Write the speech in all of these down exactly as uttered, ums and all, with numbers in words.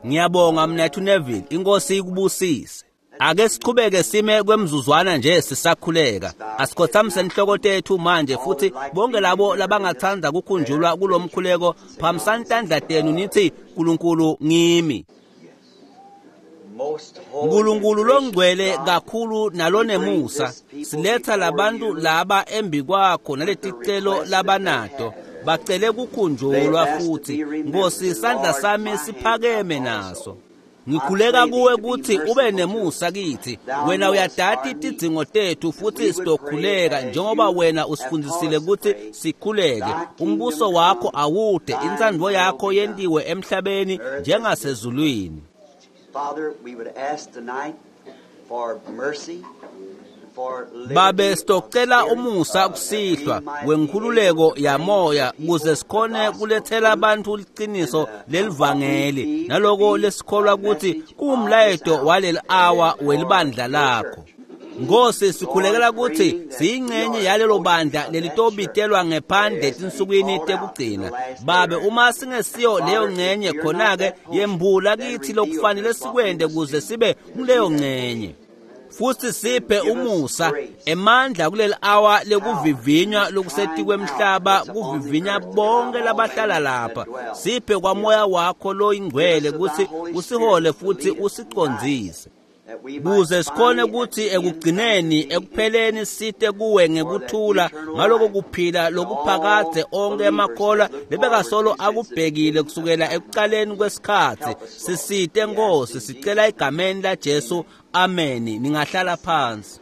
Ngiyabonga mnethu Neville, inkosi ikubusise. Ake siqhubeke sime kwemzuzwana nje sisakhuleka. Asikhothamise inhloko tethu manje futhi bonke labo labangathanda kukhunjulwa kulomkhuleko phamisani tandla tenu nithi uNkulunkulu ngimi. uNkulunkulu longcwele kakhulu nalonemusa, siletha labantu laba embi kwakho naleticelo labanato. Bacele kukhunjulwa futhi Nkosi, isandla sami siphakeme naso. Ngikhuleka kuwe ukuthi ube nemusa kithi. Wena uyadati tidzingo tethu futhi sitokhuleka njengoba wena usifundisile ukuthi sikhuleke. Umbuso wakho awude, intsandvo yakho yentiwe emhlabeni njengasezulwini. Father, we would ask tonight for mercy. Babe sitocela umusa kusihlwa wenkhululeko yamoya kuze sikhone kulethela abantu liciniso lelivangeli naloko lesikholwa ukuthi kuwumlayeto waleli awa welibandla lakho. Nkosi, sikhulekela ukuthi siyingcenye yalelo bandla lelitobitelwa ngephandle etinsukwini tekugcina. Babe, uma singesiyo leyo ngcenye, khona-ke yembula kithi lokufanele sikwente kuze sibe kuleyo ngcenye. Futhi siphe umusa emandla kuleli awa lekuvivinywa lokusetikwe emhlaba, kuvivinya bonke labahlala lapha. Siphe kwamoya wakho loyingcwele ukuthi usihole futhi usicondzise, kuze sikhone ukuthi ekugcineni ekupheleni site kuwe ngekuthula ngaloko kuphila lokuphakadze onke emakholwa lebekasolo akubhekile kusukela ekucaleni kwesikhatsi. Sisite Nkosi, sicela egameni la Jesu, amen. Ningahlala phansi.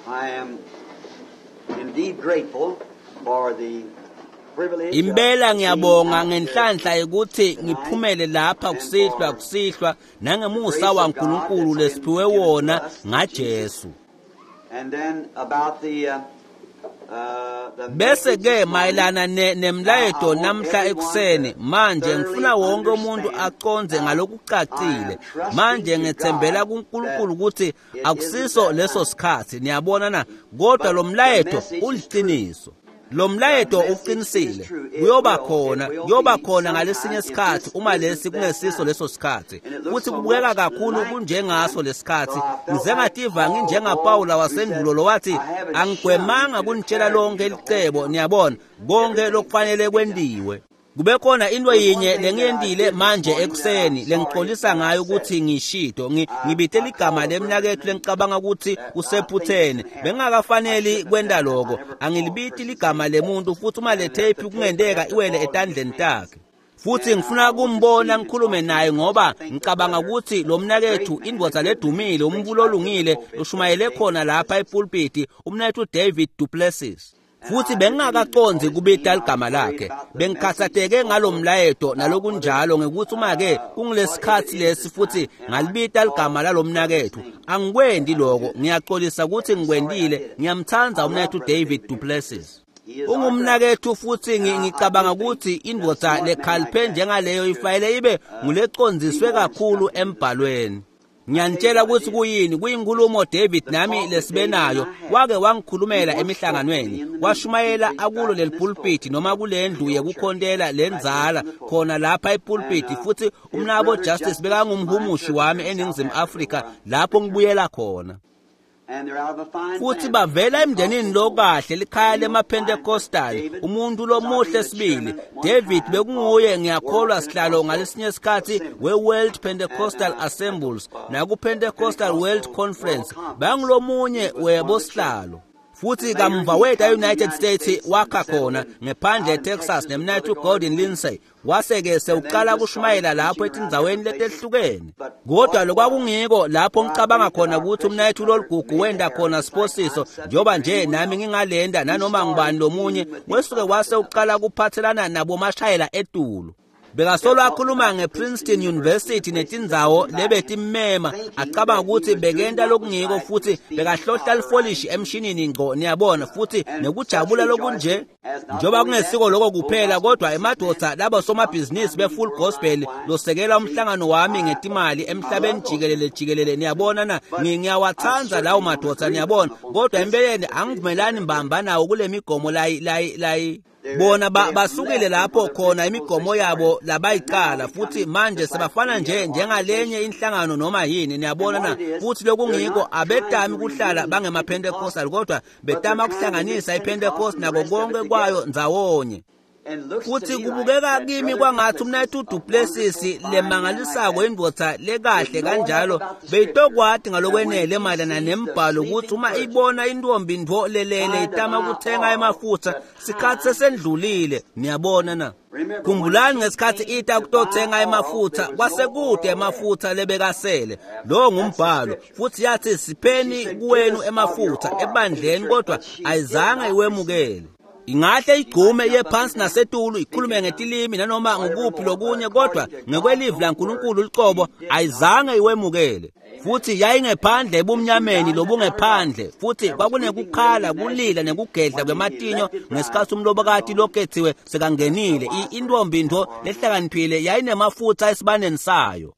I am indeed grateful for the Impela ngiyabonga ngenhlanhla ukuthi ngiphumele lapha kusihlwa kusihlwa nangemusa waNkulunkulu lesiphiwe wona ngaJesu. Bese ke mayelana nemlayeto namhla ekuseni, manje ngifuna wonke umuntu aconze ngalokucacile. Manje ngethembela kuNkulunkulu ukuthi akusiso leso sikhathi, niyabona na, kodwa lo mlayeto uliqiniso. Lo mlayeto uqinisile, kuyoba khona, kuyoba khona ngalesinye isikhathi uma lesi kungesiso leso sikhathi. Futhi kubukeka kakhulu kunjengaso lesikhathi. Ngize ngativa nginjengaPawula wasendulo lo wathi, angigwemanga kunitshela lonke licebo, niyabona, konke lokufanele kwentiwe. Kube khona into yinye lengiyentile manje ekuseni lengixolisa ngayo ukuthi ngishito ngibite ligama lemnakethu lengicabanga ukuthi usephutheni. Bengingakafaneli kwenta lokho. Angilibiti ligama lemuntu futhi uma le tape kungenteka iwele etandleni takhe. Futhi ngifuna kumbona ngikhulume naye ngoba ngicabanga ukuthi lo mnakethu indvodza ledumile, umbulo olungile ushumayele khona lapha epulpiti, umnakethu David Duplessis. Futhi bengingakaqondzi kubita ligama lakhe. Bengikhathatheke ngalomlayeto nalokunjalo ngekuthi uma-ke kungulesikhathi lesi futhi ngalibita ligama lalomnakethu. Angikwendi lokho, ngiyaxolisa ukuthi ngikwendile. Ngiyamthanda umnakethu David Duplessis. Ungumnakethu futhi ngicabanga ukuthi indvodza lekhaliphe njengaleyo ifanele ibe ngulecondziswe kakhulu embhalweni. Ngiyanitshela ukuthi kuyini, kuyinkulumo David nami lesibenayo. Wake wangikhulumela emihlanganweni, washumayela akulo leli pulpit noma kulendlu yekukhontela lenzala khona lapha epulpit. Futhi umnabo Justice bekangumhumushi wami eNingizimu Afrika lapho ngibuyela khona. Futhi bavela emndenini lokahle, likhaya lemaPentecostal, umuntu lomuhle sibili. David bekunguye ngiyakholwa sihlalo ngalesinye isikhathi we-World Pentecostal Assemblies naku-Pentecostal World Conference, bangulomunye webosihlalo. Futhi kamva weta e-United States wakha khona ngephandle eTexas nemnakethu Gordon Lindsay, wase-ke sewuqala kushumayela lapho etindzaweni letehlukene. Kodwa lokwakungiko lapho ngicabanga khona ukuthi umnakethu loligugu wenda khona siphosiso, njengoba nje nami ngingalenda nanoma ngubani lomunye, wesuke wase uqala kuphathelana nabomashayela etulu. Bekasolo akhuluma ngePrinceton University netindzawo lebetimema, acabanga ukuthi bekenta lokungiko futhi bekahlohla lifolishi emshinini ngco, niyabona, futhi nekujabula lokunje. Njengoba kungesiko lokho kuphela, kodwa emadvodza labo somabhizinisi be-Full Gospel losekela umhlangano wami ngetimali emhlabeni jikelele jikelele, niyabona na, ngiyawathanda lawo madvodza, niyabona, kodwa empeleni angivumelani mbamba nawo kule migomo layi layi layi. Bona basukile lapho khona imigomo yabo labayicala futhi manje sebafana nje njengalenye inhlangano noma yini, niyabona na? Futhi lokungiko abetami kuhlala bangemaPentecostal, kodwa betama kuhlanganisa iPentecost nako konke kwayo ndzawonye. Futhi kubukeka kimi kwangathi umnayethu Duplessis lemangalisako indvodza lekahle kanjalo beyitokwati ngalokwenele mayelana nembhalo ukuthi uma ibona intombi ntfo lelele itama kuthenga emafutha sikhathi sesendlulile, niyabona na? Khumbulani ngesikhathi ita kutothenga emafutha kwasekude emafutha lebekasele. Lo ngumbhalo. Futhi yathi sipheni kuwenu emafutha ebandleni, kodwa ayizange iwemukele. Ingahle igqume iye phansi nasetulu ikhulume ngetilimi nanoma ngukuphi lokunye, kodwa ngekwelivi laNkulunkulu licobo ayizange iwemukele. Futhi yayingephandle ebumnyameni lobungephandle, futhi kwakunekukhala, kulila nekugedla kwematinyo ngesikhathi umlobokati lokhethiwe sekangenile. Intombi ntfo lehlakaniphile yayinemafutha esibaneni sayo.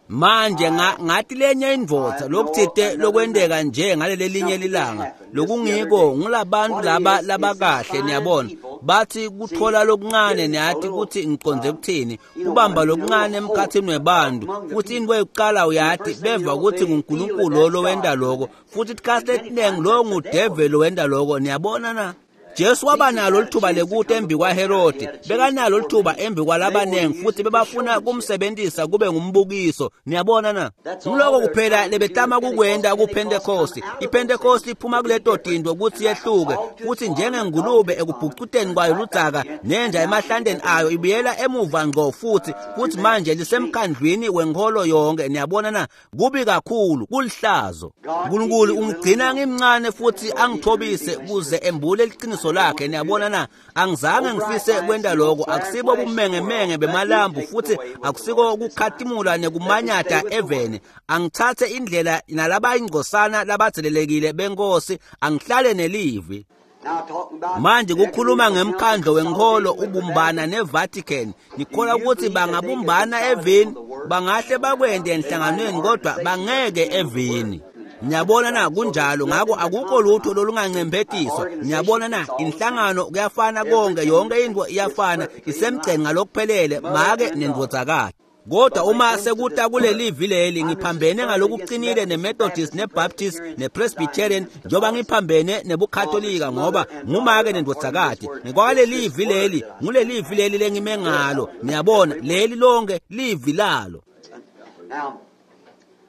Manje ngathi lenye indvodza lokuthite lokwenteka nje ngalelelinye lilanga lokungiko ngulabantu laba labakahle, niyabona, bathi kuthola lokuncane, niyathi ukuthi ngiqonde kuthini, kubamba lokuncane emkhathini webantu. Futhi into yokuqala uyathi beva ukuthi nguNkulunkulu lo lowenta lokho, futhi isikhathi lesiningi lo ngudeveli wenta lokho, niyabona na? Jesu waba nalo lithuba lekuta embi kwaHerodi, bekanalo lithuba embi kwalabanengi, futhi bebafuna kumsebenzisa kube ngumbukiso, niyabona na? Nguloko kuphela lebetama kukwenta kuPentecost. IPentecost iphuma kuleto tinto ukuthi yehluke, futhi njengengulube ekubhucuteni kwayo ludzaka nenja emahlanteni ayo ibuyela emuva ngqo futhi, futhi manje lisemkhandlwini wenkholo yonke, niyabona na? Kubi kakhulu, kulihlazo. uNkulunkulu ungigcina ngimncane futhi angithobise kuze embule iqiniso lakhe, niyabona na? Angizange ngifise kwenta lokho, akusibo bumengemenge bemalambu futhi akusiko ukukhatimula nekumanyata eveni. Angithathe indlela nalabayingcosana labathelelekile benkosi, angihlale nelivi. Manje kukhuluma ngemkhandlo wenkholo ubumbana neVatican, nikholwa ukuthi bangabumbana evini, bangahle bakwente enhlanganweni kodwa bangeke evini. Niyabona na? Kunjalo. Ngakho akukho lutho lolungancemphetiswa, niyabona na? Inhlangano kuyafana konke, yonke into iyafana, isemgceni ngalokuphelele, make nendvodzakati. Kodwa uma sekuta kulelivi leli, ngiphambene ngalokuqinile neMethodist neBaptist nePresbyterian, njengoba ngiphambene nebuKatolika, ngoba ngumake nendvodzakati. Ngekwalelivi leli, ngulelivi leli lengime ngalo, niyabona, leli lonke livi lalo.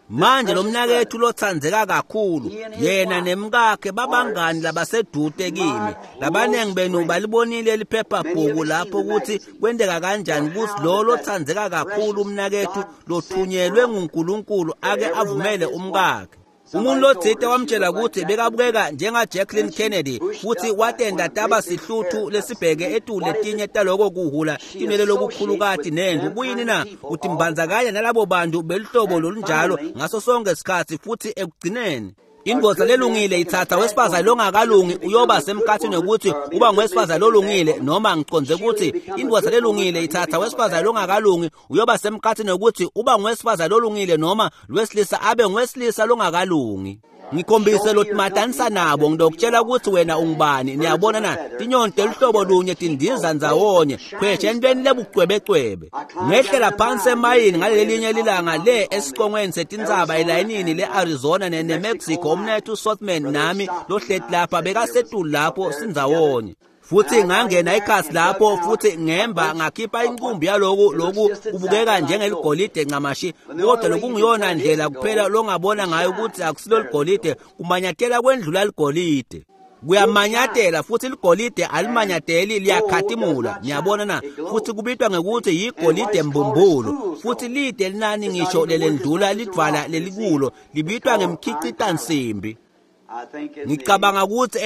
Manje lo mnakethu lotsandzeka kakhulu, yena nemkakhe babangani labasedute kimi. Labanengi benu balibonile liphephabhuku lapho ukuthi kwenteka kanjani ukuthi lo lotsandzeka kakhulu umnakethu lothunyelwe nguNkulunkulu ake avumele umkakhe. Umuntu lotsite wamtshela ukuthi bekabukeka njenga Jacqueline Kennedy, futhi watenda taba sihluthu lesibheke etulu letinye taloko kuhula tinwele lokukhulukati nendlu. Kuyini na? Utimbandzakanya nalabo bantu beluhlobo lolunjalo ngaso sonke isikhathi, futhi ekugcineni indvodza lelungile ithatha wesifazane longakalungi uyoba semkhathini wokuthi uba ngowesifazane lolungile, noma ngiqonde ukuthi indvodza lelungile ithatha wesifazane longakalungi uyoba semkhathini wokuthi uba ngowesifazane lolungile, noma lwesilisa abe ngowesilisa longakalungi. Ngikhombise lotimatanisa nabo, ngidokutshela ukuthi wena ungubani, niyabona na? Tinyoni teluhlobo lunye tindiza ndzawonye, khwesha entweni lebucwebecwebe. Ngehlela phansi emayini ngalelelinye lilanga le esicongweni setintsaba elayinini le-Arizona neMexico, umnethu Sothman nami lohleti lapha bekasetulu lapho sindzawonye. Futhi ngangena ikhasi lapho futhi ngemba ngakhipha inqumbi yaloku loku kubukeka njengeligolide ncamashi, kodwa lokungiyona ndlela kuphela longabona ngayo ukuthi akusilo ligolide, kumanyatela kwendlula ligolide. Kuyamanyatela futhi ligolide alimanyateli, liyakhatimula, niyabona na? Futhi kubitwa ngekuthi yigolide mbumbulu, futhi lide linani ngisho lelendlula lidvwala lelikulo libitwa ngemkhicitansimbi. Ngicabanga ukuthi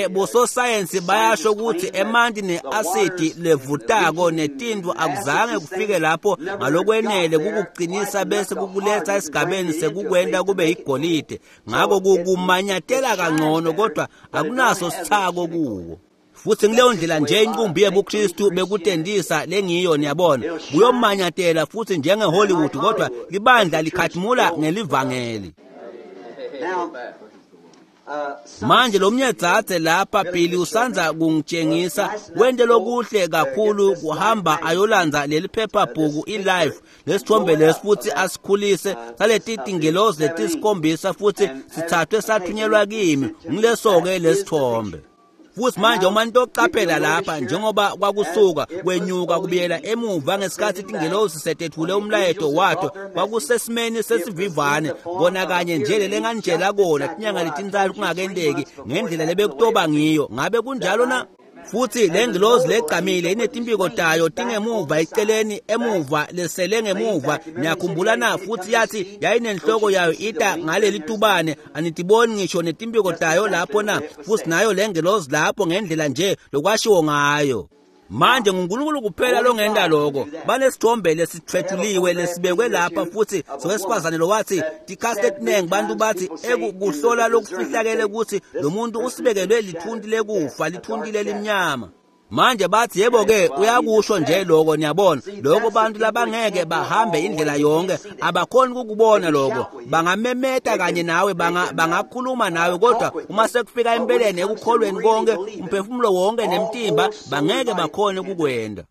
bososayensi bayasho ukuthi emanti ne-asidi levutako netintfo akuzange kufike lapho ngalokwenele kukuqinisa bese kukuletha esigabeni sekukwenta kube yigolide. Ngakho kumanyatela kangcono kodwa akunaso sithako kuwo. Futhi ngileyo ndlela nje inqumbi yebuKristu bekutendisa lengiyo, niyabona, kuyomanyatela futhi njenge-Hollywood, kodwa libandla likhatimula ngelivangeli. Manje lo mnyadzadze lapha Billy usandza kungitshengisa wente lokuhle kakhulu kuhamba ayolandza leli phephabhuku iLife lesithombe lesi futhi asikhulise saleti tingelozi letisikhombisa futhi sithathwe sathunyelwa kimi ngileso-ke lesithombe. Futhi manje uma nitocaphela lapha njengoba kwakusuka kwenyuka kubuyela emuva ngesikhathi tingelozi setethule umlayeto wato kwakusesimeni sesivivane kona kanye nje lelenganitshela kona tinyanga letintsatfu kungakenteki ngendlela lebekutoba ngiyo. Ngabe kunjalo na? Futhi le ngilozi legcamile inetimpiko tayo tingemuva eceleni emuva lesele ngemuva niyakhumbula na? Futhi yathi yayinenhloko yayo ita ngaleli tubane anitiboni ngisho netimpiko tayo lapho na? Futhi nayo le ngilozi lapho ngendlela nje lokwashiwo ngayo. Manje nguNkulunkulu kuphela longenta lokho. Banesithombe lesithwetshuliwe lesibekwe lapha futhi sowesifazane lowathi tikhathi letinengi bantu bathi ekuhlola lokufihlakele ukuthi lo muntu usibekelwe lithunti lekufa lithunti lelimnyama. Manje bathi yebo-ke uyakusho nje lokho niyabona lokho bantu labangeke bahambe indlela yonke abakhoni ukukubona lokho bangamemeta kanye nawe bangakhuluma nawe kodwa uma sekufika empeleni ekukholweni konke umphefumulo wonke nemtimba bangeke bakhone ukukwenda.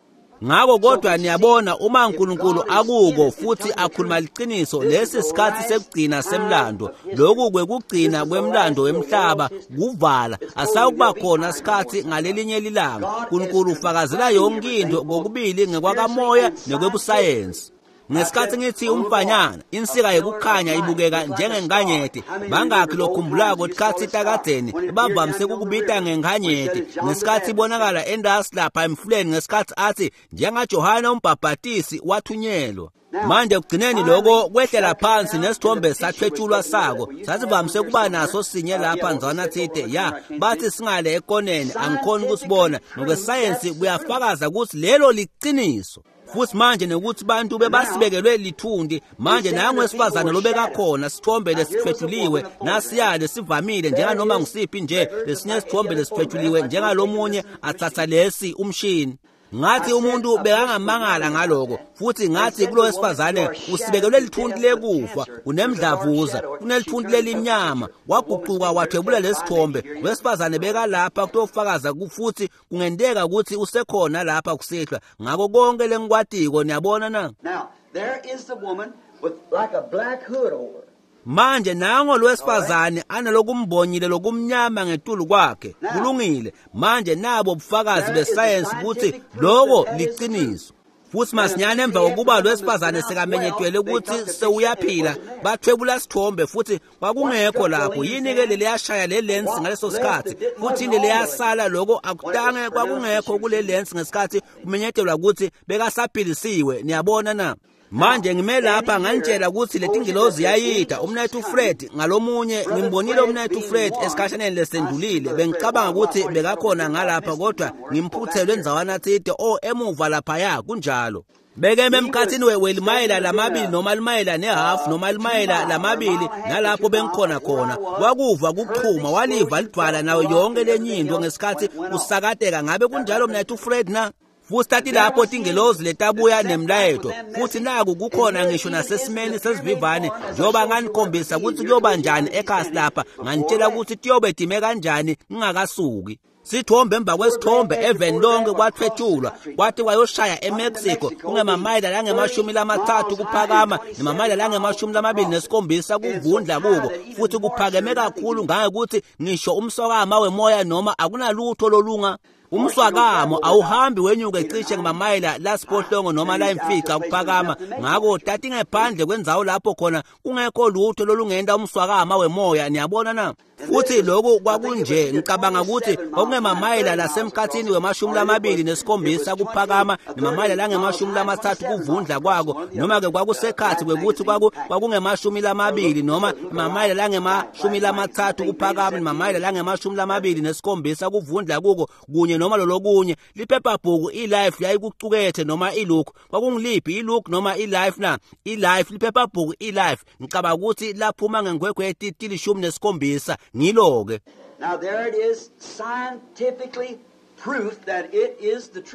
Ngakho kodwa niyabona uma uNkulunkulu akuko futhi akhuluma liqiniso lesi sikhathi sekugcina semlando lokhu kwekugcina kwemlando wemhlaba kuvala asawukuba khona sikhathi ngalelinye lilanga. uNkulunkulu ufakazela yonke into kokubili ngekwakamoya nekwebusayensi. Ngesikhathi ngithi umfanyana insika yekukhanya ibukeka njengenkanyeti bangakhi lokhumbulako tikhatsi takadzeni bavamise kukubita ngenkanyeti ngesikhathi ibonakala endasi lapha emfuleni ngesikhathi athi njengaJohane umbhabhatisi wathunyelwa. Manje ekugcineni lokho kwehlela phansi nesithombe sathwetshulwa sako sasivamise kuba naso sinye lapha ndzwana thide ya bathi singale ekoneni angikhoni ukusibona ngokwesayensi kuyafakaza ukuthi lelo liqiniso. Futhi manje nekuthi bantu bebasibekelwe lithundi manje nangu wesifazane lobekakhona sithombe lesithwetshuliwe nasiyale sivamile njenganoma ngisiphi nje lesinye sithombe lesithwetshuliwe njengalomunye athatha lesi umshini. Ngathi umuntu bekangamangala ngaloko futhi ngathi kulo wesifazane usibekelwe lithunti lekufa unemdlavuza unelithunti lelimnyama waguquka wathwebula lesithombe wesifazane bekalapha kutofakaza futhi kungenteka ukuthi usekhona lapha kusihlwa ngako konke lengikwatiko niyabona na? Now there is the woman with like a black hood over. Manje nango lwesifazane analokumbonyile lokumnyama ngetulu kwakhe kulungile. Manje nabo ubufakazi besayensi ukuthi lokho liqiniso. Futhi masinyane emva kokuba lwesifazane sekamenyetwele ukuthi sewuyaphila bathwebula sithombe futhi kwakungekho lapho yini-ke leliyashaya le lensi ngaleso sikhathi futhi yini leyasala lokho akutange kwakungekho kule lensi ngesikhathi kumenyetelwa ukuthi bekasaphilisiwe niyabona na? Manje ngime lapha nganitshela ukuthi letingilozi yayida umnethu Fred ngalomunye ngimbonile umnethu Fred esikhashaneni lesendulile bengicabanga ukuthi bekakhona ngalapha kodwa ngimphuthelwe ndzawana thide o emuva laphaya kunjalo. Bekeme emkhathini welimayela lamabili noma limayela nehafu noma limayela lamabili nalapho bengikhona khona wakuva kuchuma waliva lidvwala nayo yonke lenye into ngesikhathi usakateka. Ngabe kunjalo mnethu Fred na? Futhi tathi lapho tingelozi letabuya nemlayeto futhi naku kukhona ngisho nasesimeni sesivivane njengoba nganikhombisa ukuthi kuyoba njani ekhasi lapha nganitshela ukuthi tiyobe time kanjani ngingakasuki. Sithombe emva kwesithombe eveni lonke kwathwetshulwa kwathi kwayoshaya eMexico kungemamayela langemashumi lamathathu kuphakama nemamayela langemashumi lamabili nesikhombisa kuvundla kuko futhi kuphakeme kakhulu ngangekuthi ngisho umswakama wemoya noma akunalutho lolunga umswakamo awuhambi wenyuke cishe ngamamayela lasiphohlongo noma la imfica kuphakama. Ngakho tati ngephandle kwendzawo lapho khona kungekho lutho lolungenta umswakama wemoya niyabona na? Futhi lokhu kwakunje ngicabanga ukuthi kwakungemamayela lasemkhathini wemashumi lamabili nesikhombisa kuphakama nemamayela langemashumi lamathathu kuvundla kwako noma-ke kwakusekhathi kwekuthi kwakungemashumi lamabili noma emamayela langemashumi lamathathu kuphakama nemamayela langemashumi lamabili nesikhombisa kuvundla kuko kunye noma lolokunye. Liphephabhuku iLife yayikucukethe noma iLook kwakungiliphi iLook noma iLife na? iLife liphephabhuku iLife ngicabanga ukuthi laphuma ngenkhwekhweti tilishumi nesikhombisa ngilo-ke. Now there it is scientifically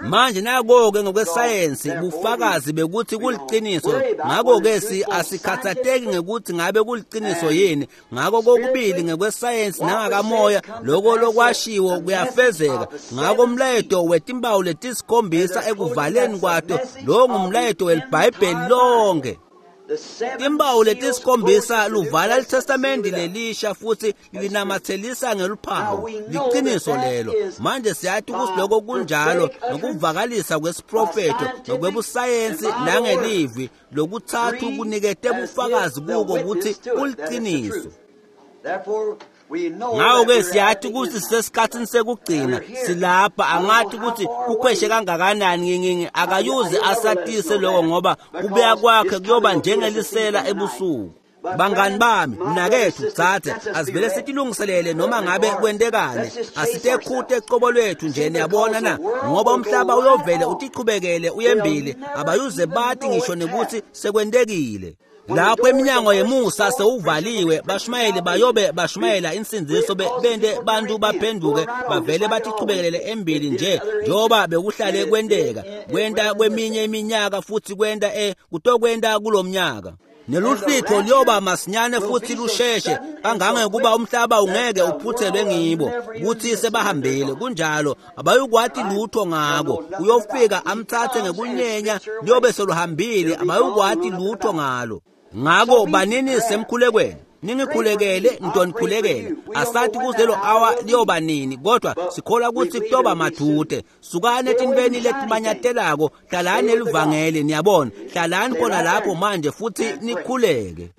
Manje nako-ke ngokwesayensi bufakazi bekuthi kuliciniso. Ngakho-ke si asikhathatheki ngekuthi ngabe kuliciniso yini. Ngakho kokubili ngekwesayensi nangakamoya lokho lokwashiwo kuyafezeka. Ngakho umlayeto wetimpawu letisikhombisa ekuvaleni kwato lo ngumlayeto weliBhayibheli lonke. Timpawu letisikhombisa luvala liTestamenti lelisha futhi linamathelisa ngeluphawu. Liqiniso lelo. Manje siyathi ukuthi lokho kunjalo nokuvakalisa kwesiprofetho nokwebusayensi nangelivi lokuthathu kunikete bufakazi kuko ukuthi kuliqiniso. Ngakho-ke siyathi ukuthi sisesikhathini sekugcina silapha. Angathi ukuthi kukhweshe kangakanani ngingi akayuze asatise lokho ngoba kubuya kwakhe kuyoba njengelisela ebusuku. Bangani bami, mnakethu, dzadze, asivele sitilungiselele noma ngabe kwentekani. Asitekhute ecobo lwethu nje, niyabona na, ngoba umhlaba uyovele utichubekele uyembili, abayuze bathi ngisho nekuthi sekwentekile. Lapho eminyango yemusa sewuvaliwe, bashumayeli bayobe bashumayela insindiso bente bantu baphenduke bavele batichubekelele embili nje njengoba bekuhlale kwenteka. Kwenta kweminye iminyaka futhi kwenta e kutokwenta kulomnyaka. Neluhlwitho liyoba masinyane futhi lusheshe kangangekuba umhlaba ungeke uphuthelwe ngibo kuthi sebahambile. Kunjalo, abayukwati lutho ngako. Uyofika amthathe ngekunyenya liyobe seluhambile, abayukwati lutho ngalo. Ngako banini semkhulekweni, ningikhulekele, ngitonikhulekela. Asathi kuzelo awa liyoba nini, kodwa sikholwa ukuthi kuyoba madude. Sukani etintweni letimanyatelako, hlalani elivangeli, niyabona. Hlalani khona lapho manje futhi nikhuleke.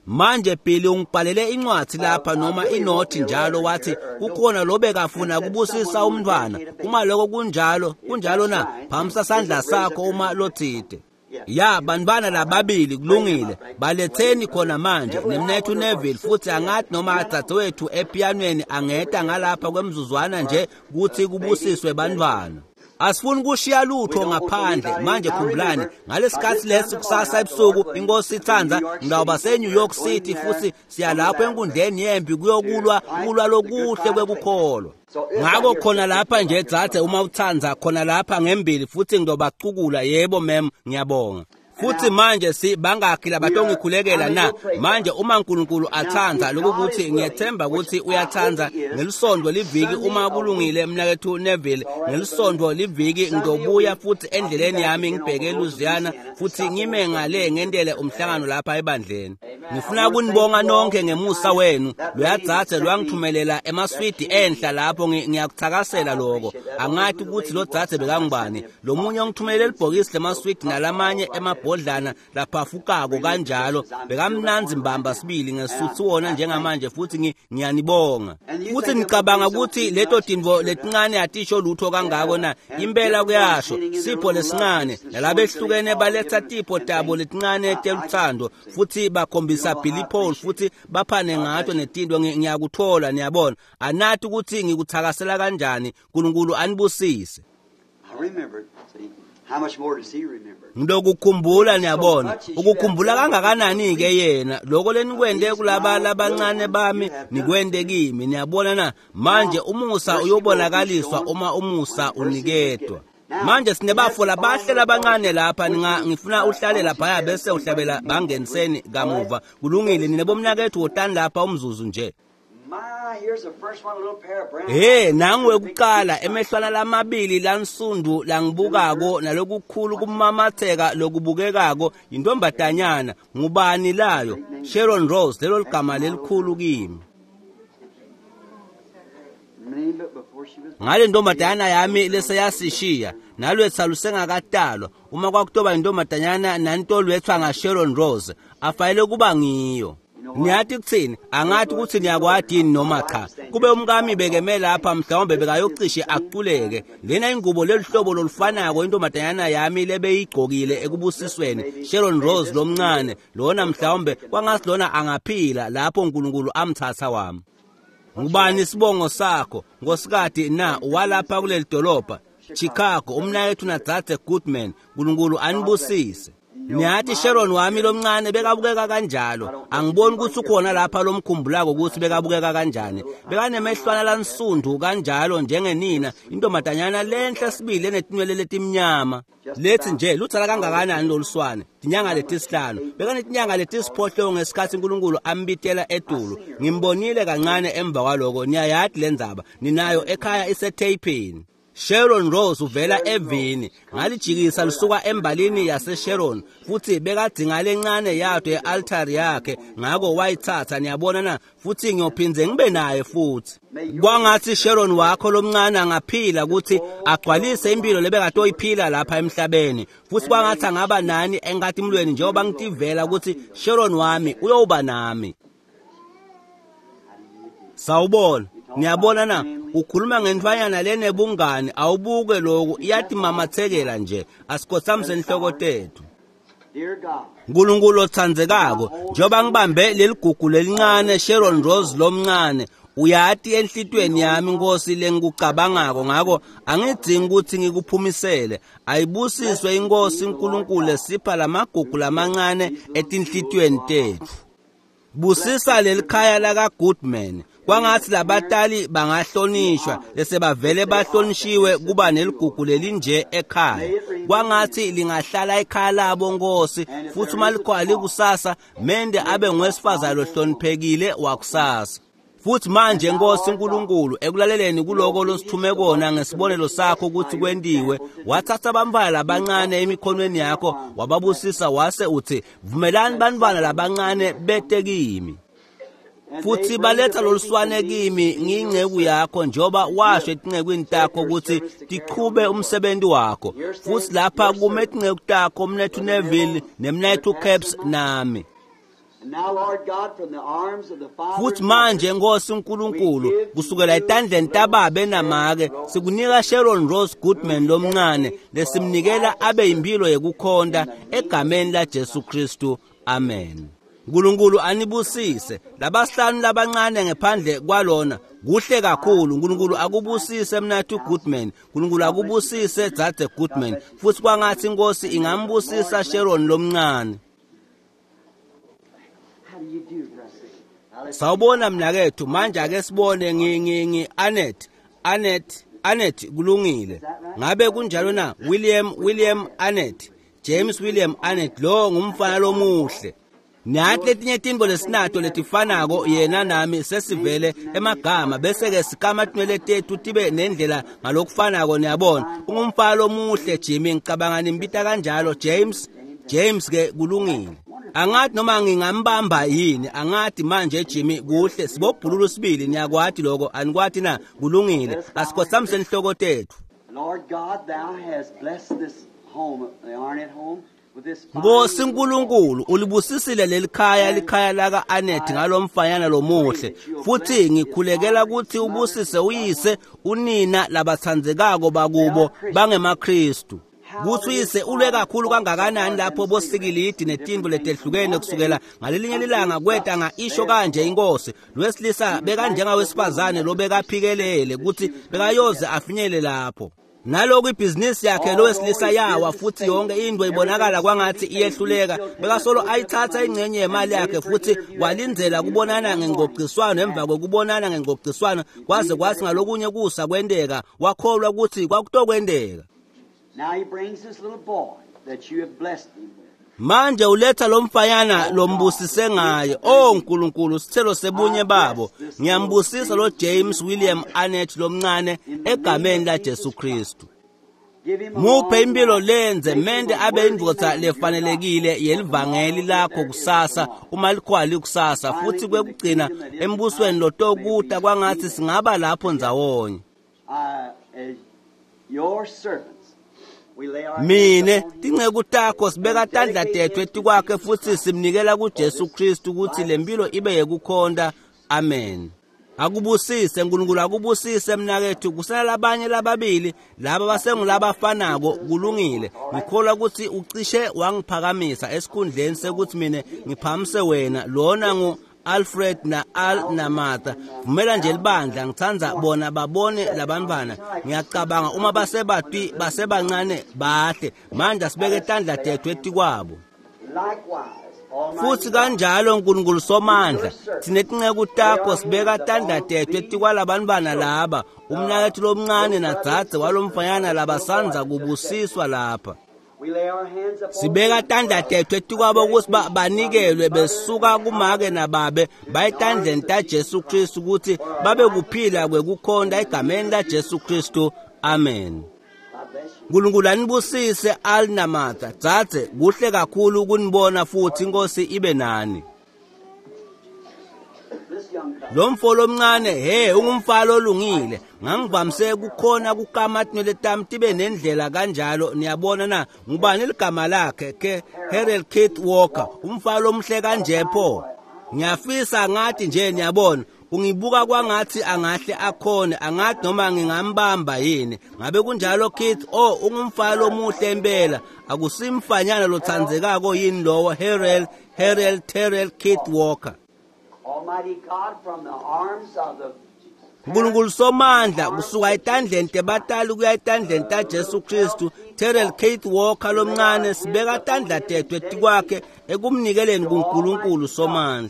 Manje Billy ungibhalele incwadi lapha noma inothi njalo, wathi kukhona lobekafuna kubusisa umntwana. Uma lokho kunjalo, kunjalo na? Phamisa sandla sakho uma lothide. Ya bantwana lababili kulungile, baletheni khona manje nemnethu Neville futhi angathi noma adzadzewethu epianweni angeta ngalapha kwemzuzwana nje kuthi kubusiswe bantwana. Asifuni kushiya lutho ngaphandle. Manje khumbulani, ngalesikhathi lesi kusasa ebusuku inkosi ithanda ngawuba se-New York City futhi siya lapho enkundleni yempi kuyokulwa kulwa lokuhle kwekukholwa. Ngakho khona lapha nje dzadze uma uthanda khona lapha ngembili futhi ngizobacukula. Yebo mem, ngiyabonga. Futhi manje si bangakhi labatongikhulekela na? Manje uma uNkulunkulu athanda lokuthi ngiyethemba ukuthi uyathanda, ngelisonto liviki uma kulungile mnakethu Neville, ngelisonto liviki ngizobuya futhi endleleni yami ngibheke eLouisiana futhi ngime ngale ngendele umhlangano lapha ebandleni. Ngifuna ukunibonga nonke ngemusa wenu. Loyadzadze lwangithumelela emaswidi enhla lapho, ngiyakuthakasela lokho. Angathi ukuthi lo dzadze bekangubani. Lo munye ongithumelele libhokisi lemaswidi nalamanye emabhodlana laphafukako kanjalo. Bekamnandzi mbamba sibili ngesuthu wona njengamanje futhi ngiyanibonga. Futhi ngicabanga ukuthi leto tintfo letincane atisho lutho kangako na? Impela kuyasho. Sipho lesincane nalabehlukene baletha tipho tabo letincane teluthando futhi bakhombisa Billy Paul futhi baphane ngato netinto. Ngiyakuthola, niyabona. Anathi ukuthi ngikuthakasela kanjani. uNkulunkulu anibusise. Ngilokukhumbula, niyabona. Ukukhumbula kangakanani ke yena lokho lenikwente kulaba labancane bami nikwente kimi, niyabona na? Manje umusa uyobonakaliswa uma umusa uniketwa. Manje sinebafo labahle labancane lapha, ngifuna uhlale laphaya bese uhlabela bangeniseni kamuva. Kulungile, nina bomnakethu wotani lapha umzuzu nje. He, nangu wekuqala emehlwana lamabili lansundu langibukako nalokukhulu kumamatheka lokubukekako yintombazanyana. Ngubani layo? Sharon Rose, lelo ligama lelikhulu kimi. Ngale ntombazanyana yami leseyasishiya nalwetha lusengakatalwa. Uma kwakutoba intombazanyana nantolwethwa ngaSharon Rose, afanele kuba ngiyo. Niyathi kuthini? Angathi ukuthi niyakwati yini noma cha. Kube umkami bekeme lapha mhlawumbe bekayocishe aculeke. Lena ingubo lelihlobo lolufanako intombazanyana yami lebeyigqokile ekubusisweni. Sharon Rose lomncane lona mhlawumbe kwangathi lona angaphila lapho uNkulunkulu amthatha wami. Ngubani isibongo sakho nkosikati na? Walapha kuleli dolobha Chicago, umnakethu nadzadze Goodman. uNkulunkulu anibusise. Niyathi Sharon wami lomncane bekabukeka kanjalo. Angiboni ukuthi ukhona lapha lomkhumbulako ukuthi bekabukeka kanjani. Bekanemehlwana lansundu kanjalo njengenina, intombazanyana lenhle sibili enetinwele letimnyama. Lethi nje lutsala kangakanani loluswane, tinyanga letisihlanu. Bekanetinyanga letisiphohlongo ngesikhathi uNkulunkulu ambitela etulu. Ngimbonile kancane emva kwaloko. Niyayati lendzaba, ninayo ekhaya iseteyipini. Sharon Rose uvela evini, ngalijikisa lisuka embalini yase Sharon, futhi bekadzinga lencane yato ye-altari yakhe, ngako wayithatha. Niyabona na? Futhi ngiyophinze ngibe naye futhi. Kwangathi Sharon wakho lomncane angaphila ukuthi agcwalise impilo lebekatoyiphila lapha emhlabeni, futhi kwangathi angaba nani enkatimulweni njengoba ngitivela ukuthi Sharon wami uyoba nami. Sawubona. Niyabona na? Ukhuluma ngentfwanyana lenebungani, awubuke lokhu, iyatimamathekela nje. Asikhothamise inhloko tethu. Nkulunkulu otsandzekako, njengoba ngibambe leligugu lelincane Sharon Rose lomncane, uyati enhlitiyweni yami Nkosi lengikucabangako, ngako angidzingi ukuthi ngikuphumisele. Ayibusiswe iNkosi uNkulunkulu esipha lamagugu lamancane etinhlitiyweni tethu. Busisa lelikhaya laka Goodman. Kwangathi labatali bangahlonishwa lesebavele bahlonishiwe kuba neligugu lelinje ekhaya. Kwangathi lingahlala ekhaya labo Nkosi, futhi uma likhwali kusasa mende abe ngowesifazane lohloniphekile wakusasa. Futhi manje Nkosi uNkulunkulu, ekulaleleni kuloko losithume kona ngesibonelo sakho ukuthi kwentiwe, wathatha abantwana labancane emikhonweni yakho wababusisa, wase uthi vumelani bantwana labancane bete kimi. Futhi baletha loluswane kimi ngiyinceku yakho, njengoba washo etincekwini takho ukuthi tichube umsebenzi wakho. Futhi lapha kume tinceku takho, Mnethu Neville neMnethu Caps nami. Futhi manje Nkosi uNkulunkulu, kusukela etandleni tababe namake sikunika Sharon Rose Goodman lomncane lesimnikela abe impilo yekukhonta egameni la Jesu Kristu. Amen. Nkulunkulu anibusise. Labasihlanu labancane ngephandle kwalona kuhle kakhulu. Nkulunkulu akubusise Mnathu Goodman. Nkulunkulu akubusise Dzadze Goodman. Futhi kwangathi iNkosi ingambusisa Sharon lomncane. Sawubona mnakethu. Manje ake sibone ngi ngi ngi Annette Annette Annette kulungile. Ngabe kunjalo na? William William Annette James William Annette lo ngumfana lomuhle. Nathi letinye tintfo lesinato letifanako yena nami sesivele emagama, bese ke sikama tinwele tethu tibe nendlela ngalokufanako. Niyabona, ungumfana lomuhle Jimmy, ngicabanga nimbita kanjalo James. James ke kulungile. Angathi noma ngingambamba yini, angathi manje Jimmy kuhle, sibobhululu sibili, niyakwati lokho, anikwati na? Kulungile, asikhothamise inhloko tethu. Lord God, thou hast blessed this home, the Arnett home. Nkosi uNkulunkulu, ulibusisile lelikhaya, likhaya laka Annette ngalomfanyana lomuhle. Futhi ngikhulekela ukuthi ubusise uyise, unina labatsandzekako bakubo bangemaKristu. Kuthi uyise ulwe kakhulu kangakanani lapho bosikilidi netintfo letehlukene kusukela ngalelinye lilanga kweta nga isho kanje inkosi. Lwesilisa bekanjengawesifazane lobekaphikelele ukuthi bekayoze afinyele lapho. Naloku ibhizinisi yakhe lowesilisa yawa, futhi yonke into ibonakala kwangathi iyehluleka. Bekasolo ayithatha ingcenye yemali yakhe futhi walindzela kubonana ngengcociswano emva kokubonana ngengcociswano, kwaze kwathi ngalokunye kusa kwenteka, wakholwa ukuthi kwakutokwenteka. Now he brings this little boy that you have blessed him with. Manje uletha lomfanyana lombusise ngaye. Oh Nkulunkulu, sithelo sebunye babo. Ngiyambusisa lo James William Annette lomncane egameni la Jesu Kristu. Muphe impilo lenze mende abe indvodza lefanelekile yelivangeli lakho kusasa, uma likhwali kusasa, futhi kwekugcina embusweni lotokuta kwangathi singaba lapho ndzawonye. Your servants. Mine tinceku takho sibeka tandla tethu etikwakhe futhi simnikela kuJesu Kristu ukuthi lempilo ibe yekukhonta. Amen. Akubusise Nkulunkulu, akubusise mnakethu. Kusala labanye lababili laba basengulabafanako. Kulungile, ngikholwa ukuthi ucishe wangiphakamisa esikhundleni sekuthi mina ngiphakamise wena. Lona ngu Alfred na Al na Martha. Vumela nje libandla, ngitsandza bona babone labantwana. Ngiyacabanga uma basebati basebancane bahle. Manje asibeke tandla tethu etikwabo. Futhi kanjalo Nkulunkulu Somandla, thina tinceku takho sibeka tandla tethu etikwalabantwana laba, umnaketfu lomncane nadzadze walomfanyana labasandza kubusiswa lapha. Sibeka tandla tethu etikwabo ukuthi banikelwe besuka kumake nababe bayitandleni taJesu Kristu ukuthi babe kuphila kwekukhonta egameni laJesu Kristu. Amen. Nkulunkulu anibusise Al naMartha. Dzadze, kuhle kakhulu ukunibona futhi, inkosi ibe nani. Lo mfo lomncane, he, ungumfana olungile. Ngangivamise kukhona kukama tinwele tami tibe nendlela kanjalo, niyabona na? Ngubani ligama lakhe? Ke Harold Keith Walker, umfana omuhle kanje pho. Ngiyafisa ngathi nje, niyabona, ungibuka kwangathi angahle akhone, angathi noma ngingambamba yini. Ngabe kunjalo Keith? Oh, ungumfana omuhle impela. Akusimfanyana lothandzekako yini lowo Harold Harold Terrell Keith Walker? Nkulunkulu Somandla, kusuka etandleni tebatali kuya etandleni taJesu Kristu, Terrell Keith Walker lomncane, sibeka tandla tethu etikwakhe ekumnikeleni kuNkulunkulu Somandla.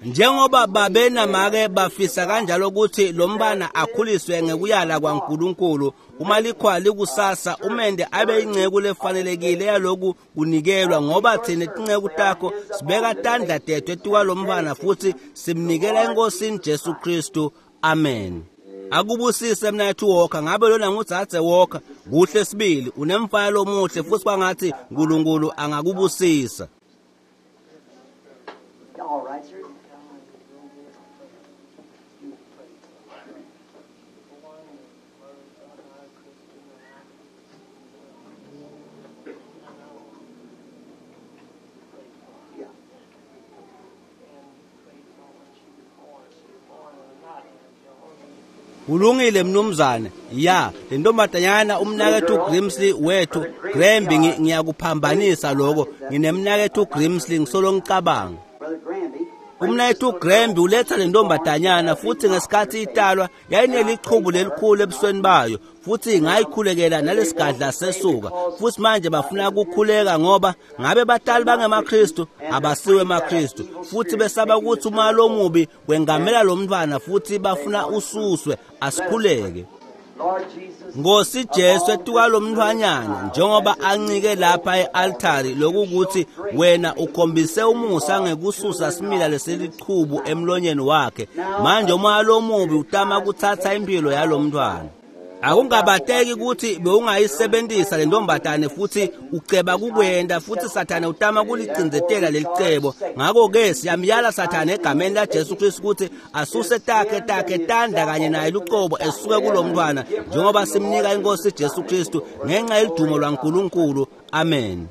Njengoba babe namake bafisa kanjalo ukuthi lo mntwana akhuliswe ngekuyala kwaNkulunkulu, uma likhwa likusasa umende abe inceku lefanelekile yaloku kunikelwa, ngoba thina tinceku takho sibeka tandla tethu etikwalo mntwana futhi simnikela eNkosini Jesu Kristu. Amen. Akubusise mnaketfu Walker. Ngabe lona ngudzadze Walker? Kuhle sibili, unemfana lomuhle futhi kwangathi Nkulunkulu angakubusisa. All right, sir. Yeah. Kulungile mnumzane. Ya, le ntombazanyana umnaketfu Grimsley wethu Gramby, ngiyakuphambanisa lokho. Nginemnaketfu Grimsley ngisolo ngicabanga. Umnaketfu Gramby uletha le ntombazanyana futhi ngesikhathi italwa yayinelichubu lelikhulu ebusweni bayo, futhi ngayikhulekela nalesigadla sesuka. Futhi manje bafuna ukukhuleka ngoba ngabe batali bangemaKristu abasiwe emaKristu, futhi besaba ukuthi umoya lomubi wengamela lo mntwana futhi bafuna ususwe. Asikhuleke. Nkosi Jesu, etuka lo mntwanyana njengoba ancike lapha e-altari, lokukuthi wena ukhombise umusa ngekususa simila leselichubu emlonyeni wakhe. Manje umoya lomubi utama kuthatha impilo yalo mntwana. Akungabateki ukuthi bewungayisebenzisa le ntombazane futhi uceba kukwenda, futhi Sathane utama kulicindzetela lelicebo. Ngakho-ke siyamyala Sathane egameni laJesu Kristu ukuthi asuse takhe takhe tandla kanye naye lucobo esuke kulo mntwana, njengoba simnika inkosi Jesu Kristu ngenxa yelidumo lwaNkulunkulu. Amen.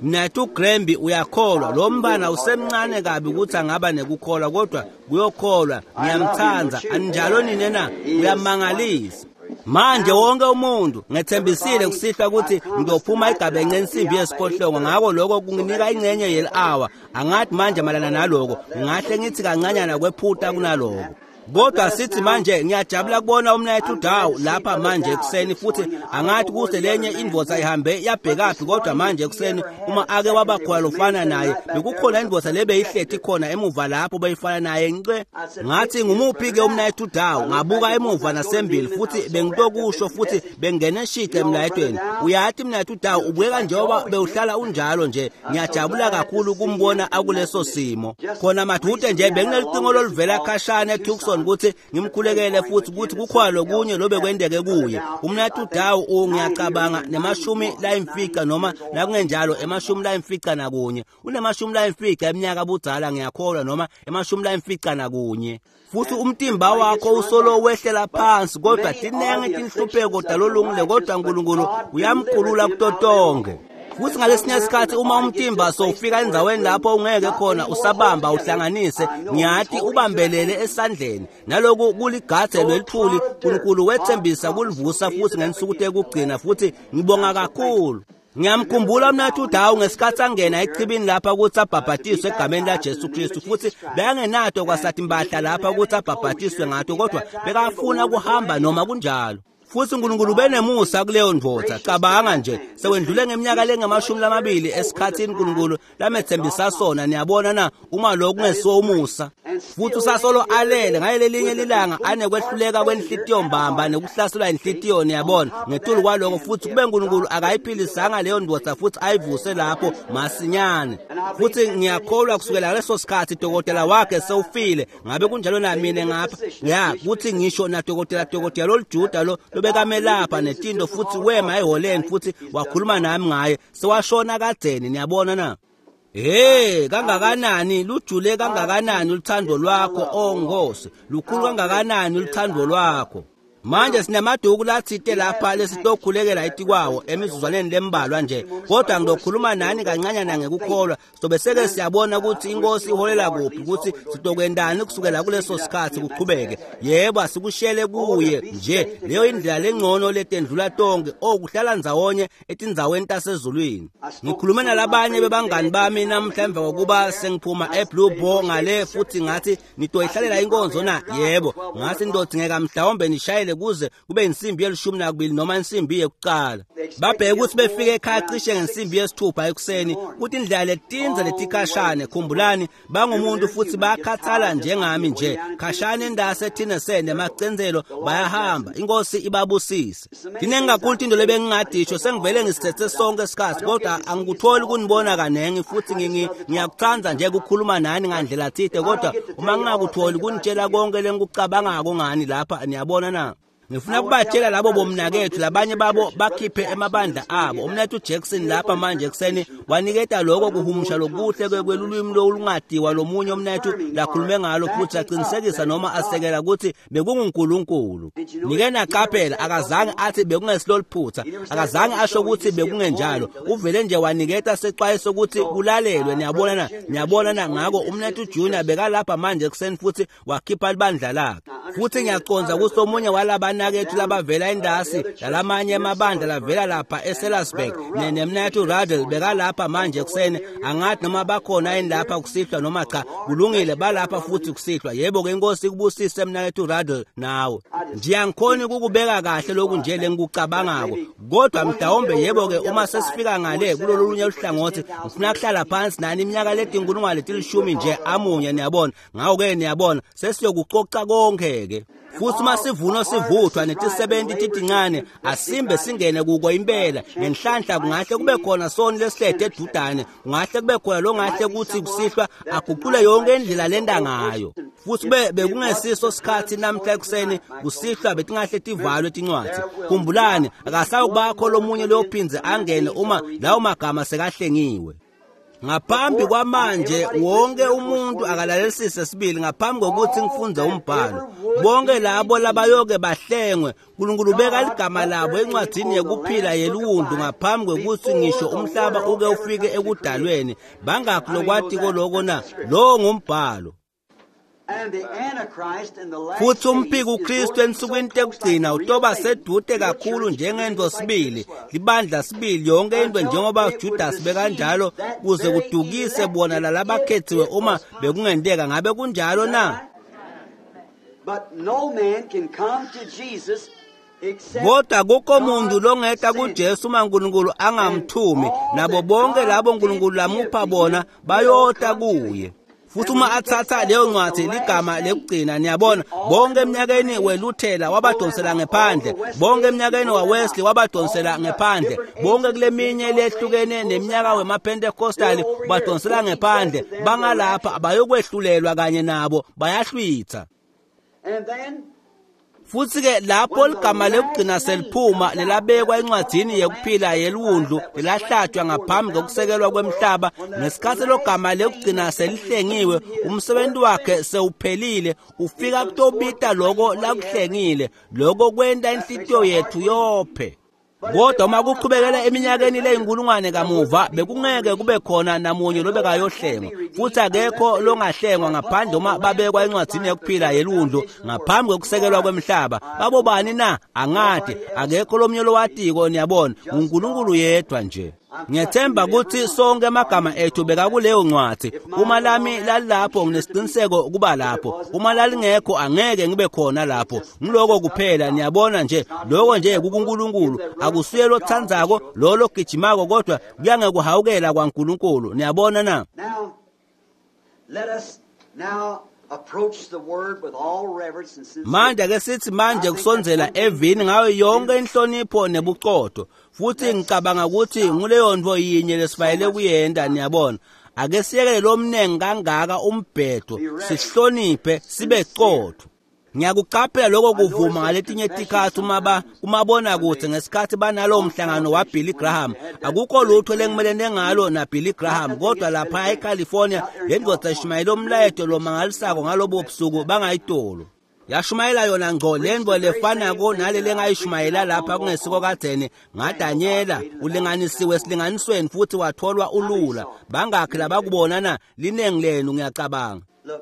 Mnaketfu Gramby, uyakholwa? Lo mntwana usemncane kabi ukuthi angaba nekukholwa, kodwa kuyokholwa. Ngiyamthanda. Aninjalo nina na? Uyamangalisa. Manje wonke umuntu ngethembisile kusihlwa ukuthi ngizophuma igabence ensimbi yesiphohlongo, ngakho lokho kunginika ingxenye yeli-hour. Angathi manje malana naloko ngingahle ngithi kancanyana kwephuta kunaloko. Kodwa sithi manje ngiyajabula kubona umnaketfu Dawu lapha manje ekuseni, futhi angathi kuse lenye indvodza ihambe yabhekaphi, kodwa manje ekuseni uma ake waba khona lofana naye, bekukhona indvodza lebeyihleti khona emuva lapho beyifana naye nce. Ngathi ngumuphi ke umnaketfu Dawu? Ngabuka emuva nasembili futhi bengitokusho futhi bengene shice emlayetweni. Uyathi mnaketfu Dawu ubukeka njengoba bewuhlala unjalo nje. Ngiyajabula kakhulu ukumbona akuleso simo. Khona madude nje benginelicingo loluvela khashana eTucson ukuthi ngimkhulekele futhi ukuthi kukhona lokunye lobe kwendeke kuye. Umnaketfu Dawu ngiyacabanga nemashumi layimfica noma nakungenjalo emashumi layimfica nakunye. Unemashumi layimfica eminyaka budzala ngiyakholwa, noma emashumi layimfica nakunye. Futhi umtimba wakho usolo wehlela phansi, kodwa tinenge tinhlupheko talolungile, kodwa uNkulunkulu uyamkhulula kuto tonke. Futhi ngalesinye isikhathi uma umtimba sowufika endzaweni lapho ungeke khona usabamba uhlanganise, ngiyathi ubambelele esandleni. Naloku kuligadze lwelithuli, uNkulunkulu wethembisa kulivusa futhi ngensuku tekugcina, futhi ngibonga kakhulu. Ngiyamkhumbula umnaketfu Dawu ngesikhathi angena echibini lapha ukuthi abhabhatiswe egameni laJesu Kristu, futhi bekangenato kwasathi impahla lapha ukuthi abhabhatiswe ngato, kodwa bekafuna kuhamba noma kunjalo. Futhi uNkulunkulu ubenemusa kuleyo ndvodza. Cabanga nje, sewendlule ngeminyaka lengamashumi lamabili esikhathini uNkulunkulu lamethembisa sona. Niyabona na, uma lokhu kungesiwo umusa. Futhi usasolo alele ngalelinye lilanga anekwehluleka kwenhlitiyo mbamba nekuhlaselwa inhlitiyo, niyabona. Ngetulu kwaloko futhi kube uNkulunkulu akayiphilisanga leyo ndvodza futhi ayivuse lapho masinyane. Futhi ngiyakholwa kusukela leso sikhathi dokotela wakhe sewufile. Ngabe kunjalo na mina ngapha? Ya, kuthi ngisho na dokotela dokotela lolujuda lo lobekamelapha netinto futhi wema eholeni futhi wakhuluma nami ngaye, sewashona kadzeni, niyabona na. Hey, kangakanani lujule kangakanani luthando lwakho, oh Nkosi, lukhulu kangakanani luthando lwakho. Manje sinamaduku lathite lapha lesitokhulekela etikwawo emizuzwaneni lembalwa nje, kodwa ngizokhuluma nani kancanyana ngekukholwa. Sobe seke siyabona ukuthi inkosi iholela kuphi, ukuthi sitokwendani kusukela kuleso sikhathi kuqhubeke. Yebo, asikushele kuye nje, leyo indlela lengcono letendlula tonke, okuhlala ndzawonye etindzaweni tasezulwini. Ngikhulume nalabanye bebangani bami namhla emva kokuba sengiphuma eBlue Boar ngale, futhi ngathi nitoyihlalela inkonzo na? Yebo, ngathi nitodzingeka mhlawumbe nishayele kuze kube insimbi yelishumi nakubili noma insimbi yekuqala. Babheke ukuthi befike ekhaya cishe ngensimbi yesithupha ekuseni, kuthi indlela letinze letikhashane. Khumbulani, bangumuntu futhi bayakhathala njengami nje. Khashane endase Tennessee nemacenzelo bayahamba. Inkosi ibabusise. Dinengi kakhulu into lebengingadisho, sengivele ngisithethe sonke isikhathi, kodwa angikutholi kunibona kanengi futhi ngiyakuthanda nje ukukhuluma nani ngandlela thide, kodwa uma ngingakutholi kunitshela konke lengikucabangako ngani lapha, niyabona na. Ngifuna kubatshela labo bomnakethu labanye babo bakhiphe emabandla abo. Umnethu Jackson lapha manje ekuseni waniketa lokho kuhumusha lokuhle kwelulwimi olungadiwa lomunye umnethu lakhulume ngalo futhi aqinisekisa noma asekela ukuthi bekunguNkulunkulu. Nike naqaphela, akazange athi bekungesiloliphutha, akazange asho ukuthi bekungenjalo. Uvele nje waniketa sexwayiso ukuthi kulalelwe, niyabona na, niyabona na. Ngakho umnethu Junior bekalapha manje ekuseni futhi wakhipha libandla lakhe. Futhi ngiyaconza ukuthi omunye walaba nakethu labavela endasi lalamanye amabandla lavela lapha eSellersburg nemnethu Radel bekalapha manje ekuseni. Angathi noma bakhona yini lapha kusihlwa noma cha. Kulungile, balapha futhi kusihlwa. Yebo ke, inkosi ikubusise mnakethu Radel nawe. Nje angikhoni ukukubeka kahle lokhu nje lengikucabangako, kodwa mhlawumbe yebo ke uma sesifika ngale kulolunye uhlangothi ngifuna kuhlala phansi nani iminyaka letinkulungwane letilishumi nje amunye, niyabona. Ngakho ke niyabona sesiyokucoca konke ke. Futhi uma sivuno sivuthwa netisebenzi titincane, asimbe singene kuko impela. Ngenhlanhla kungahle kube khona soni lesihlethe edudane, kungahle kube khona longahle kuthi kusihlwa aguqule yonke indlela lenda ngayo. Futhi be bekungesiso sikhathi namhla ekuseni kusihlwa betingahle tivalwe tincwadzi. Khumbulani, akasawubakho lomunye loyophindze angene uma lawo magama sekahlengiwe. Ngaphambi kwamanje wonke umuntu akalalelisise sibili ngaphambi kokuthi ngifunde umbhalo. Bonke labo labayoke bahlengwe, uNkulunkulu ubeka ligama labo encwadini yekuphila yeluwundu ngaphambi kokuthi ngisho umhlaba uke ufike ekudalweni. Bangakhi lokwatiko lokho na? Lo ngumbhalo. Futhi umphiko uKristu ensukwini tekugcina utoba sedude kakhulu njengento sibili, libandla sibili, yonke into njengoba Judas bekanjalo, kuze kudukise bona lalabakhethiwe uma bekungenteka. Ngabe kunjalo na? Kodwa kukho muntu longeta kuJesu uma uNkulunkulu angamthumi, nabo bonke labo uNkulunkulu lamupha bona bayota kuye. Futhi uma athatha leyo ncwadi ligama lekugcina, niyabona, bonke eminyakeni weLuthela wabadonsela ngephandle, bonke eminyakeni waWesley wabadonsela ngephandle, bonke kuleminye lehlukene neminyaka wemaPentecostal badonsela ngephandle. Bangalapha bayokwehlulelwa kanye nabo, bayahlwitha. Futhi ke lapho ligama lekugcina seliphuma lelabekwa encwadini yekuphila yeluwundlu lelahlatshwa ngaphambi kokusekelwa kwemhlaba, ngesikhathi logama lekugcina selihlengiwe, umsebenzi wakhe sewuphelile, ufika kutobita loko lakuhlengile, loko kwenta inhlitiyo yethu yophe. Kodwa uma kuqhubekela eminyakeni leyinkulungwane kamuva, bekungeke kube khona namunye lobekayohlengwa, futhi akekho longahlengwa ngaphandle uma babekwa encwadini yokuphila yeluwundlu ngaphambi kokusekelwa kwemhlaba. Babobani na? Angadi, akekho lomunye lowatiko, niyabona, uNkulunkulu yedwa nje. Ngiyethemba ukuthi sonke amagama ethu bekakuleyo ncwadi. Uma lami lalapho nginesiqiniseko ukuba lapho, uma lalingekho angeke ngibe khona lapho. Ngiloko kuphela, niyabona nje, lokho nje kukuNkulunkulu. Akusuye lothandzako lo logijimako, kodwa kuyangekuhawukela kwaNkulunkulu. Niyabona na? Now, let us now approach the word with all reverence and sincerity. Manje ake sithi manje kusondzela evini ngayo yonke inhlonipho nebuqotho, futhi ngicabanga ukuthi nguleyo nto yinye lesifayele kuyenta. Niyabona, ake siyekele lo mnengi kangaka umbhedo, sihloniphe sibe qotho. Ngiyakuqaphela lokho kuvuma ngaletinye tikhatsi uma ba kumabonakude ngesikhathi banalowo mhlangano waBilly Graham. Akukho lutho lengimelene ngalo naBilly Graham, kodwa lapha eCalifornia le ndoda ishumayele umlayeto lomangalisako ngalobo busuku bangayitolo. Yashumayela yona ngco lento lefanako nalele engayishumayela lapha kungesiko kadzeni ngaDanyela. Ulinganisiwe esilinganisweni futhi watholwa ulula. Bangakhi labakubona na? Linengi lenu ngiyacabanga. Look,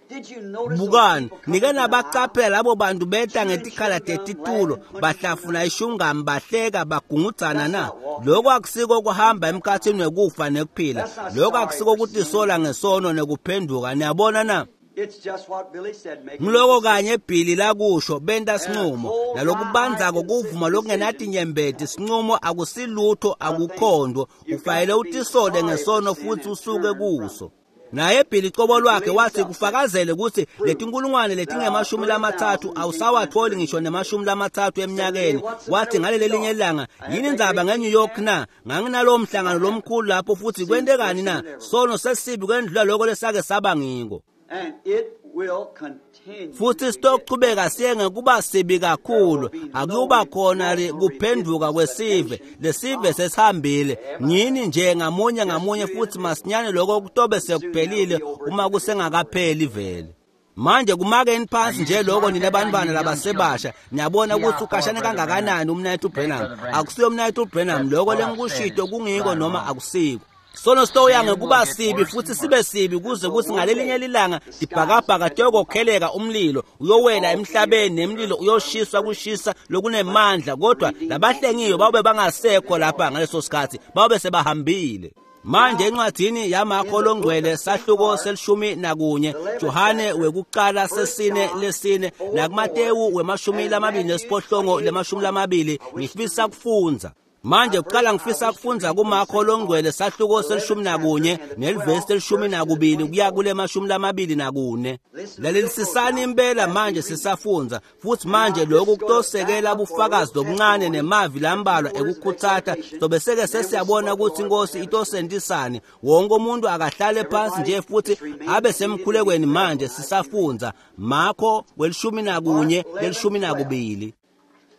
did you notice those Bukani, people coming nike to the aisle? nabaqaphela labo bantu beta ngetikhala tetitulo, bahlafuna ishungami, bahleka, bagungudzana na? Lokho akusiko kuhamba emkhathini wekufa nekuphila. Lokho akusiko kutisola ngesono nekuphenduka. Niyabona na? It's just what Billy said, making Ngiloko kanye Billy lakusho, benta sinqumo nalokubanzako kuvuma lokungenatinyembeti. Sinqumo akusilutho, akukhondo. Ufanele utisole ngesono futhi usuke kuso. Naye Billy cobo lwakhe wathi kufakazele ukuthi letinkulungwane letingemashumi lamatsatfu awusawatholi ngisho nemashumi lamatsatfu eminyakeni. Wathi ngaleli linye ilanga, yini indzaba ngeNew York na? Nganginalowo mhlangano lomkhulu lapho, futhi kwentekani na? Sono sesibi kwendlula lokho lesake saba ngiko. And it will continue. Futhi to get sitochubeka siye ngekuba sibi kakhulu. Akuba khona ri- kuphenduka kwesive. Lesive sesihambile ngini nje ngamunye ngamunye, futhi masinyane lokho kutobe sekuphelile uma kusengakapheli vele. Manje kumakeni phansi nje lokho nina bantwana labasebasha. Niyabona ukuthi ukhashane kangakanani umnayethu Branham. Akusiyo umnayethu Branham lokho lengikushito kungiko noma akusiko. Sono sitoya ngekuba sibi futhi sibe sibi kuze kuthi ngalelinye lilanga tibhakabhaka tiyokokheleka, umlilo uyowela emhlabeni nemlilo uyoshiswa kushisa lokunemandla, kodwa labahlengiwe babe bangasekho lapha ngaleso sikhathi, babe sebahambile. Manje encwadini yaMakho longcwele sahluko selishumi nakunye, Johane wekuqala sesine lesine, nakuMatewu wemashumi lamabili nesiphohlongo lemashumi lamabili, ngifisa kufundza. Manje kuqala ngifisa kufundza kuMakho longcwele sahluko selishumi nakunye nelivesi elishumi nakubili kuya kule mashumi lamabili nakune. Lalelisisani impela manje sisafundza, futhi manje lokhu kutosekela bufakazi lobuncane nemavi lambalwa ekukhutsata. Sobe seke sesiyabona ukuthi inkosi itosentisani. Wonke umuntu akahlale phansi nje futhi abe semkhulekweni manje sisafundza Makho welishumi nakunye lelishumi nakubili.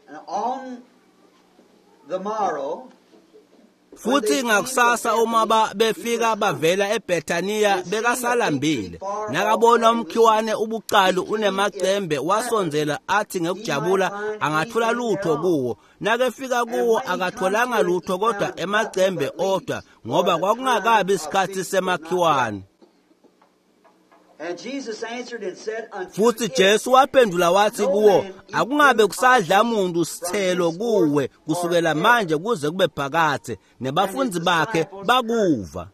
And on the morrow, Futhi ngakusasa uma ba befika bavela eBethaniya bekasalambile. Nakabona umkhiwane ubuqalu unemacembe, wasondzela athi ngekujabula angathola lutho kuwo. Nakefika kuwo akatholanga lutho kodwa emacembe odwa, ngoba kwakungakabi isikhathi semakhiwane. and Jesus answered and said unto Futhi it, Jesu waphendula wathi kuwo, akungabe kusadla muntu sithelo kuwe kusukela manje kuze kube phakathe. Nebafundi bakhe bakuva.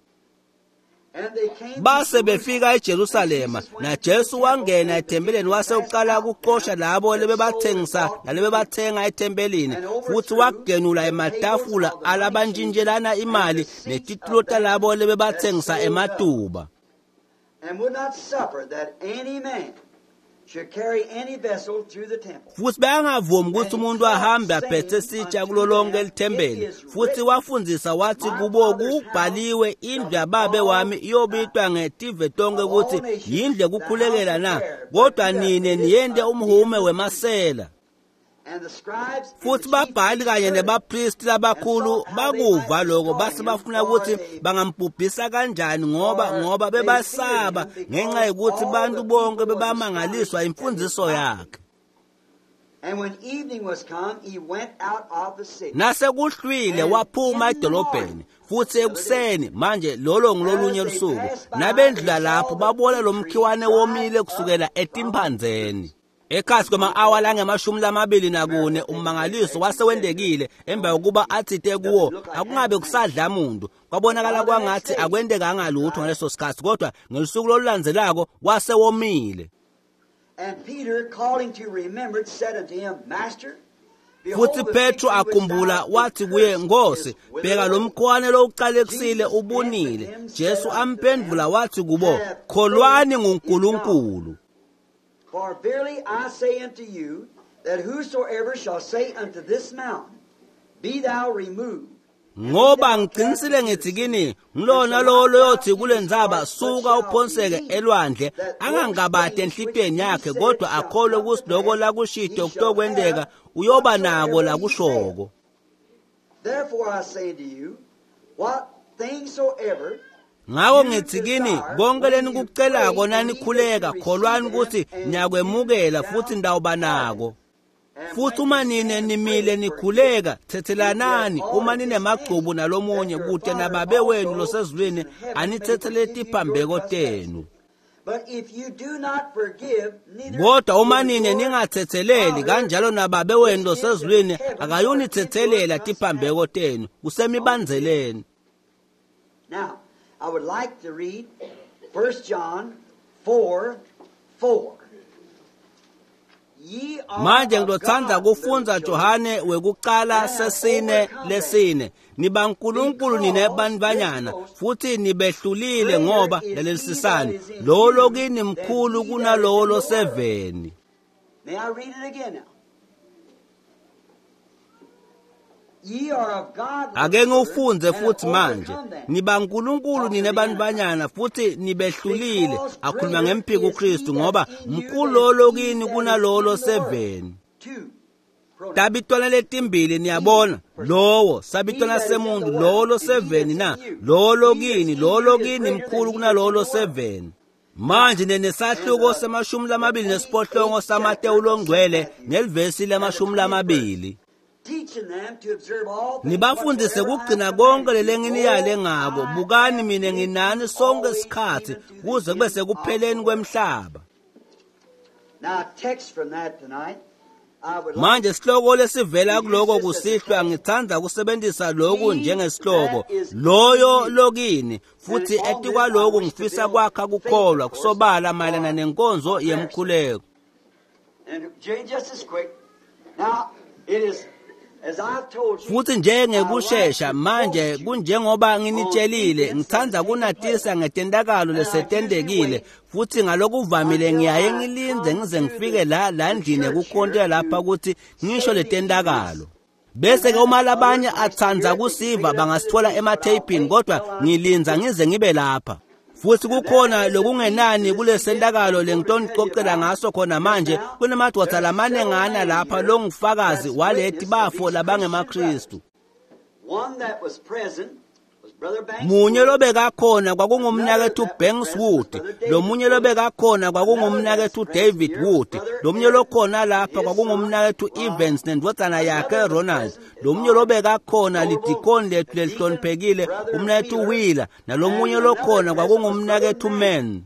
And they came to Base Jerusalem. befika eJerusalema, naJesu wangena ethempelini wase uqala ukuxosha labo lebebathengisa nalebebathenga ethempelini, futhi wagenula ematafula alabantshintshelana imali netitulo talabo lebebathengisa ematuba. And would not suffer that any man should carry any vessel through the temple. Futhi bayangavumi ukuthi umuntu ahambe aphethe sitsha kulo lonke lithempeli. Futhi wafundzisa wathi kubo, kubhaliwe, indlu yababe wami iyobitwa ngetive tonke ukuthi yindlu yekukhulekela na, kodwa nine niyente umhume wemasela. And the scribes and Futhi the chief babhali kanye priests heard it. nebapristi labakhulu bakuva lokho, base bafuna ukuthi bangambhubhisa kanjani, ngoba ngoba bebasaba ngenxa yokuthi bantu bonke bebamangaliswa imfundiso yakhe. And when evening was come, he went out of the city. Nasekuhlwile waphuma edolobheni, futhi ekuseni manje lolo ngilolunye lusuku, nabendlula lapho babona lo mkhiwane womile kusukela etimphandzeni. Ekhatsi kwema-awa langemashumi lamabili nakune ummangaliso wasewendekile emva kokuba atsite kuwo akungabe kusadla muntu. Kwabonakala kwangathi akwentekanga lutho ngaleso sikhatsi, kodwa ngelusuku lolulandzelako wasewomile. And Peter, calling to remembrance, said unto him, Master, Futhi Petro akhumbula wathi kuye, Nkosi, bheka lo mkhwane lowucalekisile ubunile. Jesu amphendvula wathi kubo, kholwani nguNkulunkulu. For verily I say unto you, that whosoever shall say unto this mountain, Be thou removed, Ngoba ngiqinisile ngithi kini, ngilona lowo loyothi kule ndzaba, suka uphonseke elwandle, angangabati enhlitiyweni yakhe, kodwa akholwe ukuthi lokho lakushito kutokwenteka, uyoba nako lakushoko. Therefore I say unto you, what things soever Ngako ngithi kini, konke lenikucelako nanikhuleka, kholwani ukuthi niyakwemukela futhi nitawuba nako. Futhi uma nine nimile nikhuleka, thethelanani uma ninemagcubu nalomunye, kute nababe wenu losezulwini anithethele tiphambeko tenu. But if you do not forgive, neither Kodwa uma will nine your ningathetheleli, kanjalo nababe wenu losezulwini akayunithethelela tiphambeko tenu. Kusemibandzeleni. Now, I would like to read First John four four. Ye are Manje of ngizothanda God, kufundza little children, Johane wekuqala sesine lesine. Nibankulunkulu nine bantfwanyana futhi nibehlulile ngoba lalelisisani. Lowo lokini mkhulu kunalowo loseveni. May I read it again now? Ye are of God, little Ake ngiwufundze children, and futhi have manje. overcome them. Nibankulunkulu nine bantfwanyana futhi nibehlulile. Akhuluma ngemphiko uKristu ngoba mkhulu lowo lokini kunalowo loseveni. Two. Pronouns. Tabitwana letimbili niyabona, lowo sabitwana semuntu, lowo loseveni na lowo lokini, lowo lokini mkhulu kunalowo loseveni. Manje nenesahluko semashumi lamabili nesiphohlongo saMatewu longcwele nelivesi lamashumi lamabili. Teaching them to observe all things Nibafundise whatsoever I kugcina command konke you. lelenginiyale Lo, ngako. I Bukani am mina with you nginani sonke always, isikhathi even to the kuze kube end of sekupheleni the world. kwemhlaba. Now, text from that tonight. I would like Manje sihloko lesivela kuloko kusihlwa ngithanda kusebenzisa lokhu njengesihloko, loyo lokini, futhi etikwaloku ngifisa kwakha kukholwa kusobala mayelana nenkonzo yemkhuleko. And Jane, just as quick. Now, it is, as I've told you, Futhi njengekushesha manje kunjengoba nginitshelile, ngithanda kunatisa ngetentakalo lesetendekile, futhi ngalokuvamile ngiyaye ngilindze ngize ngifike la la ndlini yekukhontela lapha ukuthi ngisho letentakalo. Bese ke uma labanye atsandza kusiva bangasithola ematheyipini, kodwa ngilindza ngize ngibe lapha. Futhi kukhona lokungenani kulesentakalo lengitonicocela ngaso khona manje. Kunemadoda lamanengana lapha longufakazi waleti bafo labangemaKristu. One that was present was Brother Banks. Munye lobekakhona kwakungumnakethu Banks Wood, lomunye lobekakhona kwakungumnakethu David Wood, lomunye lokhona lapha kwakungumnakethu Evans nendvodzana yakhe Ronald, lomunye lobekakhona lidikoni lethu lelihloniphekile umnakethu Wheeler, nalomunye lokhona kwakungumnakethu Mann.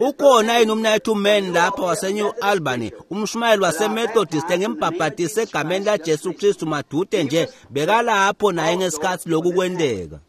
Uh, Ukhona yini umnakethu Mann lapha waseNew Albany, umshumayeli waseMethodist engimbhabhatise egameni laJesu Kristu madude nje, bekalapho naye ngesikhathi lokhu kwenteka.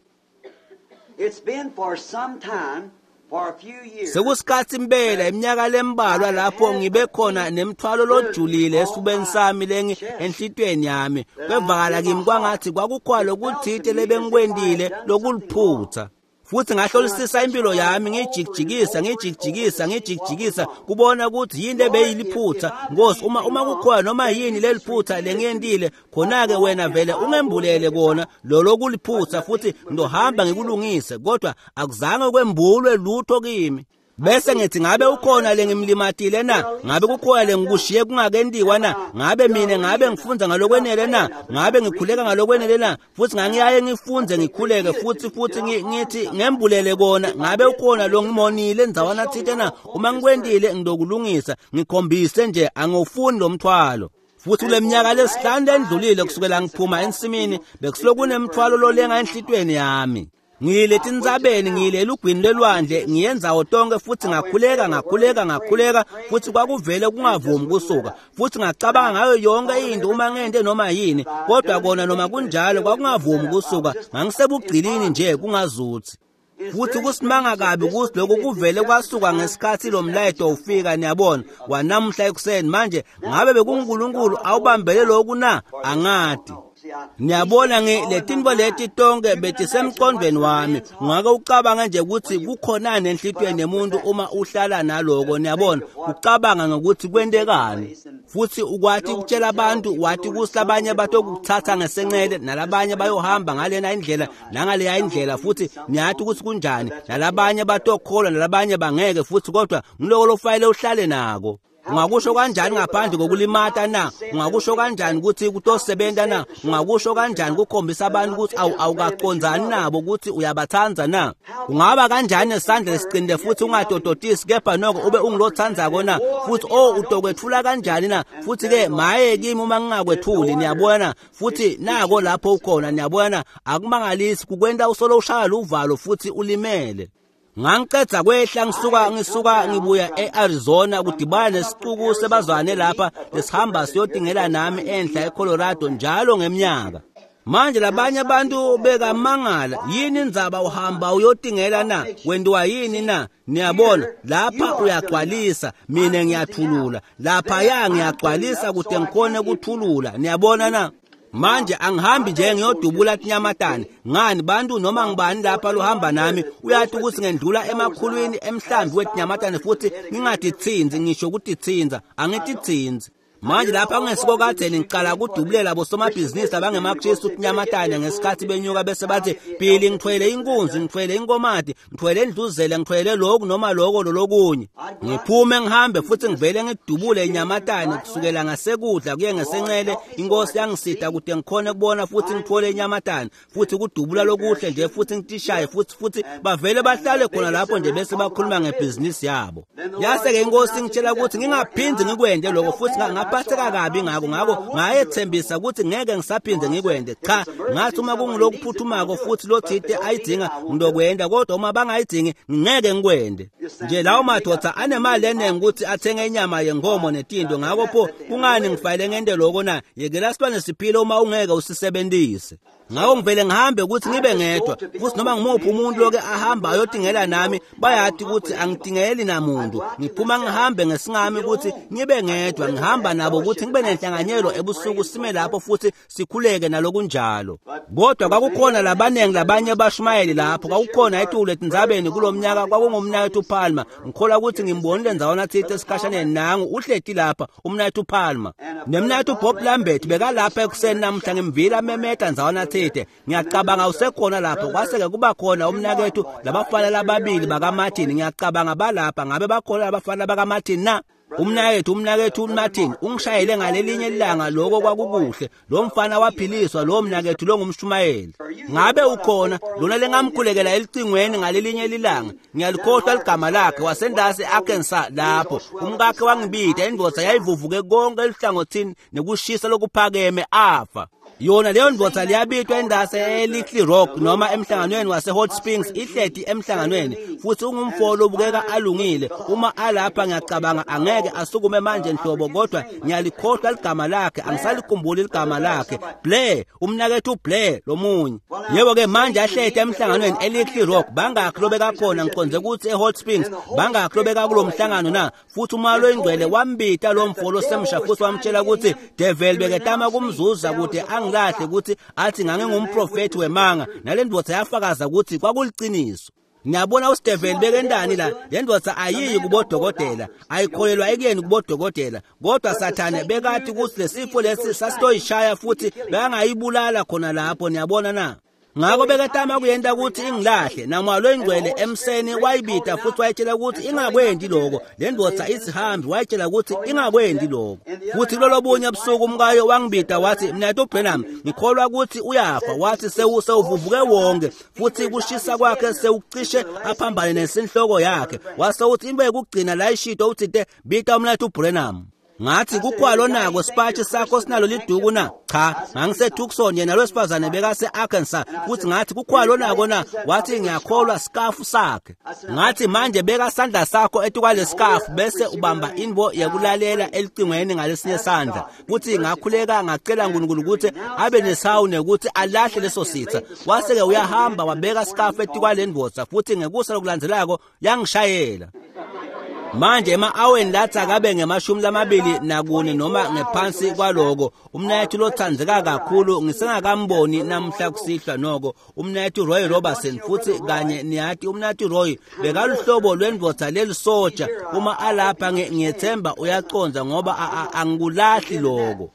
It's been for some time, for a few years. Sekusikhathi impela iminyaka lembalwa lapho ngibe khona nemthwalo lojulile esifubeni sami lengi enhlitiyweni yami. Kwevakala kimi kwangathi kwakukhona lokuthite lebengikwentile lokuliphutha. Futhi ngahlolisisa impilo yami, ngijikijikisa ngijikijikisa ngijikijikisa kubona ukuthi yini ebeyiliphutha. Nkosi, uma uma kukhona noma yini leliphutha lengiyentile, khona-ke wena vele ungembulele kona lolo kuliphutha, futhi ngizohamba ngikulungise. Kodwa akuzange kwembulwe lutho kimi. Bese ngithi, ngabe ukhona lengimlimatile na? Ngabe kukhona lengikushiye kungakentiwa na? Ngabe mina ngabe ngifundza ngalokwenele na? Ngabe ngikhuleka ngalokwenele na? Futhi ngangiyaye ngifunze ngikhuleke futhi futhi ngithi ngembulele kona. Ngabe ukhona lo ngimonile ndzawana thite na? Uma ngikwentile ngizokulungisa, ngikhombise nje angifuni lo mthwalo. Futhi kule minyaka lesihlanu endlulile kusukela ngiphuma ensimini, bekusuke kunemthwalo lolenga enhlitiyweni yami. Ngiyile etintsabeni, ngiyile elugwini lwelwandle, ngiye ndzawo tonke futhi ngakhuleka ngakhuleka ngakhuleka futhi kwakuvele kungavumi kusuka. Futhi ngacabanga ngayo yonke into uma ngente noma yini, kodwa kona noma kunjalo kwakungavumi kusuka. Ngangisebugcilini nje kungazuthi. Futhi kusimanga kabi ukuthi lokhu kuvele kwasuka ngesikhathi lo mlayeto ufika, niyabona, wanamhla ekuseni. Manje ngabe bekuNkulunkulu awubambele lokhu na? Angadi. Niyabona letinto leti tonke betisemqondweni wami. Ungake ucabange nje ukuthi kukhonani enhlitiyweni yemuntu uma uhlala naloko, niyabona, ucabanga ngokuthi kwentekani. Futhi ukwati ukutshela abantu, wathi kusi labanye batokuthatha ngesencele nalabanye bayohamba ngalena indlela nangaleya indlela, futhi niyathi ukuthi kunjani, nalabanye batokholwa nalabanye bangeke futhi, kodwa ngiloko lofanele uhlale nako. Ungakusho kanjani ngaphandle kokulimata na? Ungakusho kanjani ukuthi kutosebenza na? Ungakusho kanjani kukhombisa abantu ukuthi awukacondzani nabo ukuthi uyabatsandza na? Ungaba kanjani nesandla lesiqinile futhi ungatototisi kepha noko ube ungilotsandzako na? Futhi oh utokwethula kanjani na? Futhi ke maye kimi uma ngingakwethuli, niyabona? Futhi nako lapho ukhona, niyabona? Akumangalisi kukwenta usolo ushaya uvalo futhi ulimele. Ngangicedza kwehla ngisuka ngisuka ngibuya e-Arizona kudibana nesixuku sebazwane lapha lesihamba siyotingela nami enhla eColorado njalo ngeminyaka. Manje labanye abantu bekamangala, yini indzaba uhamba uyotingela na? Wentiwa yini na? Niyabona, lapha uyagcwalisa, mina ngiyathulula. Lapha ya ngiyagcwalisa kude ngikhone kuthulula. Niyabona na? Manje angihambi nje ngiyodubula tinyamatane. Ngani bantu noma ngibani lapha lohamba nami uyathi ukuthi ngendlula emakhulwini emhlambi wetinyamatane futhi ngingatitsinzi, ngisho ukutitsinza, angititsinzi. Manje lapha ngesiko kadzeni ngiqala kudubulela bosomabhizinisi abangemaKristu tinyamatane ngesikhathi benyuka bese bathi, Billy ngithwele inkunzi, ngithwele inkomati, ngithwele indluzele, ngithwele lokhu noma lokho lolokunye. Ngiphume ngihambe futhi ngivele ngidubule inyamatane kusukela ngasekudla kuye ngesencele. Inkosi yangisida kude ngikhone kubona futhi ngithole inyamatane futhi kudubula lokuhle nje futhi ngitishaye futhi futhi bavele bahlale khona lapho nje bese bakhuluma ngebhizinisi yabo. Yase-ke inkosi ngitshela ukuthi ngingaphindi ngikwende lokho futhi ngaphatheka kabi ngako, ngako ngayethembisa ukuthi ngeke ngisaphinde ngikwende. Cha, ngathi uma kungilokuphuthumako futhi lothite ayidinga ngilokwenda, kodwa uma bangayidingi ngeke ngikwende. Nje lawo madoda anemali eningi ukuthi athenge inyama yenkomo netinto, ngakho pho kungani ngifanele ngente lokho na? Yekela silwane siphile uma ungeke usisebenzise. Ngakho ngivele ngihambe ukuthi ngibe ngedwa, futhi noma ngimuphi umuntu loke ahamba ayotingela nami bayathi ukuthi angitingeli namuntu. Ngiphuma ngihambe ngesingami ukuthi ngibe ngedwa, ngihamba nabo ukuthi ngibe nenhlanganyelo ebusuku, sime lapho futhi sikhuleke nalokunjalo. Kodwa kwakukhona labanengi labanye abashumayeli lapho, kwakukhona etulu etindzabeni kulomnyaka, kwakungumnakethu Palmer. Ngikholwa ukuthi ngimbonile ndzawana thite esikhashaneni, nangu uhleti lapha umnakethu Palmer. Nemnakethu Bob Lambert bekalapha ekuseni namhla, ngimvile amemeta ndzawana thite. Ngiyacabanga usekhona lapho. Kwase-ke kuba khona umnakethu labafana lababili bakaMartin, ngiyacabanga balapha. Ngabe bakhona labafana bakaMartin na? Umnakethu umnakethu Martin ungishayele ngalelinye ilanga, lokho kwakukuhle. Lo mfana waphiliswa, lo mnakethu lo ngumshumayeli. Ngabe ukhona lona lengamkhulekela elicingweni ngalelinye ilanga? Ngiyalikhohlwa ligama lakhe, wasendasi Arkansas lapho. Umkakhe wangibida, indvodza yayivuvuke konke elihlangothini nekushisa lokuphakeme afa. Yona leyo ndvodza liyabitwa endase eLittle Rock noma emhlanganweni wase-Hot Springs, ihleti emhlanganweni futhi ungumfo obukeka alungile. Uma alapha ngiyacabanga angeke asukume manje nhlobo, kodwa ngiyalikhohlwa ligama lakhe, angisalikhumbuli ligama lakhe. Blair, umnakethu Blair lomunye. Yebo-ke manje ahleti emhlanganweni eLittle Rock, bangakhi lobekakhona? Ngiqonde ukuthi eHot Springs, bangakhi lobeka kulo mhlangano na? Futhi uMoya loyiNgcwele wambita lo mfo losemsha futhi wamtshela ukuthi devil beketama kumzuza kude angilahle ukuthi athi ngangingumprofethi wemanga, nale ndvodza yafakaza ukuthi kwakuliciniso. Ngiyabona uStephen bekendani la, le ndvodza ayiyi kubodokotela, ayikholelwa ekuyeni kubodokotela, kodwa Sathane bekathi ukuthi lesifo lesi sasitoyishaya futhi bekangayibulala khona lapho, niyabona na? Ngakho beketama kuyenta ukuthi ingilahle, naMoya loyiNgcwele emseni wayibida futhi wayitshela ukuthi ingakwendi lokho. Le ndvodza isihambi wayitshela ukuthi ingakwendi lokho. Futhi kulolobunye ebusuku umkayo wangibida wathi, mnakethu Branham, ngikholwa ukuthi uyafa. Wathi sewuvuvuke wonke futhi kushisa kwakhe sewucishe aphambane nesinhloko yakhe. Wase uthi into yokugcina la ishito uthi te bita umnakethu Branham. Ngathi kukhwalo nako sipatshi sakho sinalo liduku na? Cha, ngangiseTucson yena lwesifazane bekase-Arkansas futhi ngathi kukhwalo nako na? Wathi ngiyakholwa sikafu sakhe. Ngathi manje beka sandla sakho etukwale sikafu bese ubamba invo yekulalela elicingweni ngalesinye sandla. Futhi ngakhuleka ngacela uNkulunkulu ukuthi abe nesawu nekuthi alahle leso sitha. Wase-ke uyahamba wabeka sikafu etukwale ndvodza futhi ngekusa lokulandzelako yangishayela. Manje ema-aweni lathi akabe ngemashumi lamabili nakune noma ngephansi kwaloko umnayethu lothandzeka kakhulu ngisengakamboni namhla kusihlwa noko umnayethu Roy Robertson futhi kanye niyati umnayethu Roy bekaluhlobo lwendvodza lelisoja uma alapha ngiyethemba uyaconza ngoba angikulahli loko.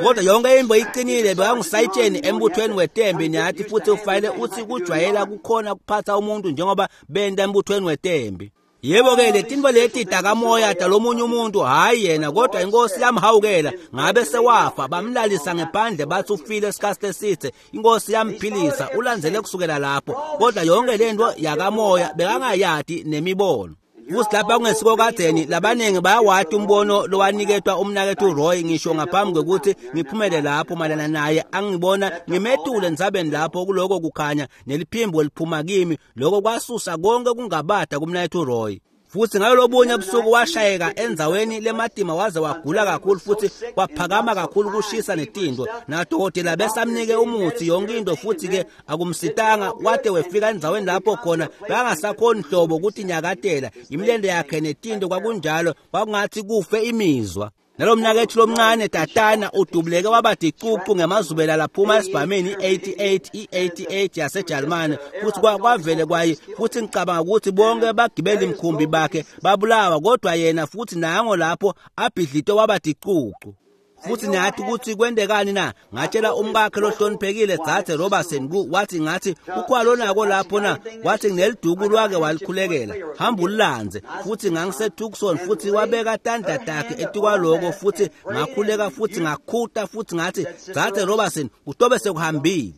Kodwa yonke into iqinile bekangusayitsheni embuthweni wetembi niyathi futhi ufanele uthi kujwayela kukhona kuphatha umuntu njengoba benda embuthweni wetembi. Yebo ke letinto leti takamoya talomunye umuntu hayi yena kodwa inkosi yamhawukela ngabe sewafa bamlalisa ngephandle bathi ufile isikhathi eside inkosi yamphilisa ulandzele kusukela lapho kodwa yonke lento yakamoya bekangayadi nemibono. Futhi lapha kungesiko kadzeni labaningi bayawati umbono lowaniketwa umnakethu Roy ngisho ngaphambi kwekuthi ngiphumele lapho mayelana naye angibona ngimetule endzabeni lapho kuloko kukhanya neliphimbo liphuma kimi lokho kwasusa konke kungabada kumnakethu Roy. Futhi ngalobunye busuku washayeka endzaweni lematima waze wagula kakhulu futhi kwaphakama kakhulu kushisa netinto nadokotela besamnike umuthi yonke into futhi ke akumsitanga wade wefika endzaweni lapho khona bangasakhoni hlobo ukuthi nyakatela imilende yakhe netinto kwakunjalo kwakungathi kufe imizwa. Nalomnakethu lomncane tatana udubuleke waba dicucu ngemazubela laphuma esibhameni i-eighty-eight i-eighty-eight yaseJalimane futhi kwavele kwaye futhi ngicabanga ukuthi bonke bagibela imkhumbi bakhe babulawa kodwa yena futhi nango lapho abhidlitwe waba dicucu. Futhi nathi ukuthi kwendekani na? Ngatshela umkakhe lohloniphekile Dzadze Robertson ku wathi ngathi kukhwalo nako lapho na? Wathi ngineliduku lwake walikhulekela hamba ulilandze. Futhi ngangiseTucson futhi wabeka tandla takhe etikwaloko futhi ngakhuleka futhi ngakhuta futhi ngathi Dzadze Robertson kutobe sekuhambile.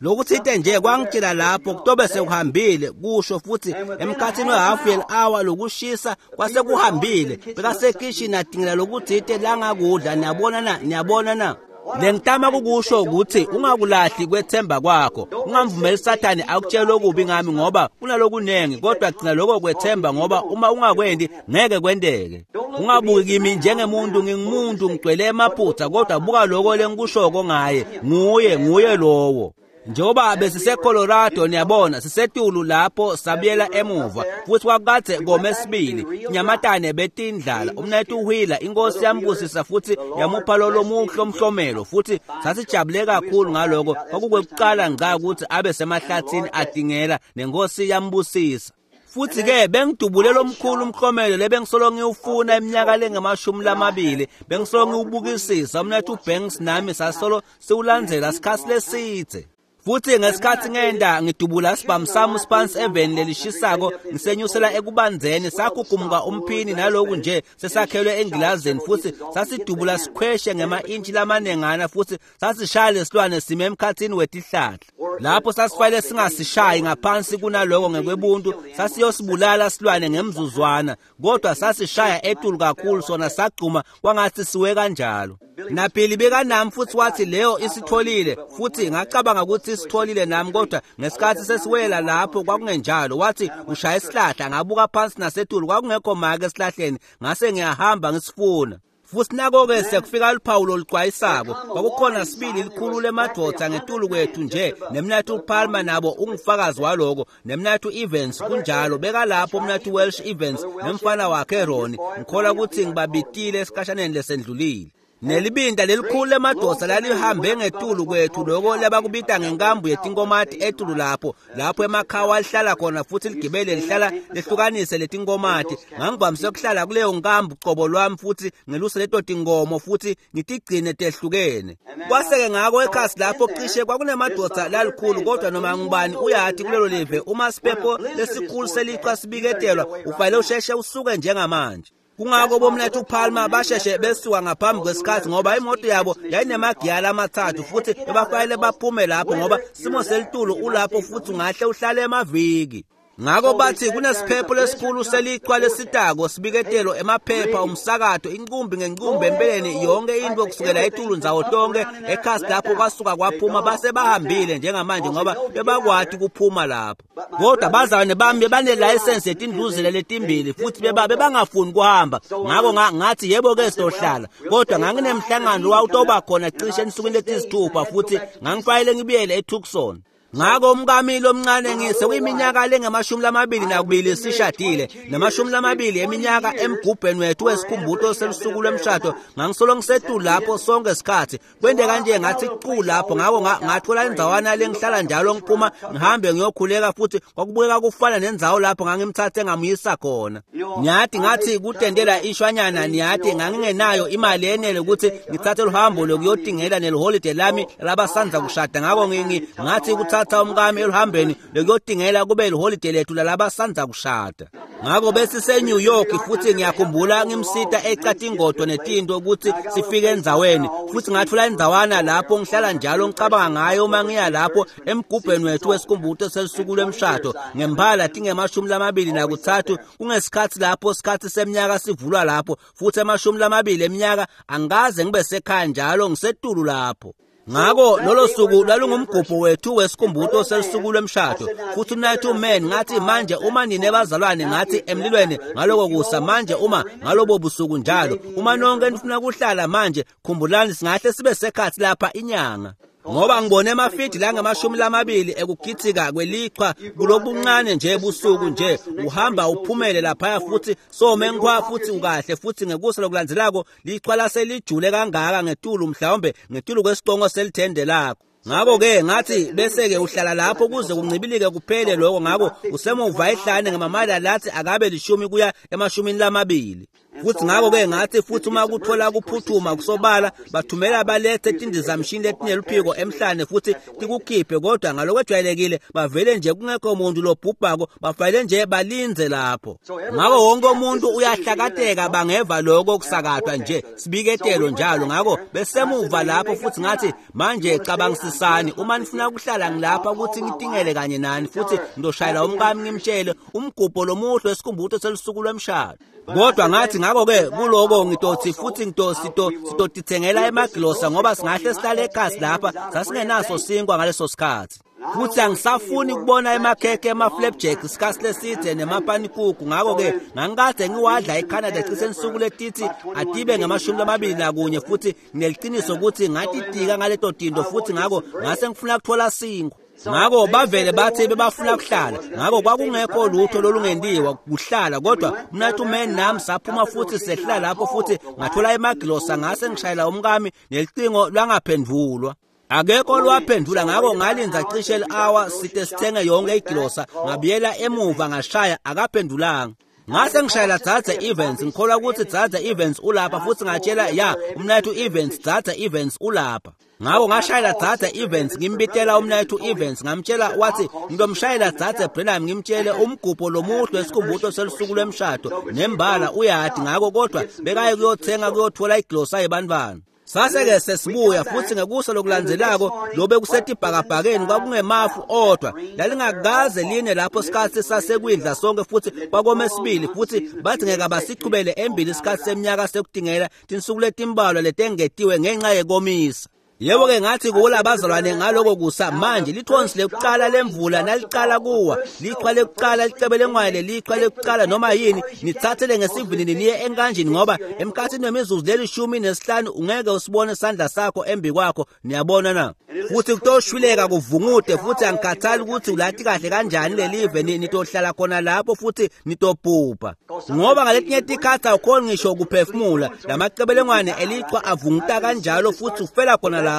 Lokuthite nje kwangitshela lapho kutobe sekuhambile kusho futhi emkhathini wehalf hour lokushisa kwasekuhambile bekasekishini adingela lokuthite langakudla niyabona na niyabona na. Lengitama kukusho ukuthi ungakulahli kwethemba kwakho ungamvumeli Sathane akutshele okubi ngami ngoba kunalokunengi kodwa gcina lokho kwethemba ngoba uma ungakwendi ngeke kwendeke. Ungabuki kimi njengemuntu ngingumuntu ngigcwele emaphutha kodwa buka lokho lengikushoko ngaye nguye nguye lowo. Njengoba besise Colorado niyabona sisetulu lapho sabuyela emuva futhi kwakade kome sibili nyamatane betindlala umnethu Wheeler inkosi yambusisa futhi yamupha lo muhle omhlomelo futhi sasijabule kakhulu ngaloko kwakukwekuqala ngca ukuthi abe semahlathini adingela nenkosi yambusisa. Futhi ke bengidubule lomkhulu umklomelo lebengisolo ngiwufuna iminyaka lengamashumi lamabili bengisolo ngiwubukisisa umnethu Banks nami sasolo siwulandzela isikhathi lesithe. Futhi ngesikhathi ngenda ngidubula sibhamu sami siphansi eveni lelishisako ngisenyusela ekubanzeni sakhukumuka umphini naloku nje sesakhelwe engilazini futhi sasidubula sikhweshe ngema-intshi lamanengana futhi sasishaya lesilwane sime emkhathini wetihlahla. Lapho sasifanele singasishayi ngaphansi kunaloko ngekwebuntu sasiyosibulala silwane ngemzuzwana kodwa sasishaya etulu kakhulu sona sagcuma kwangathi siwe kanjalo. Naphili bekanami futhi wathi leyo isitholile futhi ngacabanga ukuthi isitholile nami kodwa ngesikhathi sesiwela lapho kwakungenjalo. Wathi ushaya isihlahla ngabuka phansi nasetulu kwakungekho make esihlahleni ngase ngiyahamba ngisifuna. Futhi nako-ke sekufika luphawu loluxwayisako kwakukhona sibili likhulu lemadoda ngetulu kwethu nje nemnathu Palmer nabo ungufakazi waloko nemnathu Evans kunjalo bekalapho umnathu Welsh Evans nemfana wakhe Ronnie ngikholwa ukuthi ngibabitile esikhashaneni lesendlulile. Nelibinda lelikhulu lemadosa lalihambe ngetulu kwethu loko labakubita ngenkambu yetinkomati etulu lapho lapho emakhawa alihlala khona futhi ligibele lihlala lehlukanise letinkomati. Ngangivamise ukuhlala kuleyo nkambu cobo lwami futhi ngeluse leto tinkomo futhi ngitigcine tehlukene. Kwase-ke ngako ekhasi lapho cishe kwakunemadosa lalikhulu kodwa noma ngubani uyathi kulelo live uma siphepho lesikhulu selichwa sibiketelwa ufanele usheshe usuke njengamanje. Kungako bomnethu Palmer basheshe besuka ngaphambi kwesikhathi ngoba imoto yabo yayinemagiyala amathathu futhi bebafanele baphume lapho ngoba simo selitulu ulapho futhi ungahle uhlale emaviki. Ngako bathi kunesiphepho lesikhulu selichwa lesitako sibiketelo emaphepha umsakato inkumbi ngenkumbi empeleni yonke into kusukela etulu ndzawo tonke ekhasi lapho kwasuka kwaphuma base bahambile njengamanje ngoba bebakwati kuphuma lapho. Kodwa bazalwane bami bebanelayisensi yetindluzela letimbili futhi beba bebangafuni kuhamba. Ngako ngathi yebo ke sizohlala, kodwa nganginemhlangano wawutoba khona cishe ensukwini letisithupha futhi ngangifanele ngibuyele eTucson. Ngako umkami lomncane ngise kuyiminyaka lengamashumi lamabili nakubili sishadile namashumi lamabili eminyaka emgubheni wethu wesikhumbuto selusuku lwemshado ngangisolo ngisetulu lapho sonke isikhathi kwente kanje ngathi cu lapho. Ngako ngathola indzawana lengihlala njalo ngiphuma ngihambe ngiyokhuleka futhi kwakubukeka kufana nendzawo lapho ngangimthathe ngamuyisa khona. Ngiyathi ngathi kutendela ishwanyana niyathi ngangingenayo imali yenele ukuthi ngithathe luhambo lokuyotingela neliholide lami labasanza kushada. Ngako ngingi ngathi kuthatha umkami eluhambeni lokuyotingela kube liholide lethu lalabasanza kushada. Ngako bese New York futhi ngiyakhumbula ngimsita ecatingodo netinto ukuthi sifike endzaweni futhi ngathola indzawana lapho ngihlala njalo ngicabanga ngayo uma ngiya lapho emgubheni wethu wesikhumbuto selusuku lwemshado ngemphala tingemashumi lamabili nakuthathu kungesikhathi lapho sikhathi seminyaka sivulwa lapho futhi emashumi lamabili eminyaka angikaze ngibe sekhaya njalo ngisetulu lapho. Ngako lolo suku lalungumgubho wethu wesikhumbuto selusuku lwemshado futhi uMnaketfu Man ngathi manje uma nine bazalwane ngathi emlilweni ngaloko kusa manje uma ngalobo busuku njalo uma nonke nifuna kuhlala manje khumbulani singahle sibe sekhathi lapha inyanga ngoba ngibone emafidi langamashumi lamabili ekugitsika kwelichwa kulobuncane nje busuku nje uhamba uphumele laphaya futhi some ngikhwa futhi ukahle futhi ngekusa lokulandzelako lichwa laselijule kangaka ngetulu mhlawumbe ngetulu kwesicongo selithende lakho. Ngako-ke ngathi bese-ke uhlala lapho kuze kuncibilike kuphele lokho. Ngako usemuva ehlane ngamamali lathi akabe lishumi kuya emashumini lamabili. Futhi ngako-ke ngathi futhi uma kuthola kuphuthuma kusobala bathumela balethe tindizamshini letineluphiko emhlane futhi tikukhiphe, kodwa ngalokwejwayelekile bavele nje kungekho muntu lobhubhako bafanele nje balinze lapho. Ngako wonke umuntu uyahlakateka bangeva lokho kusakatwa nje sibiketelo njalo. Ngako besemuva lapho futhi ngathi manje cabangisisani uma nifuna kuhlala ngilapha ukuthi ngitingele kanye nani futhi ngizoshayela umkami ngimtshele umgubho lomuhle wesikhumbuto selusuku lwemshado. Kodwa ngathi ngako-ke kuloko ngitothi futhi ngitotithengela emagilosa ngoba singahle sihlale ekhasi lapha sasingenaso sinkwa ngaleso sikhathi. Futhi angisafuni ukubona emakhekhe ema-flapjack isikhathi leside nemapanikuku. Ngako-ke ngangikade ngiwadla eCanada cishe insuku letithi atibe ngamashumi lamabili nakunye futhi ngineliciniso ukuthi ngatitika ngaleto tinto futhi ngako ngase ngifuna kuthola sinkwa. Ngako bavele bathi bebafuna kuhlala. Ngako kwakungekho lutho lolungendiwa kuhlala, kodwa uMnaketfu Man nami saphuma futhi sehla lapho futhi ngathola emagilosa ngase ngishayela umkami nelicingo lwangaphendvulwa. Akekho lwaphendula. Ngako ngalinza cishe li-hour side sithenge yonke igilosa ngabuyela emuva ngashaya akaphendulanga. Ngase ngishayela Dzadze Evans, ngikholwa ukuthi Dzadze Evans ulapha futhi ngatshela ya uMnaketfu Evans Dzadze Evans ulapha. Ngako ngashayela Dzadze Evans ngimbitela uMnaketfu Evans ngamtshela wathi ngilomshayela Dzadze Branham ngimtshele umgubho lomuhle wesikhumbuto selusuku lwemshado nembala uyadi. Ngako kodwa bekaye kuyothenga kuyothola iglosa yebantwana. Sase-ke sesibuya futhi ngekusa lokulandzelako lobe kusetibhakabhakeni kwakungemafu odwa lalingakaze line lapho sikhathi sasekwindla sonke futhi kwakome sibili futhi bathi ngeke basichubele embili isikhathi seminyaka sekutingela tinsuku letimbalwa letengetiwe ngenxa yekomisa. Yebo-ke ngathi kula bazalwane ngaloko kusa manje lithonsi lekuqala lemvula naliqala kuwa lichwa lekuqala licebelengwane lelichwa lekuqala noma yini nithathele ngesivinini niye enkanjini ngoba emkhathini wemizuzu lelishumi nesihlanu ungeke usibone isandla sakho embi kwakho. Niyabona na? Futhi kutoshwileka kuvungude futhi angikhathali ukuthi ulati kahle kanjani lelive nitohlala khona lapho futhi nitobhubha ngoba ngaletinye tikhathi awukhoni ngisho ukuphefumula lamacebelengwane elichwa avunguta kanjalo futhi ufela khona lapho.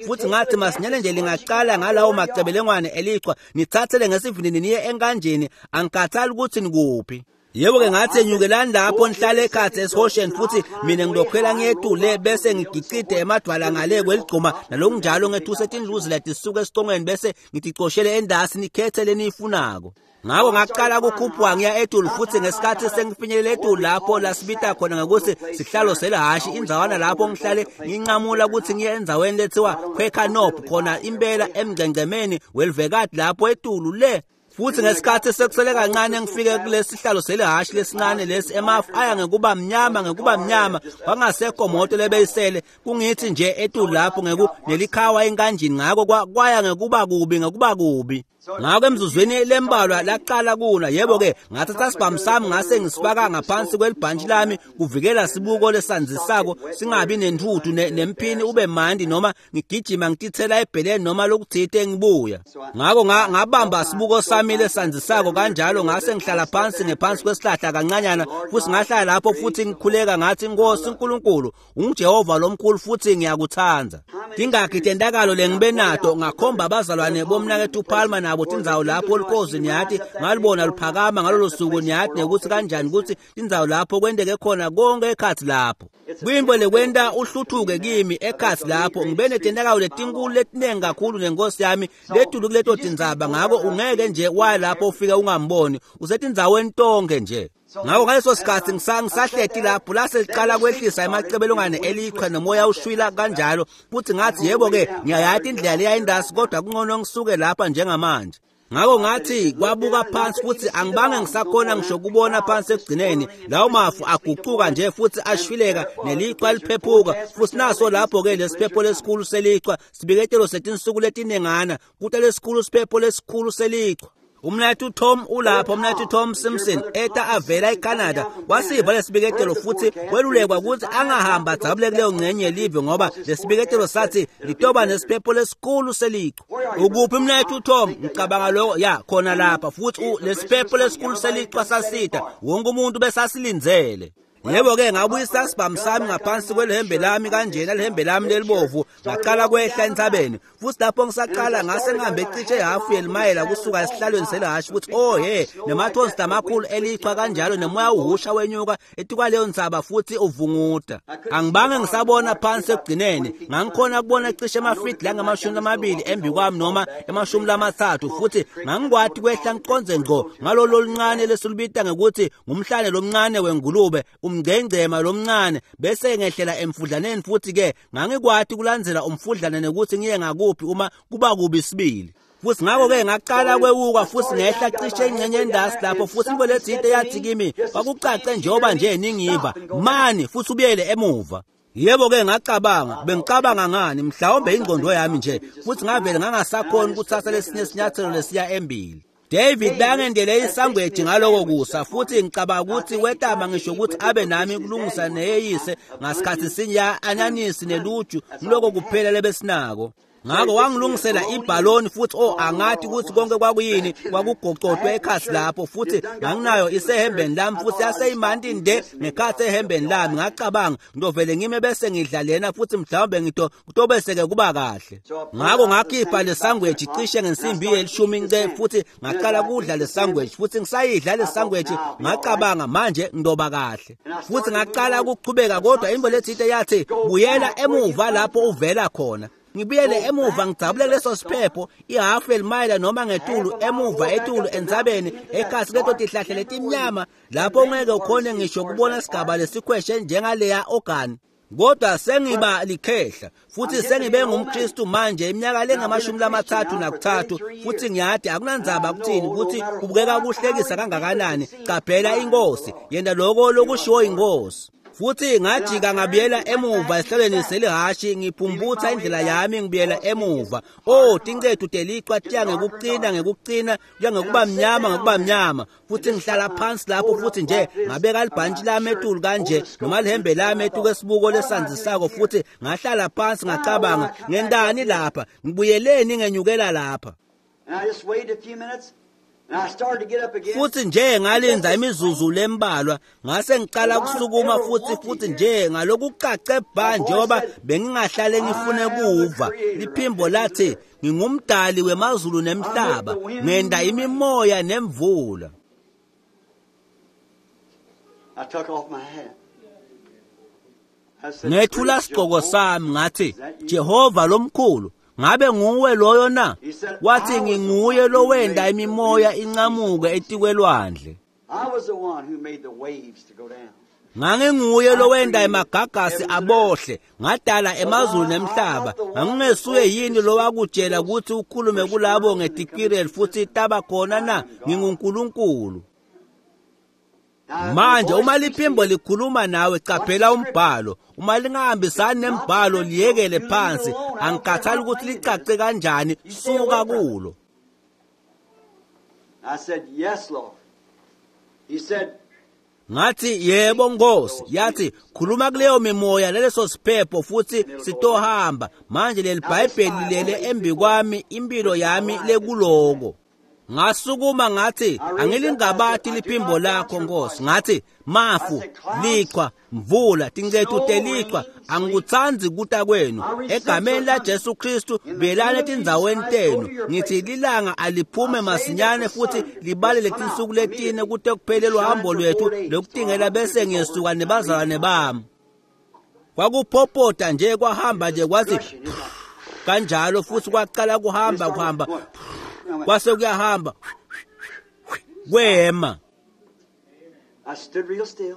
Futhi ngathi masinyane nje lingaqala ngalawo macebelengwane elichwa nithathele ngesivinini niye enkanjini angikhathali ukuthi nikuphi. Yebo-ke ngathi enyukelani lapho nihlale ekhathi esihosheni futhi mina ngilokhwela ngiyetule bese ngigicide emadwala ngale kweligcuma nalokunjalo ngethuse tindluzi letisuka esicongweni bese ngiticoshele endasi nikhethe leniyifunako. Ngako ngaqala ukukhuphuka ngiya etulu futhi ngesikhathi sengifinyelele etulu lapho lasibita khona ngokuthi sihlalo selahhashi indzawana lapho ngihlale nginqamula ukuthi ngiye endzaweni lethiwa Quaker Knob khona impela emngcengcemeni welivekati lapho etulu le. Futhi ngesikhathi sekusele kancane ngifike kulesihlalo selihhashi lesincane lesi, emafu aya ngekuba mnyama ngekuba mnyama, kwangasekho moto lebeyisele kungithi nje etulu lapho ngeku nelikhawa enkanjini. Ngako kwaya ngekuba kubi ngekuba kubi. Ngako emzuzwini lembalwa laqala kuna. Yebo-ke ngathatha sibhamu sami ngase ngisifaka ngaphansi kwelibhantshi lami kuvikela sibuko lesandzisako singabi nentuthu nemphini ube mandi noma ngigijima ngitithela ebheleni noma lokuthite ngibuya. Ngako ngabamba sibuko sami lesandzisako kanjalo ngase ngihlala phansi ngephansi kwesihlahla kancanyana futhi ngahlala lapho futhi ngikhuleka ngathi, Nkosi uNkulunkulu, unguJehova lomkhulu futhi ngiyakuthanda. Tingakhi tentakalo lengibe nato ngakhomba abazalwane bomnakethu Palmer nabo tindzawo lapho olukhozi niyathi ngalibona luphakama ngalolo suku niyathi nekuthi kanjani ukuthi tindzawo lapho kwenteke khona konke ekhathi lapho. Kuyintfo lekwenta uhluthuke kimi ekhathi lapho ngibe netentakalo letinkulu letinengi kakhulu nenkosi yami letulu kuleto tindzaba. Ngako ungeke nje waya lapho ufike ungamboni, usetindzaweni tonke nje. Ngako ngaleso sikhathi ngisahleti lapho lase liqala kwehlisa emacebelongane elichwa nomoya ushwila kanjalo futhi ngathi yebo-ke ngiyayati indlela leya indasi kodwa kungcono ngisuke lapha njengamanje. Ngako ngathi kwabuka phansi futhi angibange ngisakhona ngisho kubona phansi ekugcineni. Lawo mafu aguquka nje futhi ashwileka nelichwa liphephuka futhi naso lapho-ke lesiphepho lesikhulu selichwa sibiketelo setinsuku letinengana kuta lesikhulu siphepho lesikhulu selichwa. Umnakethu Tom ulapho, umnakethu Tom Simpson eta avela eCanada wasiva lesibiketelo futhi welulekwa ukuthi angahamba adzabule kuleyo ngcenye yelive ngoba lesibiketelo sathi litoba nesiphepho lesikhulu selichwa. Ukuphi umnakethu Tom? Ngicabanga lokho ya khona lapha futhi lesiphepho lesikhulu selichwa sasida wonke umuntu besasilindzele. Yebo-ke ngabuyisa sibhamu sami ngaphansi kwelihembe lami kanjena lihembe lami lelibovu ngaqala kwehla entsabeni futhi lapho ngisaqala ngase ngihambe cishe hafu yelimayela kusuka esihlalweni selihhashi futhi oh he nemathonsi lamakhulu elichwa kanjalo nemoya uhusha wenyuka etikwaleyo ntsaba futhi uvunguta. Angibange ngisabona phansi ekugcineni, ngangikhona kubona cishe emafidi langamashumi lamabili embi kwami noma emashumi lamathathu futhi ngangikwati kwehla ngiqonze ngqo ngalolo luncane lesilubita ngekuthi ngumhlane lomncane wengulube umgcengcema lomncane bese ngehlela emfudlaneni futhi ke ngangikwati kulandzela umfudlane nekuthi ngiye ngakuphi uma kuba kubi sibili. Futhi ngakho-ke ngaqala kwewuka futhi ngehla cishe ingxenye endasi lapho futhi into lethinte yathi kimi kwakucace njengoba nje ningiva mani futhi ubuyele emuva. Yebo-ke ngacabanga bengicabanga ngani mhlawumbe ingqondo yami nje futhi ngavele ngangasakhoni ukuthatha lesinye isinyathelo lesiya embili. David bangendele isangweji ngaloko kusa futhi ngicabanga ukuthi wetama ngisho ukuthi abe nami kulungisa neyeyise ngasikhathi sinye anyanisi neluju ngiloko kuphela lebesinako. Ngako wangilungisela ibhaloni futhi oh angathi ukuthi konke kwakuyini kwakugocotwe ekhasi lapho futhi nganginayo isehembeni lami futhi yaseyimandi nde ngekhathi ehembeni lami. Ngacabanga ngidovele ngime bese ngidla lena futhi mhlawumbe ngito kutobese-ke kuba kahle. Ngako ngakhipha le sandwich cishe ngensimbi yelishumi nce futhi ngaqala kudla le sandwich futhi ngisayidla le sandwich ngacabanga manje ngidoba kahle futhi ngaqala ukuchubeka kodwa into lethinte yathi buyela emuva lapho uvela khona. Ngibuyele emuva ngijabule leso siphepho ihafu elimayela noma ngetulu emuva etulu entsabeni ekhasi leto tihlahla letimnyama lapho ungeke ukhone ngisho kubona sigaba lesikhweshe njengaleya ogani. Kodwa sengiba likhehla futhi sengibe ngumKristu manje iminyaka lengamashumi lamathathu nakuthathu futhi ngiyadi akunandzaba kuthini ukuthi kubukeka kuhlekisa kangakanani. Qaphela inkosi yena lokho lokushiwo inkosi. Futhi ngajika ngabuyela emuva esihlalweni selihhashi ngiphumbutha indlela yami ngibuyela emuva. Oh tincethu telichwa tiya ngekucina ngekucina kuya ngekuba mnyama ngekuba mnyama futhi ngihlala phansi lapho futhi nje ngabeka libhantshi lami etulu kanje noma lihembe lami etuku esibuko lesandzisako futhi ngahlala phansi ngacabanga ngendani lapha ngibuyeleni ngenyukela lapha. Futhi nje ngalinda imizuzu lembalwa ngase ngiqala kusukuma futhi futhi nje ngalokucace bha njengoba bengingahlale ngifune kuva liphimbo lathi ngingumdali wemazulu nemhlaba ngenda imimoya nemvula. Ngethula sigqoko sami ngathi Jehova lomkhulu ngabe nguwe loyo na? Wathi nginguye lowenda imimoya incamuke etikwelwandle. I was the one who made the waves to go down. Nganginguye lowenda emagagasi abohle, ngadala emazulu nemhlaba. Ngangingesuye yini lowakutshela ukuthi ukhulume kulabo ngetikwireli futhi taba khona na? NginguNkulunkulu. Manje uma liphimbo likhuluma nawe, qaphela umbhalo. Uma lingahambisani nembhalo, liyekele phansi. Angikhathali ukuthi licace kanjani, suka kulo. I said, "Yes, Lord." He said, Ngathi, yebo Nkosi. Yathi, khuluma kuleyo mimoya leleso siphepho futhi sitohamba. Manje leli Bhayibheli lilele embi kwami, impilo yami lekuloko. Ngasukuma ngathi, angilingabati liphimbo lakho Nkosi. Ngathi, mafu, lichwa, mvula, tincethu telichwa, angikutsandzi kuta kwenu. Egameni la Jesu Kristu, buyelani etindzaweni tenu. Ngithi lilanga aliphume masinyane futhi libale letinsuku letine kute kuphele luhambo lwethu lokutingela, bese ngiyesuka nebazalwane bami. Kwakuphopota nje, kwahamba nje kwathi kanjalo, futhi kwaqala kuhamba kuhamba kwase kuyahamba kwema. I stood real still.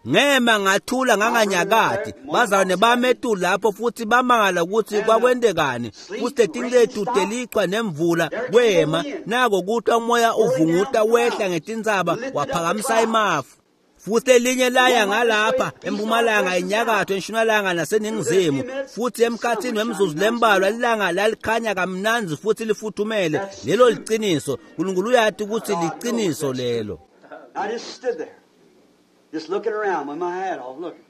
Ngema ngathula nganganyakati. Bazalwane bami etulu lapho futhi bamangala ukuthi kwakwendekani. Futhi letinlethu telichwa nemvula kwema. Nako kuthi umoya uvunguta wehla ngetintsaba waphakamisa imafu. Futhi elinye laya ngalapha empumalanga, enyakatho, entshonalanga naseningizimu. Futhi emkhathini wemizuzu lembalwa ilanga lalikhanya kamnandzi futhi lifuthumele. Lelo liciniso. uNkulunkulu uyati ukuthi liciniso lelo. I just stood there, just looking around with my hat off, looking.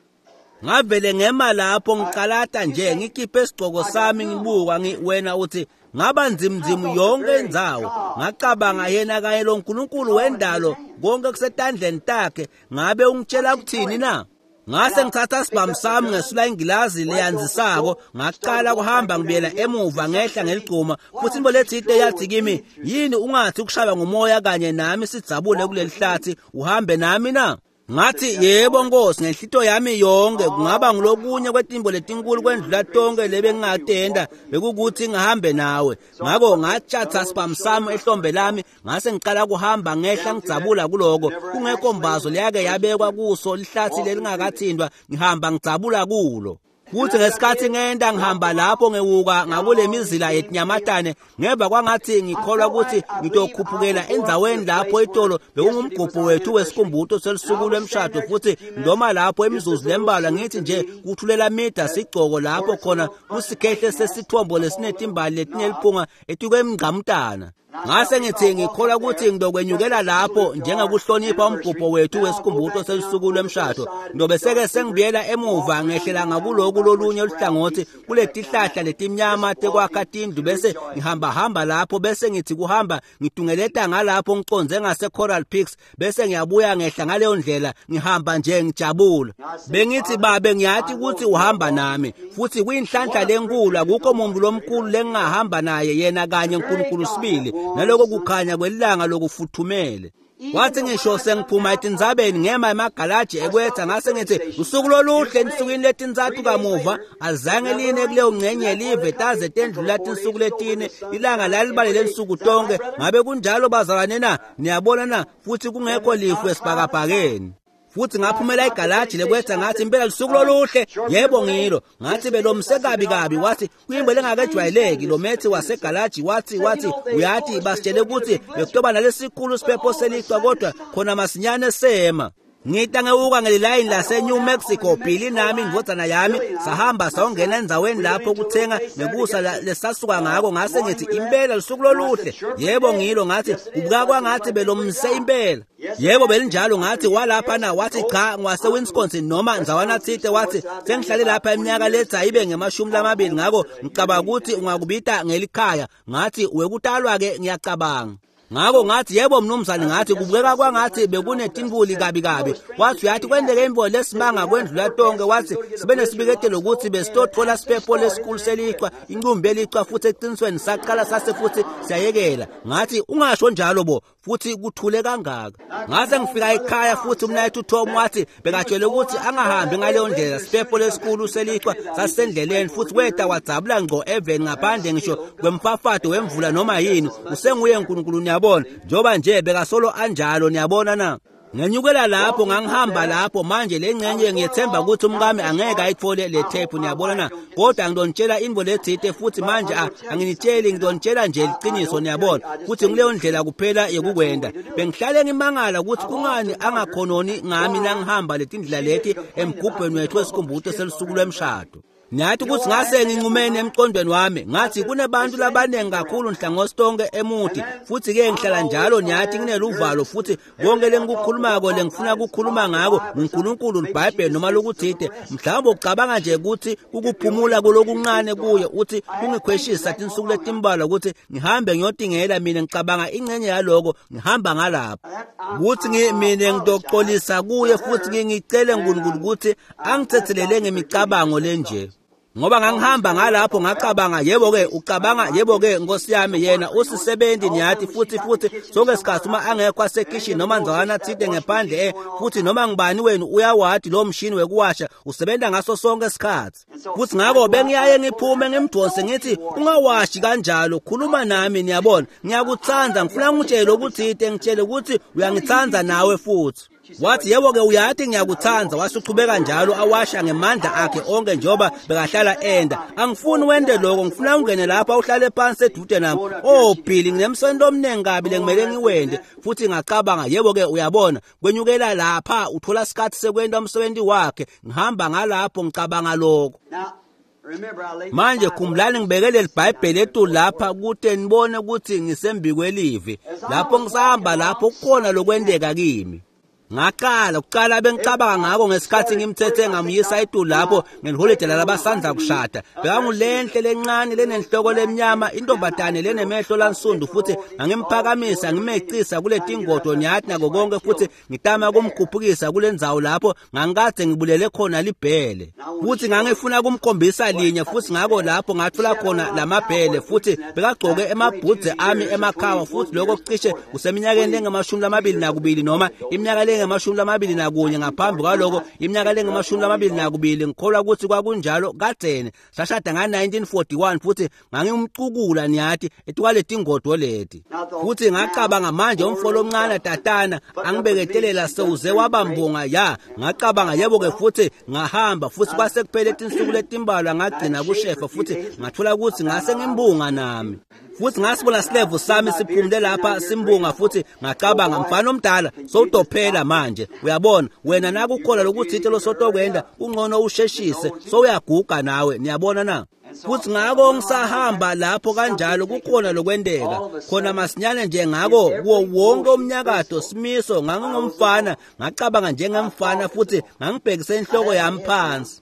Ngavele ngema lapho ngicalata nje, ngikhiphe isigcoko sami ngibuka. Ngi wena uthi ngaba nzimnzimu yonke indzawo. Ngacabanga, yena kanye lo Nkulunkulu wendalo, konke kusetandleni takhe, ngabe ungitshela kuthini na? Ngase ngithatha sibhamu sami ngesula ingilazi leyanzisako, ngaqala kuhamba ngibuyela emuva ngehla ngeligcuma. Futhi imbo lethite yathi kimi, yini ungathi ukushaywa ngumoya kanye nami sidzabule kuleli hlathi, uhambe nami na? Ngathi, yebo Nkosi, ngenhlito yami yonke. Kungaba ngulokunye kwetimbo letinkulu kwendlula tonke lebengingatenda, bekukuthi ngihambe nawe. Ngako ngatshatha sibhamu sami ehlombe lami, ngase ngiqala kuhamba ngehla ngidzabula kuloko. Kungekho mbazo leyake yabekwa kuso lihlathi lelingakathindwa, ngihamba ngidzabula kulo. Futhi ngesikhathi ngenda ngihamba lapho ngewuka ngakule mizila yetinyamatane, ngeva kwangathi ngikholwa ukuthi ngitokhuphukela endzaweni lapho itolo bekungumgubho wethu wesikhumbuto selusuku lwemshado. Futhi ndoma lapho imizuzu lembalwa, ngithi nje kuthulela mida sigcoko lapho khona kusikhehle sesithombo lesinetimbali letineliphunga etikwemngqamutana. Ngase ngithi ngikholwa ukuthi ngidokwenyukela lapho njengokuhlonipha umgubho wethu wesikhumbuto selusuku lwemshado. Ndobe seke sengibuyela emuva ngehlela ngakuloku lolunye luhlangothi kuletihlahla letimnyama tekwakha tindlu, bese ngihamba hamba lapho, bese ngithi kuhamba ngitungeleta ngalapho ngiconze ngase Coral Peaks, bese ngiyabuya ngehla ngaleyo ndlela ngihamba nje ngijabula. Bengithi, babe, ngiyathi ukuthi uhamba nami, futhi kuyinhlanhla lenkulu, akukho muntu lomkhulu lengingahamba naye, yena kanye uNkulunkulu sibili, naloko kukhanya kwelanga lokufuthumele. Wathi ngisho sengiphuma etindzabeni ngema emagalaji ekwetha, ngase ngithi usuku loluhle ensukwini letintsathu kamuva azange line kuleyo ngcenye live taze tendlula tinsuku letine, ilanga lalibalele nsuku tonke. Ngabe kunjalo bazalwane na? Niyabona na? Futhi kungekho lifu esibhakabhakeni. Futhi ngaphumela igalaji lekwetha, ngathi impela lusuku loluhle, yebo ngilo. Ngathi belomse kabi kabi. Wathi kuyimbo lengakejwayeleki. Lo methi wasegalaji wathi wathi uyathi basitshele ukuthi bekutoba nalesikhulu siphepho selichwa, kodwa khona masinyane sema. Ngita ngewuka ngelilayini lase New Mexico, Billy nami indvodzana yami sahamba sawungena endzaweni lapho kuthenga nekusa lesasuka ngako. Ngase ngithi impela lusuku loluhle, yebo ngilo. Ngathi kubuka kwangathi belomse impela, yebo belinjalo. Ngathi walapha na? Wathi cha, ngwase Wisconsin noma ndzawana thite. Wathi sengihlale lapha iminyaka letha ibe ngemashumi lamabili, ngako ngicabanga ukuthi ungakubita ngelikhaya. Ngathi wekutalwa ke ngiyacabanga. Ngako ngathi yebo mnumzane. Ngathi kubukeka kwangathi bekunetintuli kabi kabi. Wathi uyathi kwendeke imbo lesimanga kwendlula tonke. Wathi sibe nesibiketelo ukuthi besitothola siphepho lesikhulu selichwa, incumbi yelichwa, futhi eqinisweni saqala sase futhi siyayekela. Ngathi ungasho njalo bo, futhi kuthule kangaka. Ngase ngifika ekhaya futhi umnayethu Tom wathi bekatshele ukuthi angahambi ngaleyo ndlela, siphepho lesikhulu selichwa sasendleleni. Futhi weta wadzabula ngqo eveni ngaphandle ngisho kwemfafado wemvula noma yini. Usenguye uNkulunkulu, niyabona, njengoba nje bekasolo anjalo, niyabona na? Ngenyukela lapho ngangihamba lapho manje lengcenye ngiyethemba ukuthi umkami angeke ayithole le tape niyabona na kodwa ngidonitshela into lethite futhi manje anginitsheli ngidonitshela nje iqiniso niyabona futhi ngileyo ndlela kuphela yokukwenda bengihlale ngimangala ukuthi kungani angakhononi ngami nangihamba letindlela leti emgubhweni wethu wesikhumbuzo selusuku lwemshado. Nyathi ukuthi ngase ngincumene emqondweni wami ngathi kunebantu labaningi kakhulu nhlangothi tonke emuti futhi ke ngihlala njalo nyathi ngineluvalo futhi konke lengikukhulumako lengifuna ukukhuluma ngako uNkulunkulu iBhayibheli noma lokuthide mhlawumbe ucabanga nje ukuthi ukuphumula kulokuncane kuye uthi kungikhweshisa tinsuku letimbalwa ukuthi ngihambe ngiyotingela mina ngicabanga ingcenye yaloko ngihamba ngalapha ukuthi mina ngidoxolisa kuye futhi ngicele uNkulunkulu ukuthi angithethelele ngemicabango lenje. Ngoba ngangihamba ngalapho ngacabanga yebo ke ucabanga yebo ke Nkosi yami yena usisebenzi niyathi futhi futhi sonke isikhathi uma angekho asekitchen noma nzwana thide ngephandle eh futhi noma ngibani wenu uyawadi lo mshini wekuwasha usebenza ngaso sonke isikhathi futhi ngakho bengiyaye ngiphume ngimdonse ngithi ungawashi kanjalo khuluma nami niyabona ngiyakuthanda ngifuna ngitshele ukuthi ngitshele ukuthi uyangithanda nawe futhi. Wathi yebo ke uyathi ngiyakuthanda wasuchubeka njalo awasha ngemandla akhe onke njengoba bekahlala enda angifuni wende lokho ngifuna ungene lapha uhlale phansi edude nami oh Billy nginemsendo omningi kabi lengimele ngiwende futhi ngacabanga yebo ke uyabona kwenyukela lapha uthola isikhathi sekwenda umsebenzi wakhe ngihamba ngalapho ngicabanga lokho. Manje khumbulani ngibekele iBhayibheli ethu lapha kute nibone ukuthi ngisembikwelivi lapho ngisahamba lapho kukhona lokwendeka kimi. Ngaqala kuqala bengicabanga ngako ngesikhathi ngimthethe ngamyisa etulu lapho ngeliholide labasandla kushada bekangulenhle lencane lenenhloko lemnyama intombazane lenemehlo lansundu futhi ngangimphakamisa ngimecisa kule tingodo nyathi nako konke futhi ngitama kumkhuphukisa kulendzawo lapho ngangikade ngibulele khona libhele futhi ngangifuna kumkhombisa linye futhi ngako lapho ngathola khona lamabhele futhi bekagcoke emabhudze ami emakhawa futhi lokho kucishe kuseminyakeni lengamashumi lamabili nakubili noma iminyaka lengamashumi lamabili nakunye ngaphambi kwaloko iminyaka lengamashumi lamabili nakubili ngikholwa ukuthi kwakunjalo kadzeni sashada nga nineteen forty-one futhi ngangimcukula niyathi etwale tingodo leti futhi ngacabanga manje umfolo omncane tatana angibeketelela sewuze wabambonga ya ngacabanga yebo ke futhi ngahamba futhi kwase kuphele tinsuku letimbalwa ngagcina kushefa futhi ngathola ukuthi ngase ngimbunga nami futhi ngasibona silevu sami siphumule lapha simbunga futhi ngacabanga mfana omdala sowudophela manje uyabona wena nakukhola lokuthi lo sotokwenda ungcono usheshise sowuyaguga nawe niyabona na futhi ngako ngisahamba lapho kanjalo kukhona lokwendeka khona masinyane nje ngako kuwo wonke umnyakato simiso ngangingumfana ngacabanga njengemfana futhi ngangibhekise inhloko yami phansi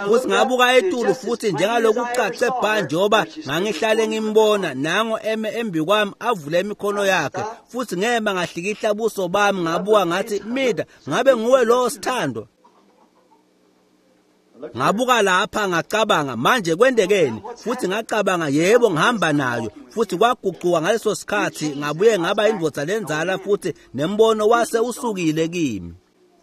futhi ngabuka etulu futhi njengalokucace bha njengoba ngangihlale ngimbona nango eme embi kwami avule imikhono yakhe futhi ngema ngahlikihla buso bami ngabuka ngathi mida ngabe nguwe lo sithandwa. Ngabuka lapha ngacabanga manje kwendekeni futhi ngacabanga yebo ngihamba nayo futhi kwaguquka ngaleso sikhathi ngabuye ngaba indvodza lenzala futhi nembono wase usukile kimi.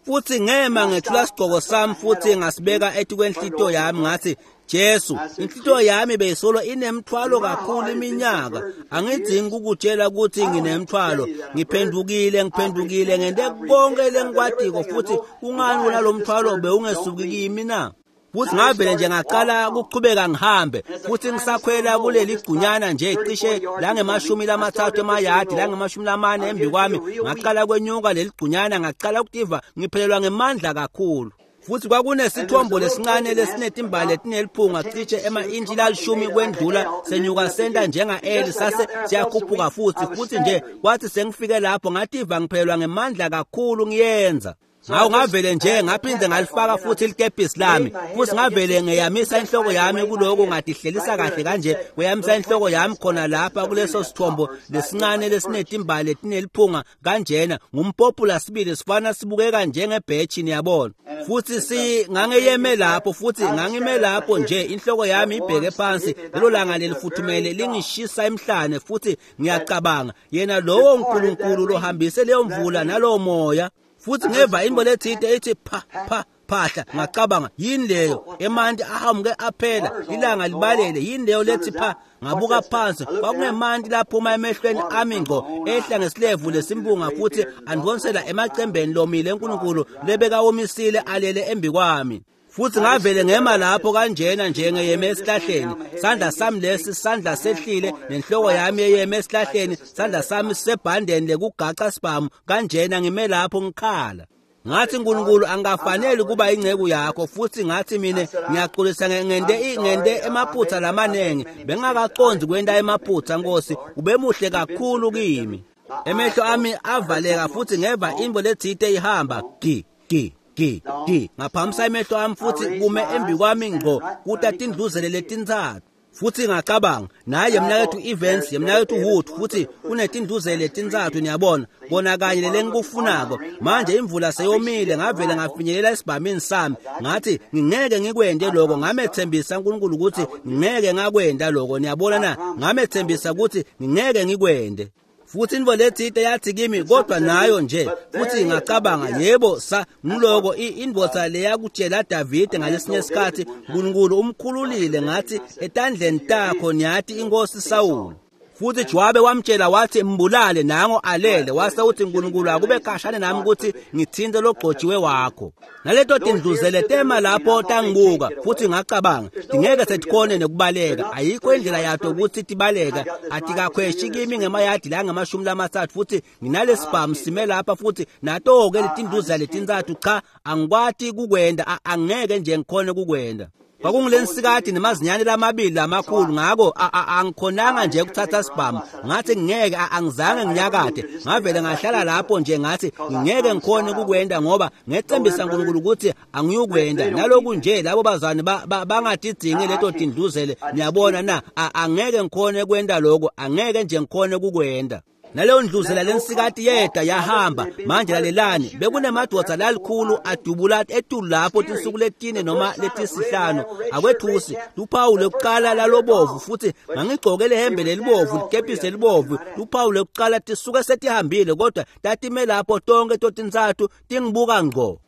Futhi ngema ngethula isigqoko sami futhi ngasibeka etikwenhlito yami ngathi Jesu inhlito yami beyisolo inemthwalo kakhulu iminyaka angidzingi ukutshela ukuthi nginemthwalo ngiphendukile ngiphendukile ngente konke lengikwadiko futhi kungani wona lo mthwalo bewungesuki kimi na. Futhi ngavele nje ngaqala ukuqhubeka ngihambe futhi ngisakhwela kuleli gqunyana nje cishe la ngemashumi lamathathu emayadi la ngemashumi lamane embi kwami ngaqala kwenyuka leli gqunyana ngaqala ukutiva ngiphelelwa ngemandla kakhulu futhi kwakunesithombo lesincane lesinetimbali etineliphunga cishe ema-intshi lalishumi kwendlula senyuka senta njenga-L sase siyakhuphuka futhi futhi nje kwathi sengifike lapho ngativa ngiphelelwa ngemandla kakhulu ngiyenza. Ngawo ngavele nje ngaphinde ngalifaka futhi ilikepisi lami futhi ngavele ngeyamisa inhloko yami kuloko ngadihlelisa kahle kanje kweyamisa inhloko yami khona lapha kuleso sithombo lesincane lesinetimbali etineliphunga kanjena ngumpopula sibili sifana sibukeka njengebhetshi niyabona futhi si ngangeyeme lapho futhi ngangime lapho nje inhloko yami ibheke phansi lelo langa lelifuthumele lingishisa emhlane futhi ngiyacabanga yena lowo uNkulunkulu lohambise leyo mvula nalowo moya futhi ngeva into lethinte ethi pha pha phahla. Ngacabanga, yini leyo? Emanti ahamuke aphela, ilanga libalele, yini leyo lethi pha? Ngabuka phansi, kwakungemanti laphuma emehlweni ami ngqo, ehla ngesilevu lesimbunga futhi andonsela emacembeni lomile eNkulunkulu lebekawomisile alele embi kwami. Futhi ngavele ngema lapho kanjena njengeyeme esihlahleni, sandla sami lesi sandla sehlile nenhloko yami eyeme esihlahleni, sandla sami sisebhandeni lekugaca sibhamu kanjena ngime lapho ngikhala. Ngathi, Nkulunkulu, angafanele kuba ingceku yakho. Futhi ngathi, mina ngiyaxolisa ngente ngente emaphutha lamanengi, bengakaqondi kwenta emaphutha Nkosi, ubemuhle kakhulu kimi. Emehlo ami avaleka futhi ngeva imbo lethite ihamba gi gi gi gi. Ngaphamisa emehlo ami futhi kume embi kwami ngqo kuta tindluzele letintsatfu. Futhi ngacabanga, naye mnakethu Evans, mnakethu Wood, futhi kunetindluzele letintsatfu, niyabona, bona kanye lengikufunako. Manje imvula seyomile, ngavele ngafinyelela esibhamini sami. Ngathi ngingeke ngikwente lokho, ngamethembisa uNkulunkulu ukuthi ngingeke ngakwenda lokho, niyabona na, ngamethembisa ukuthi ngingeke ngikwende. Futhi intfo letsite yathi kimi, kodwa nayo nje. Futhi ngacabanga, yebo, sa ngiloko indvodza leyakutshela Davide ngalesinye isikhathi, uNkulunkulu umkhululile, ngathi etandleni takho niyati inkosi Sawuli. Futhi Jowabe wamtshela wathi mbulale, nango alele. Wase uthi, uNkulunkulu akube khashane nami ukuthi ngithinte logcotshiwe wakho. Naleto tindluzele tema lapho tangibuka, futhi ngacabanga, ngeke setikhone nekubaleka, ayikho indlela yato ukuthi tibaleka, atikakhweshi kimi ngemayadi la ngamashumi lamathathu, futhi nginalesibhamu sime lapha, futhi nato-ke letindluzele letintsatfu. Cha, angikwati kukwenda, angeke nje ngikhone kukwenda. Kwakungulensikati nemazinyane lamabili lamakhulu, ngako angikhonanga nje ukuthatha sibhamu. Ngathi ngeke, angizange nginyakade, ngavele ngahlala lapho nje, ngathi ngeke ngikhone kukwenda ngoba ngethembisa uNkulunkulu ukuthi angiyukwenda. Naloku nje labo bazwane bangatidzingi leto tindluzele, niyabona na, angeke ngikhone kwenda lokho, angeke nje ngikhone kukwenda. Naleyo ndluzela lensikati yeda yahamba. Manje lalelani, bekunemadvodza lalikhulu adubula etulu lapho tinsuku letine noma letisihlanu, akwethusi luphawu lekuqala lalobovu, futhi ngangigcoke lehembe lelibovu, likepisi lelibovu, luphawu lekuqala tisuke setihambile, kodwa tatime lapho tonke totintsatfu tingibuka ngqo.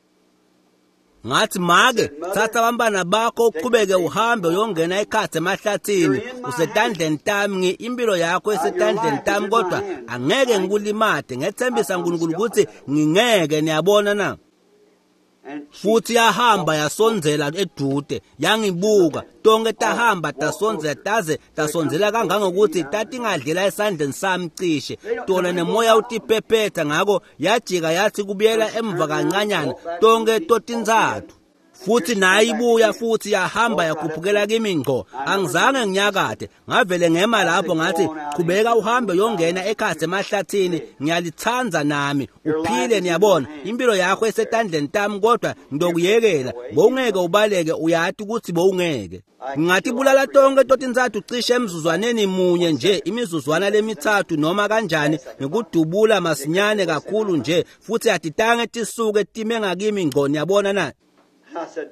Ngathi, make, thatha abantwana bakho uqhubeke uhambe uyongena ekhatsi emahlathini, usetandleni tami, impilo yakho isetandleni tami, kodwa angeke ngikulimate, ngethembisa uNkulunkulu ukuthi ngingeke, niyabona na. Futhi yahamba yasondzela edude, yangibuka, tonke tahamba tasondzela taze tasondzela kangangokuthi tatingadlela esandleni sami cishe, tona nemoya utiphephetha. Ngako yajika yathi kubuyela emva kancanyana, tonke totintsatfu. Futhi nayi ibuya futhi yahamba yakhuphukela kimi ngqo, angizange nginyakade, ngavele ngema lapho ngathi, qhubeka uhambe uyongena ekhatsi emahlathini, ngiyalithanda nami, uphile, niyabona, impilo yakho isetandleni tami, kodwa ngidokuyekela, bowungeke ubaleke, uyati ukuthi bowungeke. Ngingatibulala tonke totintsatfu cishe emzuzwaneni munye nje, imizuzwana lemithathu noma kanjani, ngikudubula masinyane kakhulu nje, futhi atitange tisuke time ngakimi ngqo, niyabona na.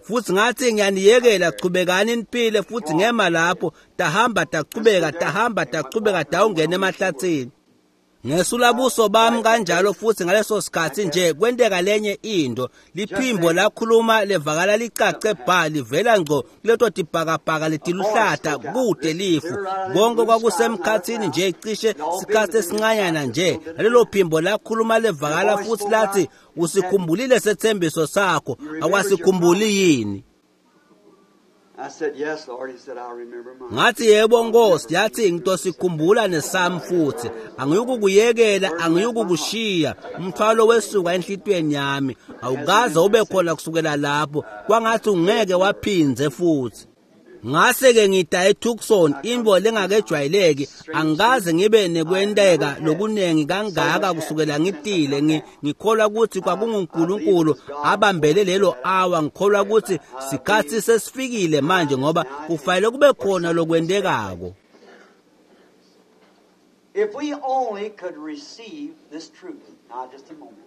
Futhi ngathi ngiyaniyekela, chubekani niphile. Futhi ngema lapho, tahamba tachubeka, tahamba tachubeka, dawungena emahlathini. Ngesula buso bami kanjalo, futhi ngaleso sikhathi nje kwenteka lenye into, liphimbo lakhuluma levakala licace bha, livela ngqo kuleto tibhakabhaka letiluhlata kude lifu. Konke kwakusemkhathini nje, cishe sikhathi esincanyana nje. Nalelo phimbo lakhuluma levakala futhi lathi, usikhumbulile sethembiso sakho, akwasikhumbuli yini? Ngathi, yebo Nkosi. Yathi, ngitosikhumbula nesami futhi, angiyukukuyekela, angiyukukushiya. Umthwalo wesuka enhlitiyweni yami, awukaze ube khona kusukela lapho, kwangathi ungeke waphindze futhi. Ngase-ke ngida eTucson, intfo lengakejwayeleki, angikaze ngibe nekwenteka lokunengi kangaka kusukela ngitile. Ngikholwa ukuthi kwakunguNkulunkulu abambele lelo awa. Ngikholwa ukuthi sikhathi sesifikile manje, ngoba kufanele kube khona lokwentekako. If we only could receive this truth. Now just a moment.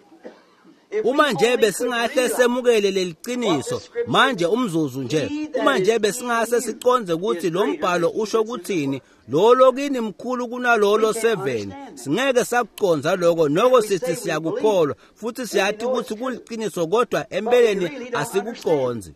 Uma nje besingahle semukele leliqiniso manje, umzuzu nje, uma nje besingase siconze ukuthi lo mbhalo usho ukuthini, lolo kini mkhulu kunalolo seven. Singeke sakucondza lokho, noko sithi siyakukholwa futhi siyathi ukuthi kuliqiniso, kodwa empeleni asikucondzi.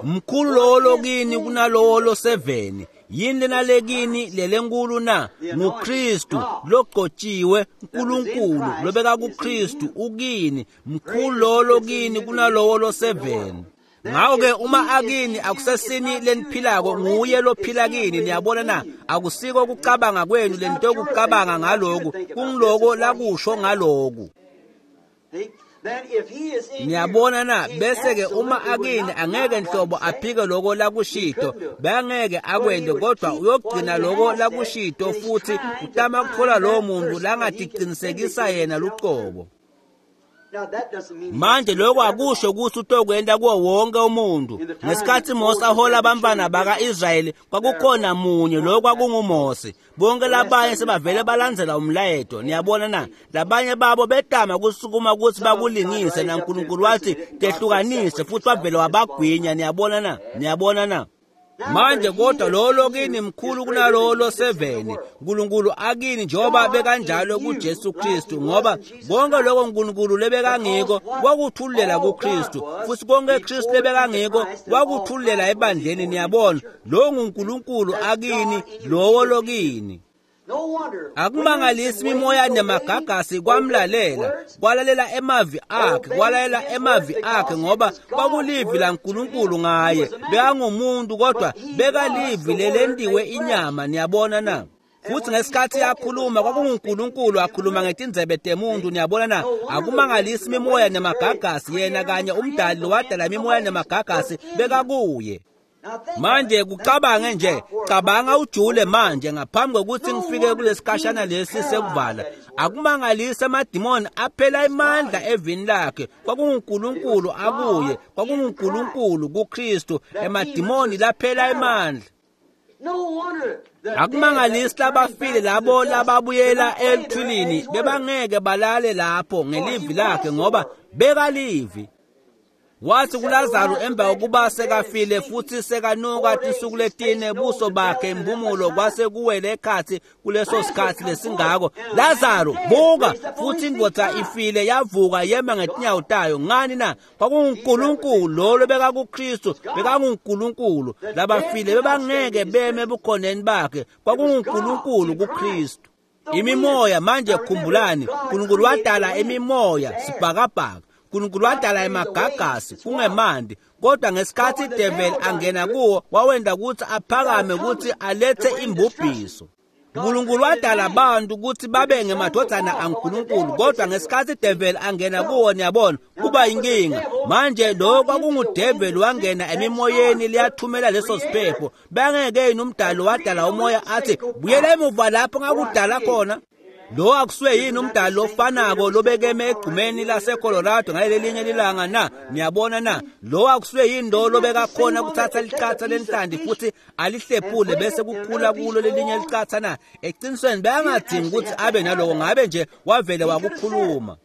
Mkhulu lowo lokini kunalowo loseveni. Yini lena lekini lelenkulu na? NguKristu logcotshiwe, uNkulunkulu lobeka kuKristu ukini. Mkhulu lowo lokini kunalowo loseveni. Ngakho-ke uma akini akusesini leniphilako, nguye lophila kini. Niyabona na? Akusiko ukucabanga kwenu lento yokucabanga ngaloku, kungiloko lakusho ngaloku. Niyabona na? Bese-ke uma akini angeke nhlobo aphike loko lakushito, bangeke akwente, kodwa uyogcina loko lakushito futhi utama kuthola lowo muntu langatiqinisekisa yena luqobo. Manje lokho akusho ukuthi utokwenta kuwo wonke umuntu. Ngesikhathi Mose ahola abantwana baka-Israyeli, kwakukhona munye, lo kwakunguMose. Bonke labanye sebavele balandzela umlayeto. Niyabona na? Labanye babo betama kusukuma ukuthi bakulingise, naNkulunkulu wathi tehlukanise, futhi wavele wabagwinya. Niyabona na? Niyabona na? Manje kodwa lowo lokini mkhulu kunalowo loseveni. uNkulunkulu akini njengoba bekanjalo kuJesu Kristu, ngoba konke lokho uNkulunkulu lebekangiko wakuthululela kuKristu, futhi konke Kristu lebekangiko wakuthululela ebandleni. Niyabona, lo nguNkulunkulu akini, lowo lokini. Akumangalisi imimoya nemagagasi kwamlalela, kwalalela emavi akhe, kwalalela emavi akhe, ngoba kwakulivi laNkulunkulu ngaye. Bekangumuntu kodwa bekalivi lelentiwe inyama. Niyabona na? Futhi ngesikhathi yakhuluma kwakunguNkulunkulu akhuluma ngetindzebe temuntu. Niyabona na? Akumangalisi imimoya nemagagasi, yena kanye umdali lowadala imimoya nemagagasi bekakuye. Manje kucabange nje, cabanga ujule manje ngaphambi kokuthi ngifike kulesikhashana lesi sekuvala. Akumangalisi amadimoni aphela imandla evini lakhe. KwakunguNkulunkulu akuye, kwakunguNkulunkulu kuKristu, emadimoni laphela imandla. Akumangalisi labafile labo lababuyela elithulini bebangeke balale lapho ngelivi lakhe, ngoba bekalivi. Wathi kuLazaru emva kokuba sekafile futhi sekanuka tinsuku letine, buso bakhe impumulo kwase kuwele ekhathi kuleso sikhathi lesingako. Lazaru, buka! Futhi indvodza ifile yavuka yema ngetinyawo tayo. Ngani na? KwakunguNkulunkulu lo lobekakuKristu, bekanguNkulunkulu. Labafile bebangeke beme ebukhoneni bakhe. KwakunguNkulunkulu kuKristu. Imimoya manje, khumbulani, uNkulunkulu wadala imimoya sibhakabhaka. uNkulunkulu wadala emagagasi kungemanti, kodwa ngesikhathi ideveli angena kuwo wawenda ukuthi aphakame ukuthi alethe imbubhiso. uNkulunkulu wadala abantu ukuthi babe ngemadodana aNkulunkulu, kodwa ngesikhathi ideveli angena kuwo, niyabona, kuba inkinga. Manje lo kwakungudeveli wangena emimoyeni liyathumela leso siphepho. Bangeke yini umdali wadala umoya athi buyela emuva lapho ngakudala khona? Lo akusuye yini umdali ofanako lobekeme egcumeni laseColorado ngalelinye lilanga na? Niyabona na? Lo akusuye yini lo lobekakhona kuthatha licatsa lenhlanti futhi alihlephule bese kukhula kulo lelinye licatsa na? Eqinisweni beyangadingi ukuthi abe naloko, ngabe nje wavele wakukhuluma.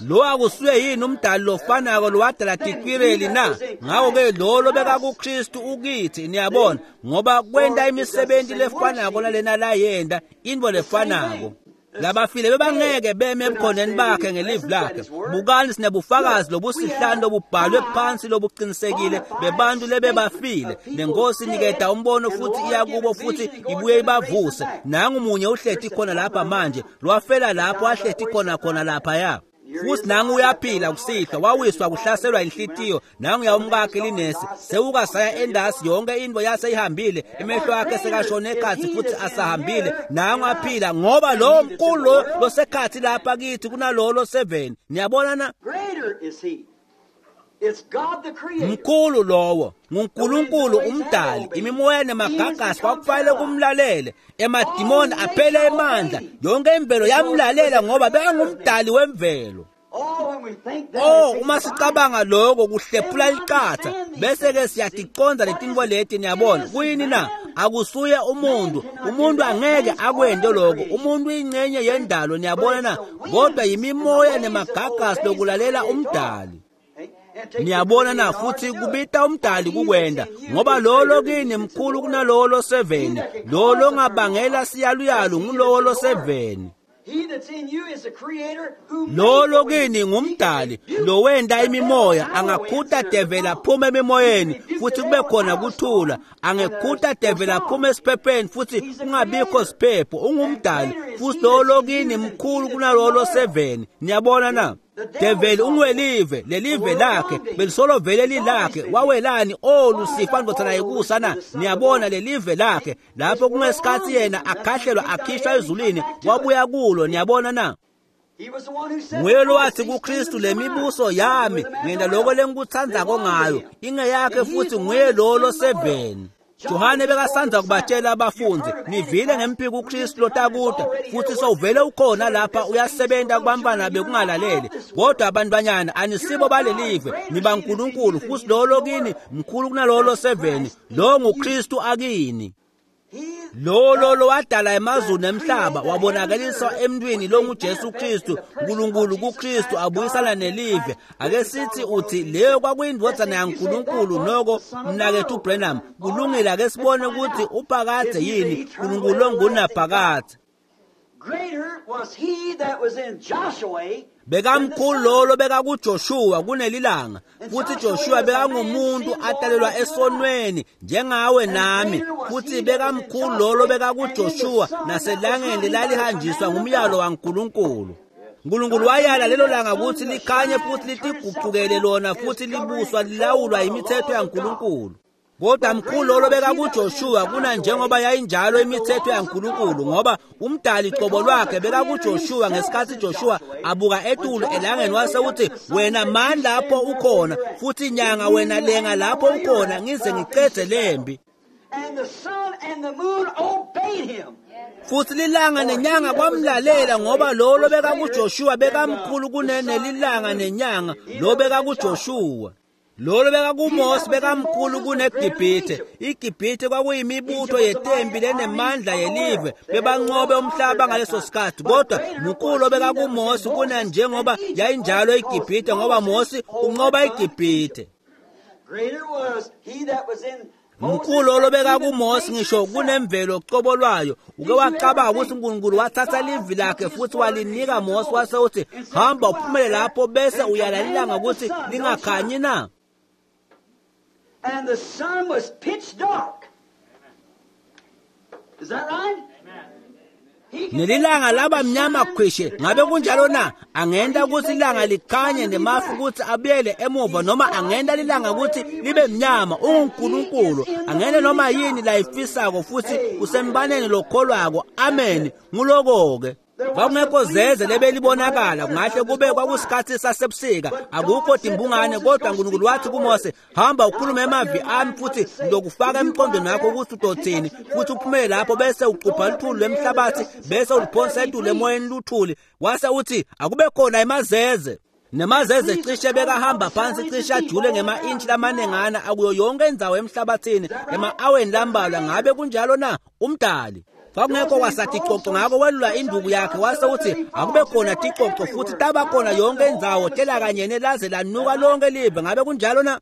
Lo akusuye yini umdali lofanako lowadala tikwireli na? Ngakho-ke lo lobekakuKristu ukithi, niyabona, ngoba kwenta imisebenzi lefanako nalena layenta, intfo lefanako. Labafile bebangeke beme ebukhoneni bakhe ngelivi lakhe. Bukani, sinebufakazi lobusihlanu lobubhalwe phansi lobuqinisekile bebantu lebebafile. Nenkosi iniketa umbono futhi iya kubo futhi ibuye ibavuse. Nangu munye uhleti khona lapha manje, lwafela lapho ahleti khona khona laphaya. Futhi nangu uyaphila kusihlwa, wawiswa kuhlaselwa inhlitiyo, nangu yawumkakhe linesi, sewuka saya endasi, yonke into yaseyihambile, emehlo akhe sekashone ekhathi futhi asahambile, nangu aphila, ngoba lo mkhulu losekhathi lapha kithi kunalowo loseveni. Niyabona na? Mkhulu lowo nguNkulunkulu umdali. Imimoya nemagagasi kwakufanele kumlalele, emadimoni aphele emandla, yonke imvelo yamlalela ngoba bekangumdali wemvelo. Oh, uma sicabanga lokho kuhlephula licatha bese ke siyaticonza letinto leti. Niyabona kuyini na? Akusuye umuntu, umuntu angeke akwente lokho, umuntu uyingcenye yendalo. Niyabona na? Kodwa yimimoya nemagagasi lokulalela umdali. Niyabona na futhi kubita umdali kukwenda ngoba lo lokini mkhulu kunalowo loseveni lo longabangela siyaluyalu ngulowo loseveni. Lo lokini ngumdali lo wenda imimoya angakhuta devela aphuma emimoyeni futhi kube khona kuthula angekhuta devela aphuma esiphepheni futhi kungabikho siphepho ungumdali futhi lo lokini mkhulu kunalowo loseveni. Niyabona na develi ungwelive lelive lakhe belisolo vele lilakhe wawelani olusifa ndvodzana yekusa na. Niyabona lelive lakhe lapho kungesikhathi yena akhahlelwa akhishwa ezulwini wabuya kulo. Niyabona na nguye lowathi kuKristu lemibuso yami ngenda lokho lengikuthandzako ngayo ingeyakhe futhi nguye lo loseveni. Johane bekasandza kubatshela abafundi nivile ngempiko uKristu lotakuda futhi sowuvele ukhona lapha uyasebenza kubantwana bekungalaleli kodwa abantwanyana anisibo balelive nibaNkulunkulu futhi lo lokini mkhulu kunalowo loseveni lo nguKristu akini. Lo lo lo wadala emazulu nemhlaba wabonakaliswa emntwini lo nguJesu Kristu uNkulunkulu kuKristu abuyisana nelive. Ake sithi uthi leyo kwakuyindvodzana yaNkulunkulu noko mnakethu Branham kulungile ake sibone ukuthi uphakadze yini uNkulunkulu ongunaphakadze. Bekamkhulu lolo bekakuJoshua kunelilanga futhi Joshua bekangumuntu atalelwa esonweni njengawe nami futhi bekamkhulu lolo bekakuJoshua naselangeni lalihanjiswa ngumyalo waNkulunkulu. uNkulunkulu wayala lelo langa ukuthi likhanye futhi litiguqukele lona futhi libuswa lilawulwa imithetho yaNkulunkulu. Kodwa mkhulu lolo bekakuJoshua kuna njengoba yayinjalo imithetho yaNkulunkulu ngoba umdali qobo lwakhe bekakuJoshua ngesikhathi Joshua abuka etulu elangeni wase uthi wena mani lapho ukhona futhi inyanga wena lenga lapho ukhona ngize ngicedze lembi. Futhi lilanga nenyanga kwamlalela ngoba lo lo bekakuJoshua bekamkhulu kunenelilanga nenyanga lo bekakuJoshua. Lolo bekakuMose bekamkhulu kuneGibhithe. IGibhithe kwakuyimibutho yetempi lenemandla yelive bebanqobe umhlaba ngaleso sikhathi kodwa mkhulu bekakuMose kuna njengoba yayinjalo iGibhithe ngoba Mose unqoba iGibhithe. Mkhulu lo bekakuMose ngisho kunemvelo qobo lwayo. Uke wacabanga ukuthi uNkulunkulu wathatha livi lakhe futhi walinika Mose wase uthi hamba uphumele lapho bese uyalalilanga ukuthi lingakhanyi na. And the sun was pitch dark. Is that right? Nelilanga laba mnyama khwishe ngabe kunjalo na? Angenda ukuthi ilanga likhanye nemafu ukuthi abuyele emuva noma angenda lilanga ukuthi libe mnyama. UnguNkulunkulu angene noma yini layifisako futhi usembaneni lokholwako. Amen. Nguloko ke kwakungekho zeze lebelibonakala kungahle kube kwakusikhathi sasebusika akukho timbungane kodwa uNkulunkulu wathi kuMose hamba ukhulume emavi ami futhi ngizokufaka emqondweni wakho ukuthi utothini futhi uphumele lapho bese ucupha luthuli lwemhlabathi bese uliphonsa etulu emoyeni luthuli wase uthi akube khona emazeze. Nemazeze cishe bekahamba phansi cishe ajule ngema-intshi lamanengana akuyo yonke indzawo emhlabathini ema-aweni lambalwa ngabe kunjalo na? Umdali kwakungekho kwasaticoco ngako welula induku yakhe wase uthi akube khona ticoco futhi taba khona yonke indzawo tela kanyene laze lanuka lonke live ngabe kunjalo na?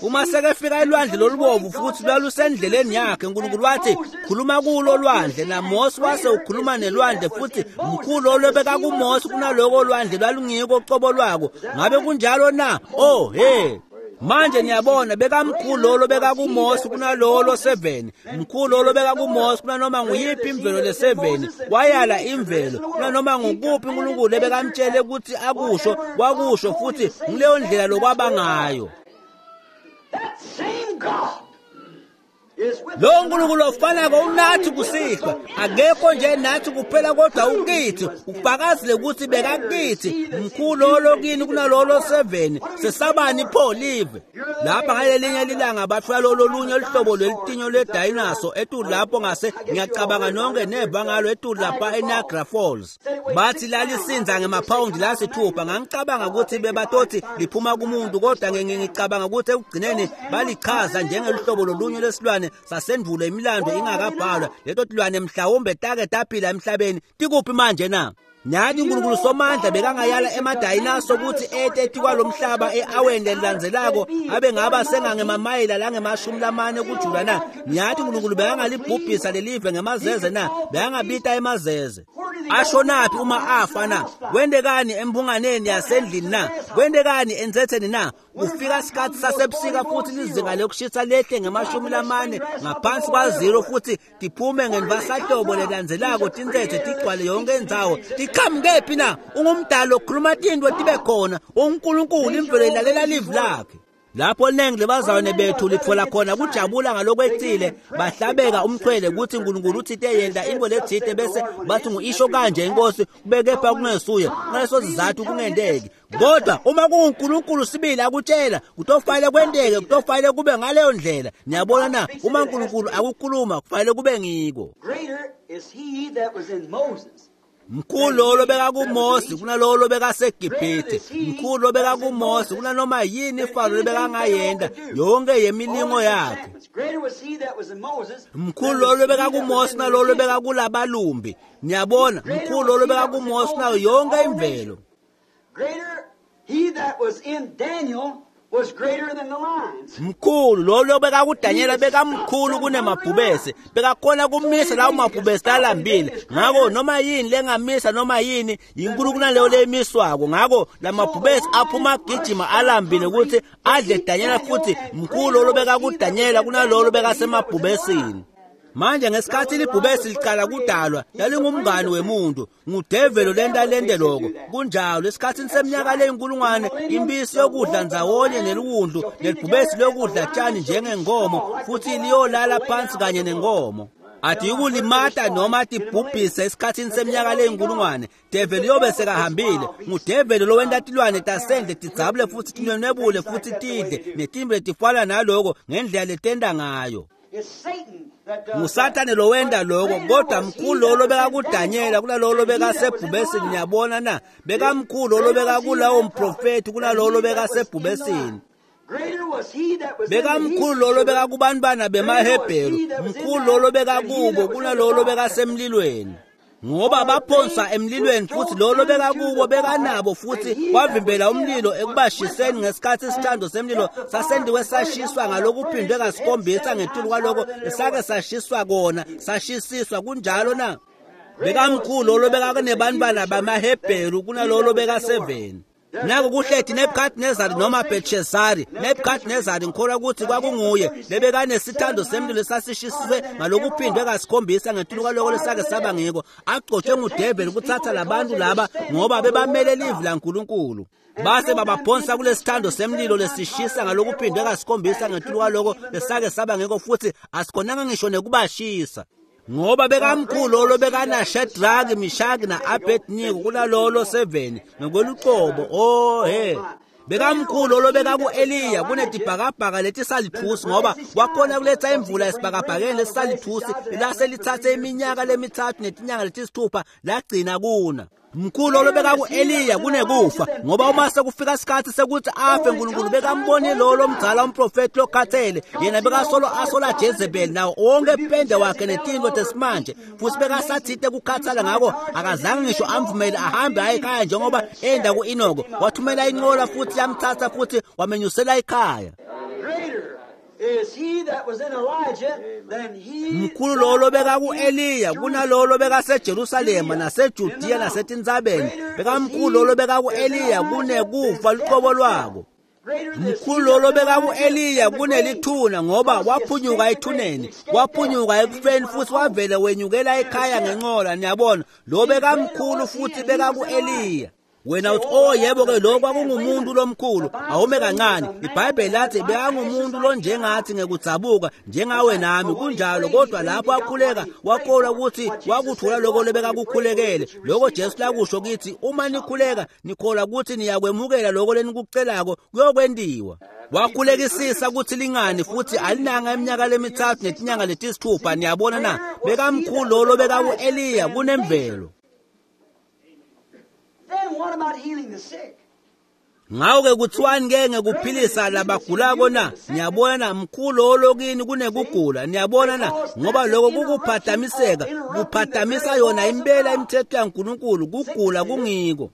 Uma sekefika elwandle lolubovu futhi lwalusendleleni yakhe uNkulunkulu wathi khuluma kulo lwandle naMose wase ukhuluma nelwandle futhi mkhulu lo bekakuMose kunaloko lwandle lwalungiko qobo lwako ngabe kunjalo na? Oh hey. Manje niyabona bekamkhulu lolo bekakuMose kunalowo loseveni mkhulu lolo bekakuMose kunanoma nguyiphi imvelo leseveni wayala imvelo kunanoma ngukuphi uNkulunkulu ebekamtshele ukuthi akusho wakusho futhi ngileyo ndlela lokwaba ngayo. Lo uNkulunkulu ofanako unathi kusihlwa akekho nje nathi kuphela kodwa ukithi ufakazile ukuthi bekakithi mkhulu lo kini kunalolo seven sesabani pho live lapha ngalelinye lilanga bathola lolunye luhlobo lwelitinyo ledinosaur etulu lapho ngase ngiyacabanga nonke neva ngalo etulu lapha eNiagara Falls bathi lalisinza ngemaphawundi lasithupha ngangicabanga ukuthi bebatothi liphuma kumuntu kodwa ngicabanga ukuthi ekugcineni balichaza njengeluhlobo lolunye lesilwane letilwane sasendvulo imilando ingakabhalwa, leto tilwane mhlawumbe take taphila emhlabeni, tikuphi manje na? Nyathi uNkulunkulu Somandla bekangayala emadayinaso kutsi ete etikwalomhlaba e-aweni lelilandzelako abe ngaba sengangemamayela langemashumi lamane kujula na? Nyathi uNkulunkulu bekangalibhubhisa lelive ngemazeze na? Bekangabita emazeze. Ashonaphi uma afa na? Kwentekani embunganeni yasendlini na? Kwentekani entsetheni na? Kufika sikhatsi sasebusika futhi lizinga lokushisa lehle ngemashumi lamane ngaphansi kwa-zero futhi tiphume ngenvasahlobo lelandzelako tintsetse tigcwale yonke indzawo. Tiqhamukephi na? Ungumdali okhuluma tintfo tibe khona. UNkulunkulu imvelo ilalela livi lakhe. Lapho linengi lebazalwane bethu litfola khona kujabula ngalokwetsile, bahlabeka umchwele kutsi uNkulunkulu utsite yenta intfo letsite bese bathi ngu-isho kanje inkosi, kube kepha kungesuye. Ngaleso sizatfu kungenteki. Kodwa uma kunguNkulunkulu sibili akutshela, kutofanele kwenteke, kutofanele kube ngaleyo ndlela. Niyabona na? Uma uNkulunkulu akukhuluma, kufanele kube ngiko. Greater is he that was in Moses. Mkhulu lo lobekakuMose kunalowo lobekaseGibhithe. Mkhulu lobekakuMose kunanoma yini Faro lebekangayenta yonke yemilingo yakhe. Greater was he that was in Moses. Mkhulu lo lobekakuMose kunalowo lobekakulabalumbi. Niyabona, mkhulu lo lobekakuMose kunayo yonke imvelo. Greater he that was in Daniel was greater than the lions. Mkhulu lo lobekakuDanyela bekamkhulu kunemabhubesi, bekakhona kumisa lawo mabhubesi lalambile. Ngako noma yini lengamisa noma yini yinkulu kunaleyo leyimiswako. Ngako lamabhubesi aphuma agijima alambile kutsi adle Danyela, futhi mkhulu lo lobekakuDanyela kunalowo lobekasemabhubesini. Manje ngesikhatsi libhubesi liqala kudalwa, lalingumngani wemuntu, ngudevelo lenta lente loko. Kunjalo, esikhatsini seminyaka leyinkulungwane, impisi yokudla ndzawonye neliwundlu, nelibhubesi liyokudla tjani njengenkomo, futhi liyolala phansi kanye nenkomo. Atiyikulimata noma tibhubhise esikhatsini seminyaka leyinkulungwane. Develi yobe sekahambile. Ngudeveli lowenta tilwane tasendle tidzabule futhi tinwenwebule futhi tidle, netimvu letifana naloko ngendlela letenta ngayo. It's Satan that does ngusathane lowenta loko, kodwa mkhulu lo lobekakuDanyela kunalowo lobekasebhubesini. Niyabona na? Bekamkhulu lo lobekakulawo mprofethi kunalowo lobekasebhubesini. Greater was he that was in the Bekamkhulu lo lobekakubantwana bemaHebheru, mkhulu lo lobekakubo kunalowo lobekasemlilweni. Ngoba baphonswa emlilweni futhi lo lobekakubo bekanabo futhi wavimbela umlilo ekubashiseni ngesikhatsi isithando semlilo sasendiwe sashiswa ngalokuphindwe kasikhombisa ngetulu kwaloko esake sashiswa kona sashisiswa. Kunjalo na? Bekamkhulu lo lobekakunebantwana bamaHebheru kunalowo lobekaseveni. Nako kuhleti Nebuchadnezzar noma Belshazzari. Nebuchadnezzar ngikholwa ukuthi kwakunguye lebekanesithando semlilo esasishiswe ngalokuphindwe kasikhombisa ngetulu kwaloko lesake saba ngiko, agcotshwe ngudeveli kuthatha labantu laba ngoba bebamele livi laNkulunkulu. Base babaphonsa kulesithando semlilo lesishisa ngalokuphindwe kasikhombisa ngetulu kwaloko lesake saba ngiko, futhi asikhonanga ngisho nekubashisa. Ngoba bekamkhulu lo bekana Shadrach, Meshach na Abednego kunalolo seven ngokweluqobo. Oh he, bekamkhulu lo bekaku-Eliya kunetibhakabhaka letisalithusi, ngoba wakhona kuletha imvula esibhakabhakeni lesisalithusi lase lithathe iminyaka lemithathu netinyanga letisithupha lagcina kuna. Mkhulu lo bekaku-Eliya kunekufa, ngoba uma sekufika isikhatsi sekuthi afe, uNkulunkulu bekambonile lo lomdzala umprofethi lokhathele. Yena bekasolo asola Jezebel nawo wonke pende wakhe netinto tesimanje, futhi bekasathite kukhathala, ngako akazange ngisho amvumele ahambe aye ekhaya njengoba enda ku-Enoko. Wathumela inqola futhi yamthatha futhi wamenyusela ekhaya. Greater is he that was in Elijah than he Mkhulu lo lobekaku-Eliya kunalowo lobekaseJerusalema naseJudiya nasetintsabeni. Bekamkhulu lo lobekaku-Eliya kunekufa luqobo lwako. Greater is Mkhulu lo lobekaku-Eliya kunelithuna, ngoba waphunyuka ethuneni, waphunyuka ekufeni futhi wavele wenyukela ekhaya ngenqola. Niyabona, lo bekamkhulu futhi bekaku-Eliya. Wena uthi, oh yebo ke, lo kwakungumuntu lomkhulu. Awume kancane, iBhayibheli lathi bekangumuntu lonjengathi ngekudzabuka njengawe nami. Kunjalo, kodwa lapho akhuleka wakholwa ukuthi wakuthola lokho lebekakukhulekele, lokho Jesu lakusho kithi, uma nikhuleka nikholwa ukuthi niyakwemukela lokho lenikucelako, kuyokwentiwa. Wakhulekisisa ukuthi lingani futhi alinanga iminyaka lemithathu netinyanga letisithupha. Niyabona na? Bekamkhulu lo lobekaku-Eliya kunemvelo. Then what about healing the sick? Ngako-ke kuthiwani ke ngekuphilisa labagulako na? Niyabona, mkhulu olokini kunekugula. Niyabona na? Ngoba lokho kukuphatamiseka, kuphatamisa yona impela imithetho yaNkulunkulu. Kugula kungiko.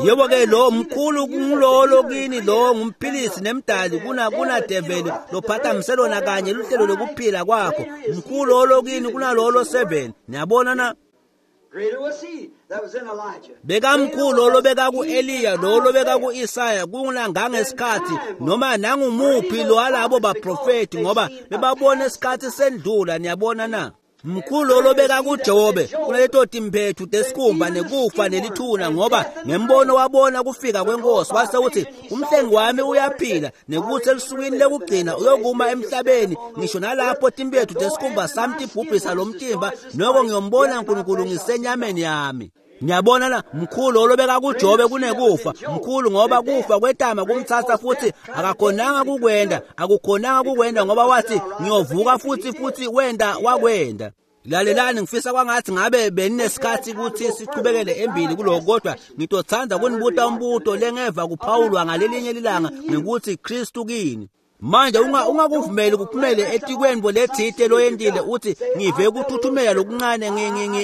Yebo-ke lo mkhulu ngulolo kini, lo ngumphilisi nemdali kuna kuna develi lophatamise lona kanye luhlelo lokuphila kwakho. Mkhulu olokini kunalolo seven. Niyabona na? Bekamkhulu lo bekaku-Eliya, lo lo bekaku-Isaya, kunangangesikhathi noma nangumuphi lo walabo baprofeti, ngoba bebabona isikhathi sendlula. Niyabona na? Mkhulu lo bekakuJobe kunaleto timphethu tesikhumba nekufa nelithuna, ngoba ngembono wabona kufika kwenkosi, wase uthi umhlengi wami uyaphila, nekuthi elusukwini lekugcina uyokuma emhlabeni, ngisho nalapho timphethu tesikhumba sami tibhubhisa lo mtimba, noko ngiyombona uNkulunkulu ngisenyameni yami. Niyabona na? Mkhulu lo bekakuJobe kunekufa. Mkhulu ngoba kufa kwetama kumtsatsa futhi akakhonanga kukwenda, akukhonanga kukwenda, ngoba wathi ngiyovuka futhi, futhi wenda wakwenda. Lalelani, ngifisa kwangathi ngabe beninesikhathi ukuthi sichubekele embili kuloko, kodwa ngitotsandza kunibuta umbuto lengeva kuphawulwa ngalelinye lilanga ngekuthi Kristu kini. Manje unga ungakuvumeli kuphumele etikweni bolethite loyendile uthi ngive kuthuthumela lokuncane,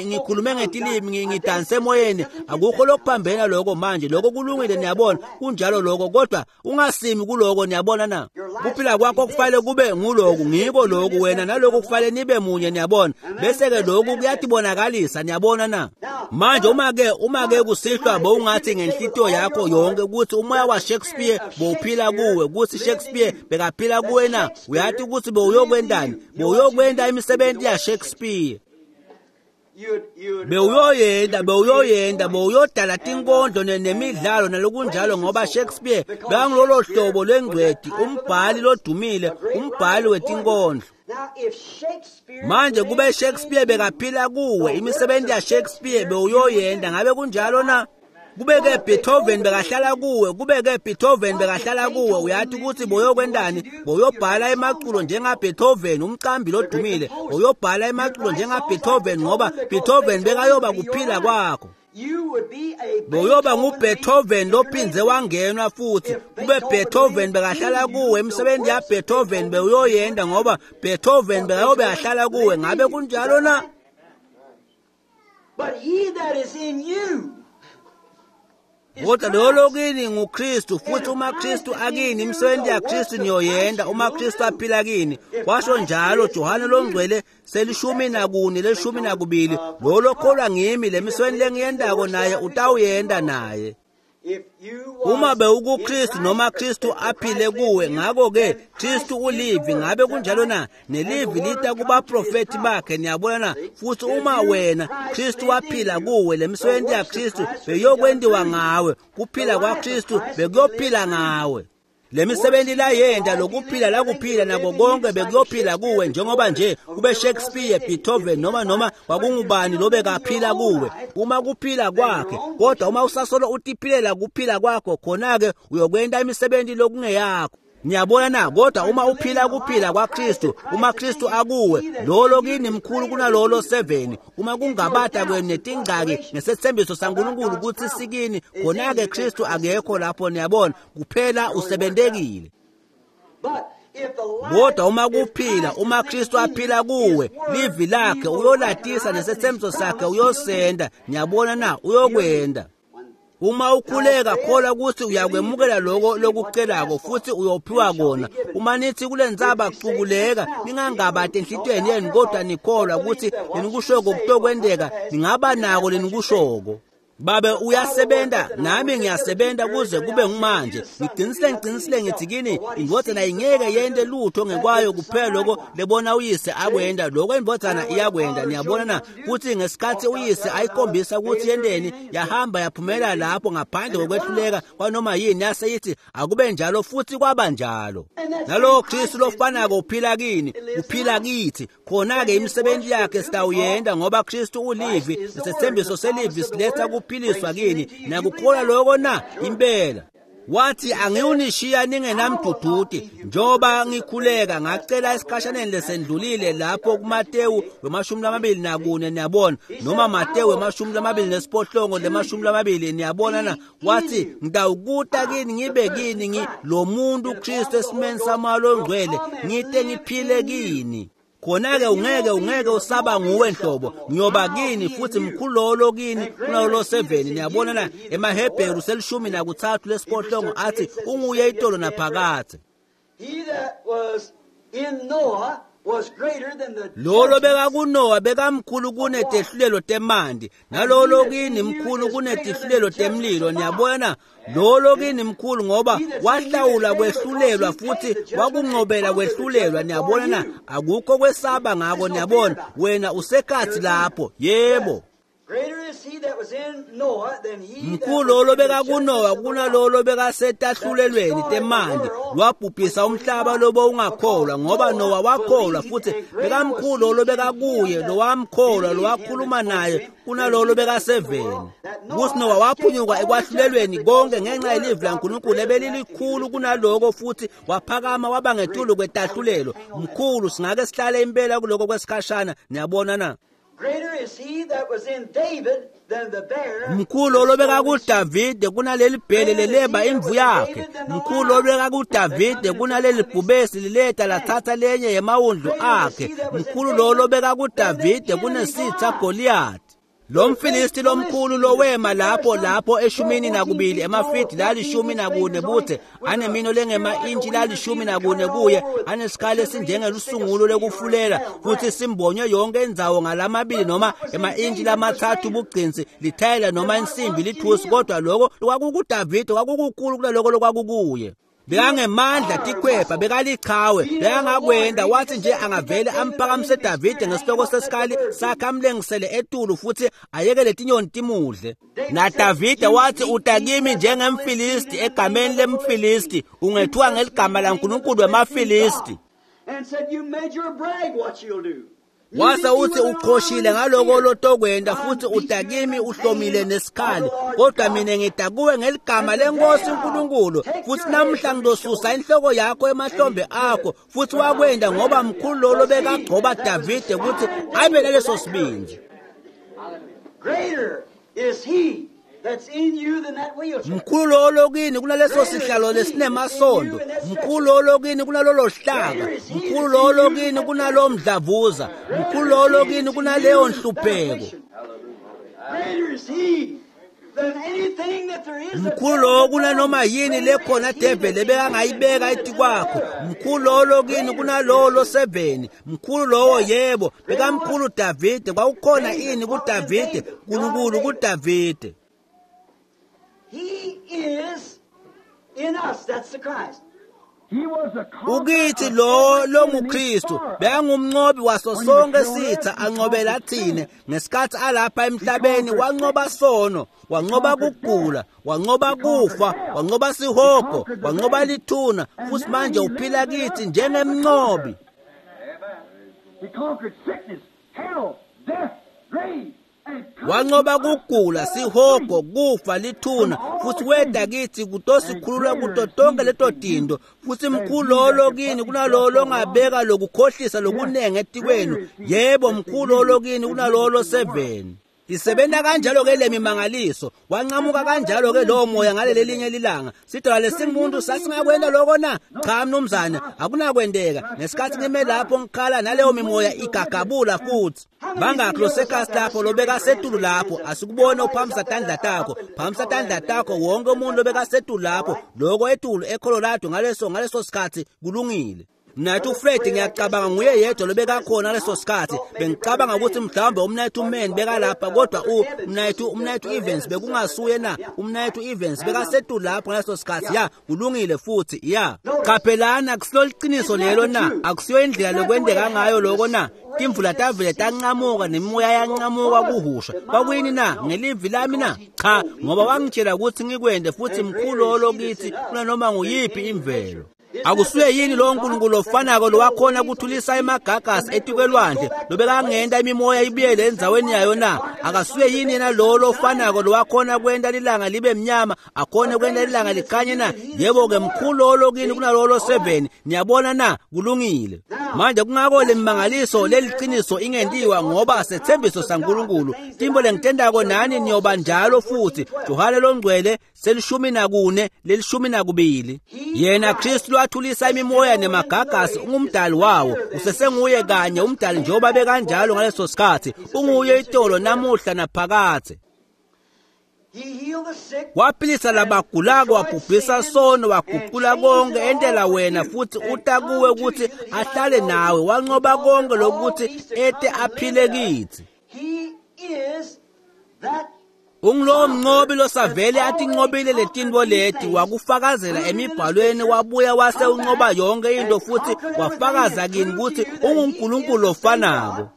ngikhulume ngetilimi, ngidanse emoyeni. Akukho lokuphambena lokho manje, lokho kulungile, niyabona, kunjalo lokho, kodwa ungasimi kuloko. Niyabona na? Kuphila kwakho kufanele kube nguloku, ngiko lokhu wena nalokhu kufanele nibe munye, niyabona. Bese-ke lokhu kuyatibonakalisa, niyabona na? Manje uma-ke uma-ke kusihlwa bowungathi ngenhlitiyo yakho yonke ukuthi umoya wa Shakespeare bowuphila kuwe, ukuthi Shakespeare bekaphila kuwe na, uyathi ukuthi bowuyokwendani? Bowuyokwenda imisebenzi ya Shakespeare. Bewuyoyenda, bewuyoyenda, bewuyodala tinkondlo nemidlalo nalokunjalo, ngoba Shakespeare bekangulolo hlobo lwengcweti, umbhali lodumile, umbhali wetinkondlo. Manje kube Shakespeare bekaphila kuwe, imisebenzi ya Shakespeare bewuyoyenda, ngabe kunjalo na? Kube-ke Beethoven bekahlala kuwe, kube-ke Beethoven bekahlala kuwe, uyathi ukuthi boyokwendani? Boyobhala emaculo njenga-Beethoven, umqambi lodumile. Boyobhala emaculo njenga-Beethoven, ngoba Beethoven bekayoba kuphila kwakho. Boyoba nguBeethoven lophindze wangenwa futhi. Kube Beethoven bekahlala kuwe, imisebenzi ya-Beethoven bewuyoyenda, ngoba Beethoven bekayobe ahlala kuwe, ngabe kunjalo na? But he that is in you, Kodwa lolo kini nguKristu, futhi uma Kristu akini, imisebenzi yaKristu niyoyenda uma Kristu aphila kini. Washo njalo Johane longcwele selishumi nakune leshumi nakubili, lolo kholwa ngimi, le misebenzi lengiyendako naye utawuyenda naye. Uma bewukuKristu noma Kristu aphile kuwe, ngako-ke Kristu ulivi, ngabe kunjalo na? Nelivi lita kubaprofethi bakhe, niyabona na? Futhi uma wena Kristu waphila kuwe, le misebenzi yaKristu beyokwentiwa ngawe, kuphila kwaKristu bekuyophila ngawe. Le misebenzi layenda, lokuphila lakuphila nako konke bekuyophila kuwe, njengoba nje kube Shakespeare, Beethoven noma noma kwakungubani lobekaphila kuwe, uma kuphila kwakhe. Kodwa uma usasolo utiphilela kuphila kwakho, khona-ke uyokwenta imisebenzi lokungeyakho. Niyabona na? Kodwa uma uphila kuphila kwaKristu, uma Kristu akuwe, lolo kini mkhulu kunalolo seven. Uma kungabata kwenu netingxaki ngesethembiso saNkulunkulu ukuthi sikini, khona-ke Kristu akekho lapho, niyabona, kuphela usebentekile. Kodwa uma kuphila, uma Kristu aphila kuwe, livi lakhe uyolatisa nesethembiso sakhe uyosenda, niyabona na? Uyokwenda. Uma ukhuleka, kholwa ukuthi uyakwemukela lokho lokucelako futhi uyophiwa kona. Uma nithi kule ntsaba cukuleka, ningangabati enhlitiyweni yenu, kodwa nikholwa ukuthi lenikushoko kutokwenteka, ningaba nako lenikushoko. Babe uyasebenza, nami ngiyasebenza kuze kube ngumanje. Ngiqinisile, ngiqinisile ngithi kini, indvodzana ingeke yente lutho ngekwayo kuphela lokho lebona uyise akwenda, lokho indvodzana iyakwenda. Niyabona na? Futhi ngesikhathi uyise ayikhombisa ukuthi yenteni, yahamba yaphumela lapho ngaphandle kokwehluleka kwanoma yini, yase ithi akube njalo, futhi kwaba njalo. Nalowo Kristu lofanako uphila kini, uphila kithi. Khona-ke imisebenzi yakhe sitawuyenda, ngoba Kristu ulivi, nesethembiso selivi siletha kuphiliswa kini. Nakukholwa lokho na? Impela. Wathi angiwunishiya ningenamduduti njoba ngikhuleka ngacela esikhashaneni lesendlulile lapho kuMatewu wemashumi lamabili nakune niyabona noma Matewu wemashumi lamabili nesiphohlongo lemashumi lamabili niyabona na wathi ngitawukuta kini ngibe kini ngi lo muntu Kristu esimeni samalo ongcwele ngite ngiphile kini. Khona-ke ungeke ungeke usaba nguwe nhlobo ngiyoba kini futhi mkhulu lolo kini kunalolo seveni niyabona na emaHebheru selishumi nakuthathu lesiphohlongo athi unguye itolo naphakathe. Lolo bekakuNowa bekamkhulu kunetehlulelo temanti nalolo kini mkhulu kunetihlulelo temlilo niyabona lolo kini mkhulu ngoba wahlawula kwehlulelwa futhi wakunqobela kwehlulelwa niyabona na akukho kwesaba ngako niyabona wena usekhathi lapho yebo. Mkhulu lolo bekakuNowa kunalolo bekasetahlulelweni temanti lwabhubhisa umhlaba lobo ungakholwa ngoba Nowa wakholwa futhi bekamkhulu lolo bekakuye lowamkholwa lowakhuluma naye kunalolo bekaseveni. Kuthi Nowa waphunyuka ekwahlulelweni konke ngenxa yelivi laNkulunkulu ebelilikhulu kunaloko futhi waphakama waba ngetulu kwetahlulelo. Mkhulu singake sihlale impela kuloko kwesikhashana niyabona na. Mkhulu lobeka kuDavide kunaleli bhele leleba imvu yakhe. Mkhulu lobeka kuDavide kunaleli bhubesi lileta lathatha lenye yemawundlu akhe. Mkhulu lo lobeka kuDavide kunesitha Goliath. Lo mfilisti lomkhulu lowema lapho lapho eshumini nakubili emafidi lalishumi nakune buthe anemino lengema intshi lalishumi nakune kuye anesikhali esinjengelusungulo lekufulela futhi simbonywe yonke indzawo ngalamabili noma ema-intshi lamathathu bugcinsi lithayela noma insimbi lithusi kodwa lokho kwakukuDavide kwakukukhulu kunaloko lokwakukuye. Bekangemandla tikhwepha bekalichawe bekangakwenda wathi nje angavele amphakamise Davide ngesihloko sesikhali sakhe amlengisele etulu futhi ayekele tinyoni timudle. NaDavide wathi utakimi njengemfilisti egameni lemfilisti ungethiwa ngeligama laNkulunkulu wemafilisti. Wase uthi uqhoshile ngaloko lotokwenda futhi utakimi uhlomile nesikhali kodwa mina ngidakuwe ngeligama lenkosi uNkulunkulu futhi namhla ngizosusa inhloko yakho emahlombe akho futhi wakwenda ngoba mkhulu lolo bekagcoba Davide ukuthi abe naleso sibindi. Mkhulu lolo kini kunaleso sihlalo lesinemasondo. Mkhulu lolo kini kunalolo hlaka. Mkhulu lolo kini kunalo mdlavuza. Mkhulu lolo kini kunaleyo nhlupheko. Mkhulu lo kunanoma yini lekhona devele bekangayibeka etikwakho. Mkhulu lolo kini kunalolo seveni. Mkhulu lowo yebo bekamkhulu Davide kwakukhona ini kuDavide uNkulunkulu kuDavide. He is in us, that's the Christ. Ukithi lo longuKristu bekangumnqobi waso sonke sitha anqobela thina ngesikhathi alapha emhlabeni wanqoba sono wanqoba kugula wanqoba kufa wanqoba sihogo wanqoba lithuna futhi manje uphila kithi njengemnqobi. He conquered sickness, hell, death, grave. Wanqoba kugula sihogo kufa lithuna futhi weda kithi kutosikhulula kuto tonke leto tinto futhi mkhulu lolo kini kunalolo ongabeka lokukhohlisa lokunengi etikwenu yebo mkhulu lolo kini kunalolo seveni. Isebenza kanjalo ke lemimangaliso wanqamuka kanjalo ke lowo moya ngaleli linye lilanga sidala lesingumuntu sasingakwenda lokho na cha mnumzane akunakwendeka ngesikhathi ngime lapho ngikhala naleyo mimoya igagabula futhi bangakho losekhasi lapho lobeka setulu lapho asikubone uphamisa tandla takho phamisa tandla takho wonke umuntu lobeka setulu lapho lokho etulu eColorado ngaleso ngaleso sikhathi kulungile. Mnayethu Fred ngiyacabanga nguye yedwa lobekakhona leso sikhathi bengicabanga ukuthi mhlawumbe umnayethu Man bekalapha kodwa u mnayethu umnayethu Evans bekungasuye na umnayethu Evans bekasetulu lapho ngaleso sikhathi ya kulungile futhi ya qaphelana akusilo liqiniso lelo na akusiyo indlela lokwendeka ngayo lokho na timvula tavele tanqamuka nemimoya yanqamuka kuhusha kwakuyini na ngelivi lami na cha ngoba wangitshela ukuthi ngikwende futhi mkhulu lolo kithi kunanoma nguyiphi imvelo. Akusuye yini lowo Nkulunkulu ofanako lowakhona kuthulisa emagagasi etikwelwandle lobekangenta imimoya ibuyele endzaweni yayo na? Akasuye yini yena lowo lofanako lowakhona kwenta lilanga libe mnyama, akhone kwenta lilanga likhanye na? Yebo-ke, mkhulu lowo lokini kunalowo loseveni. Niyabona na? Kulungile. Manje kungako lemimangaliso leliciniso ingentiwa ngoba sethembiso saNkulunkulu. Tintfo lengitentako nani niyoba njalo futhi. Johane longcwele selishumi nakune lelishumi nakubili. Yena Kristu lwathulisa imimoya nemagagasi ungumdali wawo. Usesenguye kanye umdali njengoba bekanjalo ngaleso sikhathi. Unguye itolo namuhla naphakadze. He healed the sick. Waphilisa labagulako, wabhubhisa sono, waguqula konke entela wena futhi uta kuwe ukuthi ahlale nawe. Wanqoba konke lokuthi ete aphile kithi. He is that Ungulowo mnqobi losavele atinqobile letintfo leti, wakufakazela emibhalweni, wabuya wase unqoba yonke into futhi wafakaza kini ukuthi unguNkulunkulu lofanako.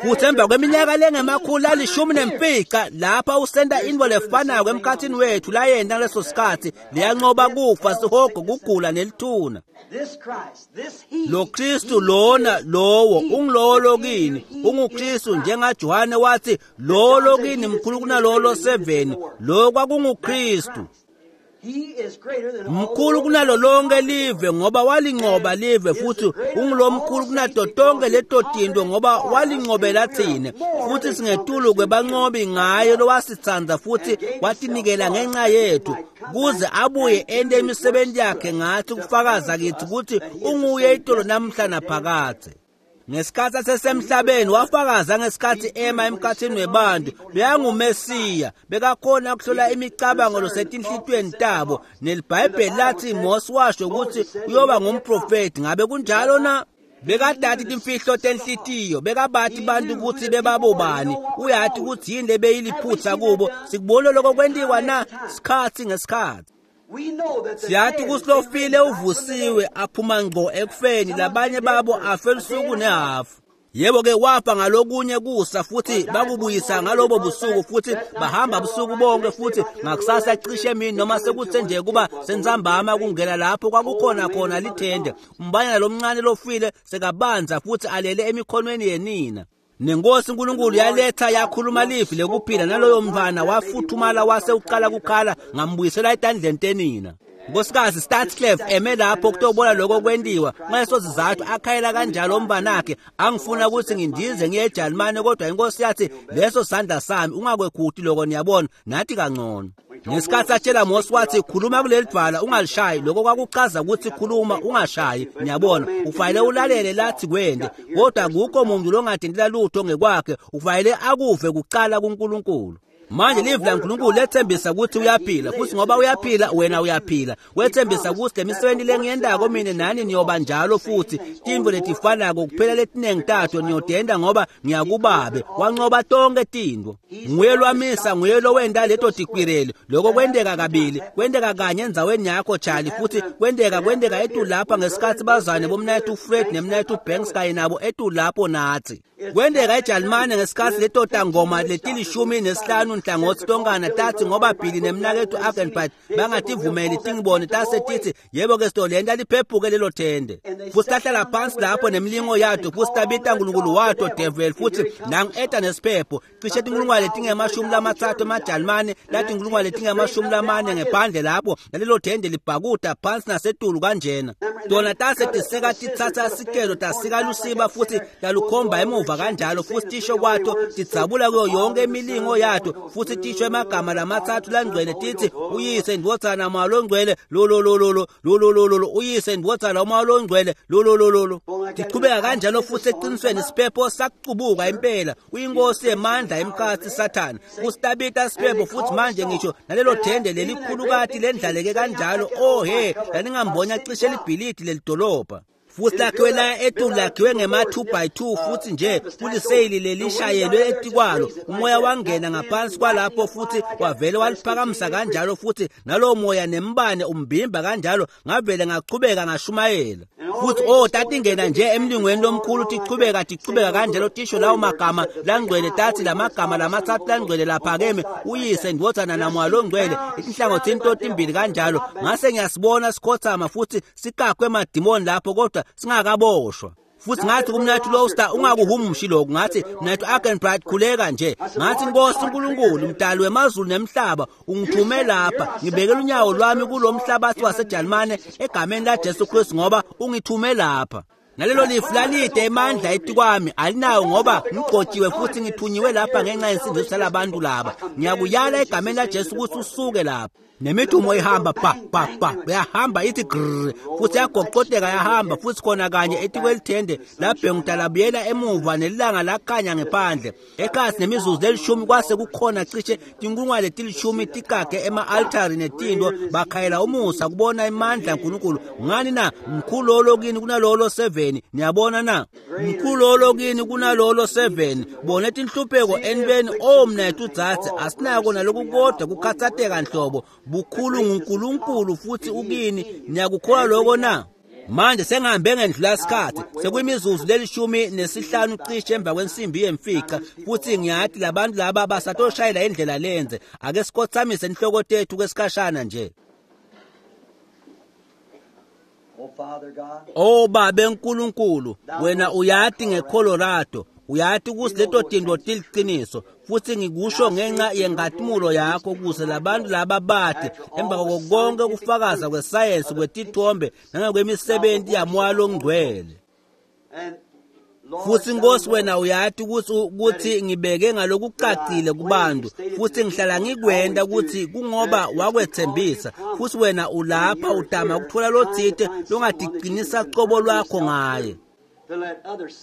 Futhi emva kweminyaka lengemakhulu alishumi nemfica lapha usenta intfo lefanako emkhathini wethu layenta ngaleso sikhatsi, leyanqoba kufa, sihogo, kugula nelithuna. this Christ, this he. Lo Kristu lona lowo ungulowo lokini, unguKristu njengaJohane wathi lowo lokini mkhulu kunalowo loseveni. Lo kwakunguKristu. He is greater than all Mkhulu kunalo lonke live ngoba walinqoba live, futhi ungulomkhulu kunato tonke leto tinto ngoba walinqobela thina. Futhi singetulu kwebanqobi ngaye lowasitsandza futhi watinikela ngenxa yethu, kuze abuye ente imisebenzi yakhe ngathi kufakaza kithi ukuthi unguye itolo namhla naphakadze. Ngesikhathi asesemhlabeni wafakaza ngesikhathi ema emkhathini webantu, bekangumesiya, bekakhona ukuhlola imicabango losetinhlitiyweni tabo. NeliBhayibheli lathi Mose washo ukuthi uyoba ngumprofeti. Ngabe kunjalo na? Bekadati timfihlo tenhlitiyo, bekabati bantu ukuthi bebabobani, uyati ukuthi yini lebeyiliphutha kubo. Sikubona lokho kwentiwa na sikhatsi ngesikhatsi. We know that the Siyathi dead ukuthi lofile uvusiwe aphuma ngqo ekufeni, labanye babo afe lusuku nehafu. Yebo-ke, wafa ngalokunye kusa futhi bakubuyisa ngalobo busuku, futhi bahamba busuku bonke, futhi ngakusasa cishe emini noma sekuthe nje kuba sentsambama kungena lapho kwakukhona khona lithende. Umbanyana lomncane lofile sekabanza futhi alele emikhonweni yenina. Nenkosi uNkulunkulu yaletha yakhuluma livi lekuphila, naloyo mntwana wafuthumala wase uqala kukhala, ngambuyisela etandleni tenina. Nkosikazi Statsclef eme lapho kutobona lokho kwentiwa. Ngaleso sizathu akhayela kanjalo umntanakhe, angifuna ukuthi ngindize ngiye eJalimane, kodwa inkosi yathi leso sandla sami ungakwekhuti lokho, niyabona, nathi kangcono. Ngesikhathi atshela Mose wathi khuluma kuleli dwala ungalishayi, lokho kwakuchaza ukuthi khuluma ungashayi, niyabona, ufanele ulalele lathi kwende, kodwa akukho muntu longadindila lutho ngekwakhe, ufanele akuve kucala kuNkulunkulu. Manje livi laNkulunkulu lethembisa ukuthi uyaphila, futhi ngoba uyaphila wena uyaphila. Wethembisa ukuthi lemisebenzi lengiyentako mina nani niyoba njalo futhi, tintfo letifanako kuphela letinengi tato niyotenta ngoba ngiyakubabe. Wanqoba tonke tintfo. Nguye lwamisa, nguye lowenta leto tikwireli. Lokho kwenteka kabili, kwenteka kanye endzaweni yakho Charlie, futhi kwenteka kwenteka etulu lapha ngesikhatsi bazane bomnayethu Fred nemnayethu Banks kanye nabo etulu lapho nathi. Kwenteka eJalimane ngesikhatsi leto tangoma letilishumi nesihlanu nhlangothi tonkana tathi ngoba Billy nemnaketfu Agenbite bangativumeli tingibone, tase titsi yebo-ke sitolenta liphephuke lelo thende. Futhi tahlala phansi lapho nemilingo yato, futhi tabita nkulunkulu wato devil, futhi nangu eta nesiphepho cishe tinkulungwane letingemashumi lamatsatfu emajalimane latinkulungwane letingemashumi lamane ngephandle lapho, nalelo thende libhakuda phansi nasetulu kanjena. Tona tase tiseka titsatsa sikelo tasika lusiba futhi talukhomba emuva kanjalo, futhi tisho kwato tidzabula kuyo yonke imilingo yato, futhi tisho emagama lamatsatfu langcwele titsi uyise indvodzana moya longcwele lo lo lo lo lo lo lo lo lo lo uyise indvodzana moya longcwele lo lo lo lo lo. Tichubeka kanjalo futhi eqinisweni isiphepho sakucubuka impela. Uyinkosi yemandla emkhathi Sathane. Usitabita siphepho futhi manje ngisho nalelo thende lelikhulukati lendlaleke kanjalo. Oh he, laningambonya cishe libhilidi lelidolobha. Futhi lakhiwe la etulu lakhiwe ngema two by two, futhi nje kuliseyili lelishayelwe etikwalo. Umoya wangena ngaphansi kwalapho futhi wavele waliphakamisa kanjalo, futhi nalowo moya nembane umbimba kanjalo, ngavele ngachubeka ngashumayela. Futhi oh tatingena nje emlingweni lomkhulu tichubeka tichubeka kanjalo tisho lawo magama langcwele tathi lamagama lamatsatfu langcwele laphakeme uyise ndvodzana namoya longcwele etinhlangothini totimbili kanjalo. Ngase ngiyasibona sikhothama futhi sikakwe emadimoni lapho kodwa singakaboshwa. Futhi ngathi kumnathu Lowster ungakuhumushi lokhu, ngathi mnathu Arkenbright khuleka nje. Ngathi Nkosi uNkulunkulu mdali wemazulu nemhlaba ungithume lapha ngibekela unyawo lwami kulomhlabathi waseJalimane egameni laJesu Kristu ngoba ungithume lapha. Nalelo lifu lalide emandla etikwami alinawo ngoba ngigcotshiwe futhi ngithunyiwe lapha ngenxa yensindiso yalabantu laba. Ngiyakuyala egameni laJesu ukuthi usuke lapha. Nemidumo ihamba pa pa pa yahamba ithi grrr futhi yagoqodeka yahamba futhi khona kanye etikwelithende labhenguda labuyela emuva nelanga lakhanya ngephandle. Ekhasi nemizuzu lelishumi kwase kukhona cishe tinkulungwane letilishumi tikake ema-altari netinto bakhayela umusa kubona imandla kaNkulunkulu. Ngani na? Mkhulu lolo kini kunalolo seven. Niyabona na? Mkhulu lolo kini kunalolo seven. Bona tinhlupheko enibeni omnethu dzadze asinako naloku kodwa kukhatsateka nhlobo. Bukhulu nguNkulunkulu futhi ukini. Niyakukholwa lokho na? Manje sengihambe ngendlula isikhathi sekuyimizuzu lelishumi nesihlanu cishe emva kwensimbi yemfica futhi ngiyathi labantu laba basatoshayela indlela lenze. Ake sikhothamise inhloko tethu kwesikhashana nje. Oh Babe uNkulunkulu, wena uyati ngeColorado, uyati ukuthi leto tinto tiliqiniso futhi ngikusho ngenxa yenkazimulo yakho ukuze labantu laba bathi emva kwako konke kufakaza kwesayensi kwetithombe nangokwemisebenzi yamoya longcwele. Futhi Nkosi wena uyati ukuthi ukuthi ngibeke ngalokucacile kubantu futhi ngihlala ngikwenda ukuthi kungoba wakwethembisa futhi wena ulapha udama ukuthola lothite longadiqinisa cobo lwakho ngaye.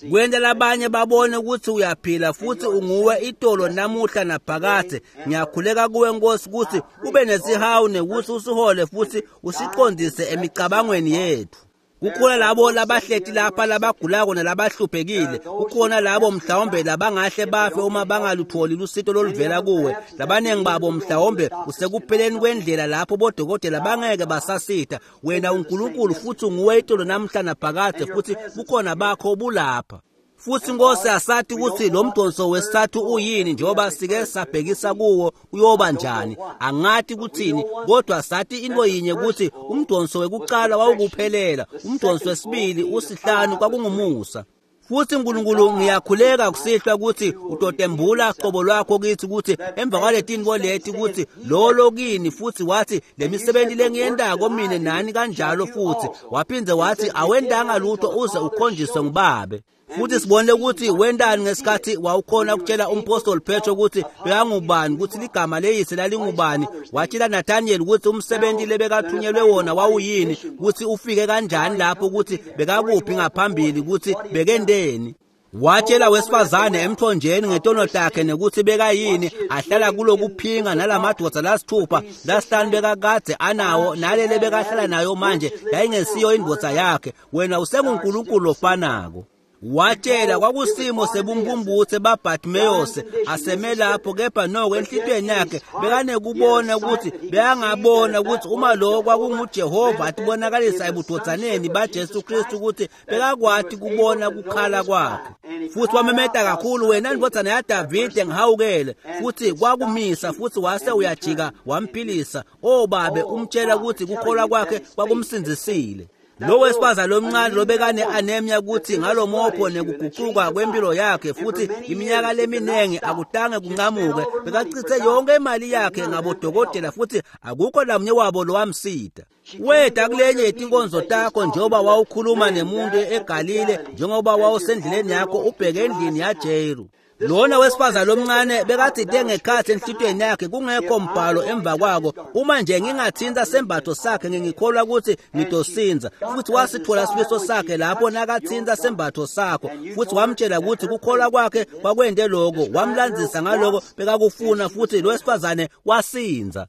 Kwenta labanye babone ukuthi uyaphila futhi unguwe itolo namuhla naphakadze. Ngiyakhuleka kuwe Nkosi ukuthi ube nesihawu nekuthi usihole futhi usiqondise emicabangweni yethu. Kukhona labo labahleti lapha labagulako nalabahluphekile. Kukhona labo mhlawumbe labangahle bafe uma bangalutholi lusito loluvela kuwe. Labaningi babo mhlawumbe usekupheleni kwendlela lapho bodokotela bangeke basasitha. Wena uNkulunkulu futhi unguwe itolo namhla naphakadze futhi bukhona bakho bulapha. Futhi Nkosi asathi ukuthi lo mdonso wesithathu uyini njengoba sike sabhekisa kuwo uyoba njani. Angathi kuthini kodwa sathi into yinye ukuthi umdonso wekuqala wawukuphelela, umdonso wesibili usihlanu kwakungumusa. Futhi uNkulunkulu ngiyakhuleka kusihlwa ukuthi utotembula qobo lwakho kithi ukuthi emva kwaletinto leti ukuthi lolo kini futhi wathi lemisebenzi lengiyendako mine nani kanjalo futhi waphindze wathi awendanga lutho uze ukhonjiswe ngubabe. Futhi sibone ukuthi wendani ngesikhathi wawukhona ukutshela umpostoli Petro ukuthi bekangubani ukuthi ligama leyise lalingubani. Watshela Nathaniel ukuthi umsebenzi lebekathunyelwe wona wawuyini, ukuthi ufike kanjani lapho, ukuthi bekakuphi ngaphambili, ukuthi bekendeni. Watshela wesifazane emthonjeni ngetono takhe nekuthi bekayini ahlala kulokuphinga nalamadoda lasithupha lasihlanu bekakade anawo nalele bekahlala nayo manje yayingesiyo indvodza yakhe. Wena usenguNkulunkulu ofanako. Watshela kwakusimo sebumbumbuthe baBartimeus aseme lapho kepha noko enhlitweni yakhe bekanekubona ukuthi bekangabona ukuthi uma lo kwakunguJehova atibonakalisa ebudodsaneni baJesu Kristu ukuthi bekakwati kubona kukhala kwakhe. Futhi wamemeta kakhulu, wena ndvodzana yaDavide ngihawukele. Futhi kwakumisa futhi wase uyajika wamphilisa. O babe umtshela ukuthi kukholwa kwakhe kwakumsindzisile. Lo wesifazane lomncane lobekane anemia ukuthi ngalomopho nekuguquka kwempilo yakhe futhi iminyaka leminingi akutange kunqamuke bekachithe yonke imali yakhe ngabodokotela futhi akukho namunye wabo lowamsida. Weda kulenye yetinkonzo takho njengoba wawukhuluma nemuntu eGalile njengoba wawusendleleni yakho ubheke endlini yaJeru. Lona wesifazane lomncane bekathinte ngekhathi enhlitweni yakhe kungekho mbhalo emva kwako, uma nje ngingathinta sembatho sakhe ngingikholwa ukuthi ngitosinza. Futhi wasithola sifiso sakhe lapho nakathinta sembatho sakho futhi wamtshela ukuthi kukholwa kwakhe kwakwende lokho, wamlandzisa ngaloko bekakufuna futhi lo wesifazane wasinza.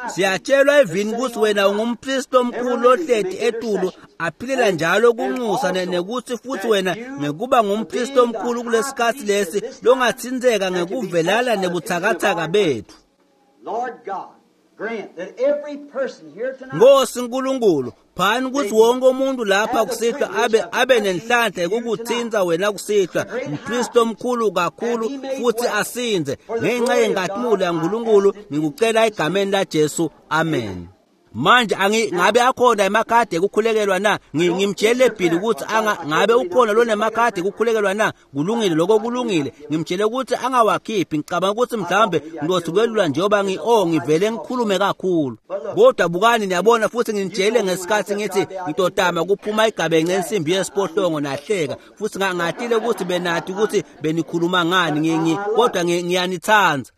Siyatshelwa evini ukuthi wena ungumpristi omkhulu ohleti etulu aphilela njalo kunxusa nekuthi futhi wena ngekuba ngumpristi omkhulu kulesikhathi lesi longathinzeka ngekuvelala nebuthakathaka bethu. Nkosi Nkulunkulu, phani ukuthi wonke umuntu lapha kusihlwa abe abe nenhlanhla yokukuthinta wena kusihlwa, mpristi omkhulu kakhulu, futhi asinze ngenxa yenkazimulo yaNkulunkulu. Ngikucela egameni laJesu, amen. Manje angi ngabe akhona emakhadi ekukhulekelwa na? Ngimtshele Billy ukuthi anga ngabe ukhona lo nemakhadi ekukhulekelwa na? Kulungile lokho, kulungile. Ngimtshele ukuthi angawakhiphi. Ngicabanga ukuthi mhlawumbe ngizothi kwelula njengoba ngi oh ngivele ngikhulume kakhulu. Kodwa bukani, niyabona, futhi nginitshele ngesikhathi ngithi ngitotama kuphuma igabence ensimbi yesiphohlongo, nahleka futhi ngatile ukuthi benathi ukuthi benikhuluma ngani ngi kodwa ngiyanithanda.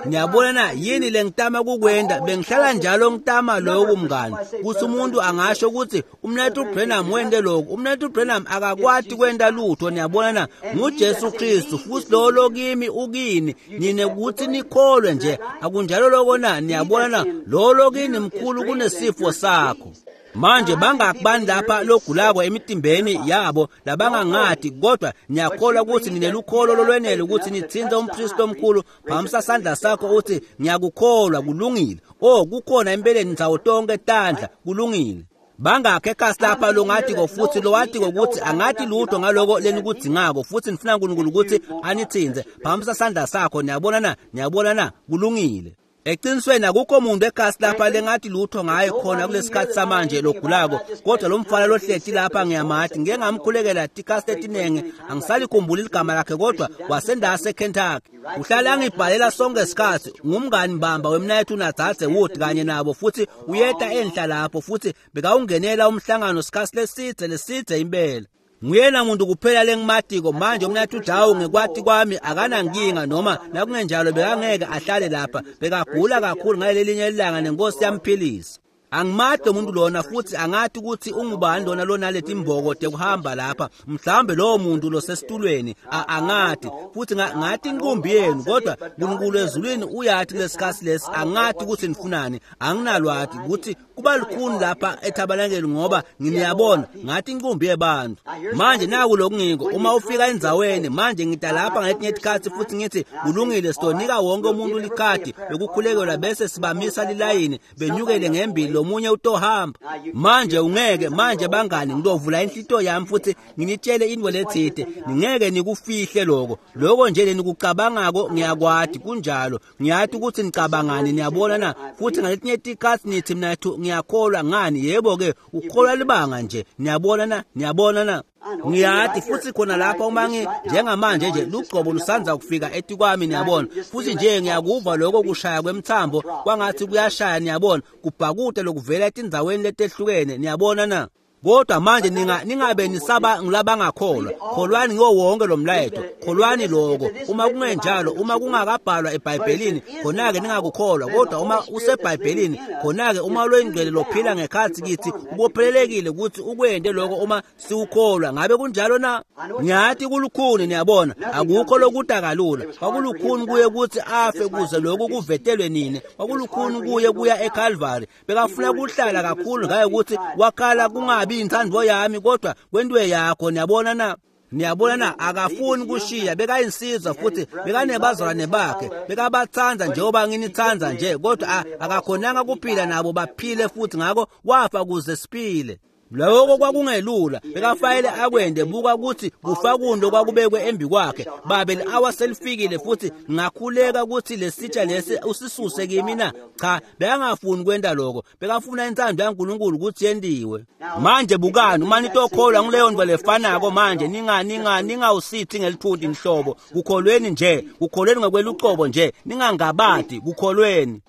Niyabona na yini lengitama kukwenda? Bengihlala njalo ngitama lokhu mngani, kuthi umuntu angasho ukuthi umnethu Branham wende lokhu, umnethu Branham akakwati kwenda lutho. Niyabona na, nguJesu Kristu futhi lo lokimi ukini nine ukuthi nikholwe nje. Akunjalo lokho na? Niyabona na, lo lokini mkhulu kunesifo sakho. Manje bangakubani lapha logulako emitimbeni yabo labangangati, kodwa niyakholwa ukuthi ninelukholo lolwenele ukuthi nithinze umpristi omkhulu. Phamisa sandla sakho uthi ngiyakukholwa. Kulungile. Oh, kukhona empeleni ndzawo tonke tandla. Kulungile. Bangakhe ekhasi lapha longatiko futhi lowatiko ukuthi angathi lutho ngaloko lenikudzingako, futhi nifuna uNkulunkulu ukuthi anithinze. Phamisa sandla sakho. Niyabona na? Niyabona na? Kulungile. Eqinisweni akukho muntu ekhasi lapha lengathi lutho ngaye khona kulesikhathi samanje logulako, kodwa lo mfana lohleti lapha ngiyamathi, ngike ngamkhulekela tikasi letinenge, angisalikhumbuli igama lakhe, kodwa wasendase eKentucky. Uhlala angibhalela sonke isikhathi, ngumngani mbamba wemnayethu naDzadze Wood kanye nabo, futhi uyeta enhla lapho futhi bekawungenela umhlangano sikhathi lesidze lesidze impela. Nguyena muntu kuphela lengimatiko manje umnathu Dawu ngekwati kwami akanankinga, noma nakungenjalo bekangeke ahlale lapha, bekagula kakhulu ngalelinye ilanga nenkosi yamphilisa. Angimade umuntu lona futhi angathi ukuthi ungubani lona lona letimboko tekuhamba lapha, mhlawumbe lowo muntu losesitulweni angathi futhi ngathi inkumbi yenu, kodwa uNkulunkulu ezulwini uyathi kulesikhathi lesi angathi ukuthi nifunani, anginalwathi ukuthi kuba lukhuni lapha ethabalangeli ngoba nginiyabona ngathi inkumbi yebantu. Manje naku lokungiko, uma ufika endzaweni manje ngida lapha ngetinye itikhathi futhi ngithi kulungile, sitonika wonke umuntu likhadi lokukhulekelwa bese sibamisa lilayini benyukele ngembili, lomunye utohamba. Manje ungeke manje bangani, ngidovula inhlito yami futhi nginitshele into lethide, ningeke nikufihle lokho lokho nje lenikucabangako ngiyakwati kunjalo, ngiyathi ukuthi nicabangani. Niyabona na? Futhi ngaletinye itikhathi nithi mina ngiyakholwa ngani, yebo ke ukholwa libanga nje. Niyabona na? Niyabona na? Ngiyathi futhi khona lapha uma ngi njengamanje nje lugcobo lusanza kufika etikwami, niyabona, futhi nje ngiyakuva lokho kushaya kwemthambo kwangathi kuyashaya, niyabona, kubhakude lokuvela etindzaweni letehlukene. Niyabona na? Kodwa manje ninga ningabe nisaba ngilabangakholwa, kholwani ngiwo wonke lo mlayeto, kholwani lokho. Uma kungenjalo, uma kungakabhalwa eBhayibhelini, khona-ke ningakukholwa, kodwa uma useBhayibhelini, khona-ke uma loyingcwele lophila ngekhathi kithi ubophelelekile ukuthi ukwende lokho uma siwukholwa. Ngabe kunjalo na? Ngiyathi kulukhuni, niyabona, akukho lokuda kalula. Kwakulukhuni kuye ukuthi afe kuze lokhu kuvetelwe nini, kwakulukhuni kuye kuya eCalvary, bekafuna kuhlala kakhulu ngaye ukuthi wakhala kungabi inthando yami kodwa kwentwe yakho. Niyabona na? Niyabona na? Akafuni kushiya, bekayinsizwa futhi bekanebazalwane bakhe, bekabathanda njengoba nginithanda nje, kodwa akakhonanga kuphila nabo baphile futhi, ngakho wafa kuze siphile. Lokho kwakungelula, bekafanele akwende. Buka ukuthi kufa kundo kwakubekwe embi kwakhe. Babe, li-awa selifikile futhi ngakhuleka ukuthi lesitsha lesi usisuse kimi na? Cha, bekangafuni kwenda lokho, bekafuna inthando yaNkulunkulu ukuthi yendiwe. Manje bukani, uma nitokholwa nguleyo nto lefanako manje, ninga ninga ningawusithi ngelithunti inhlobo, kukholweni nje, kukholweni ngokwelucobo nje, ningangabadi, kukholweni.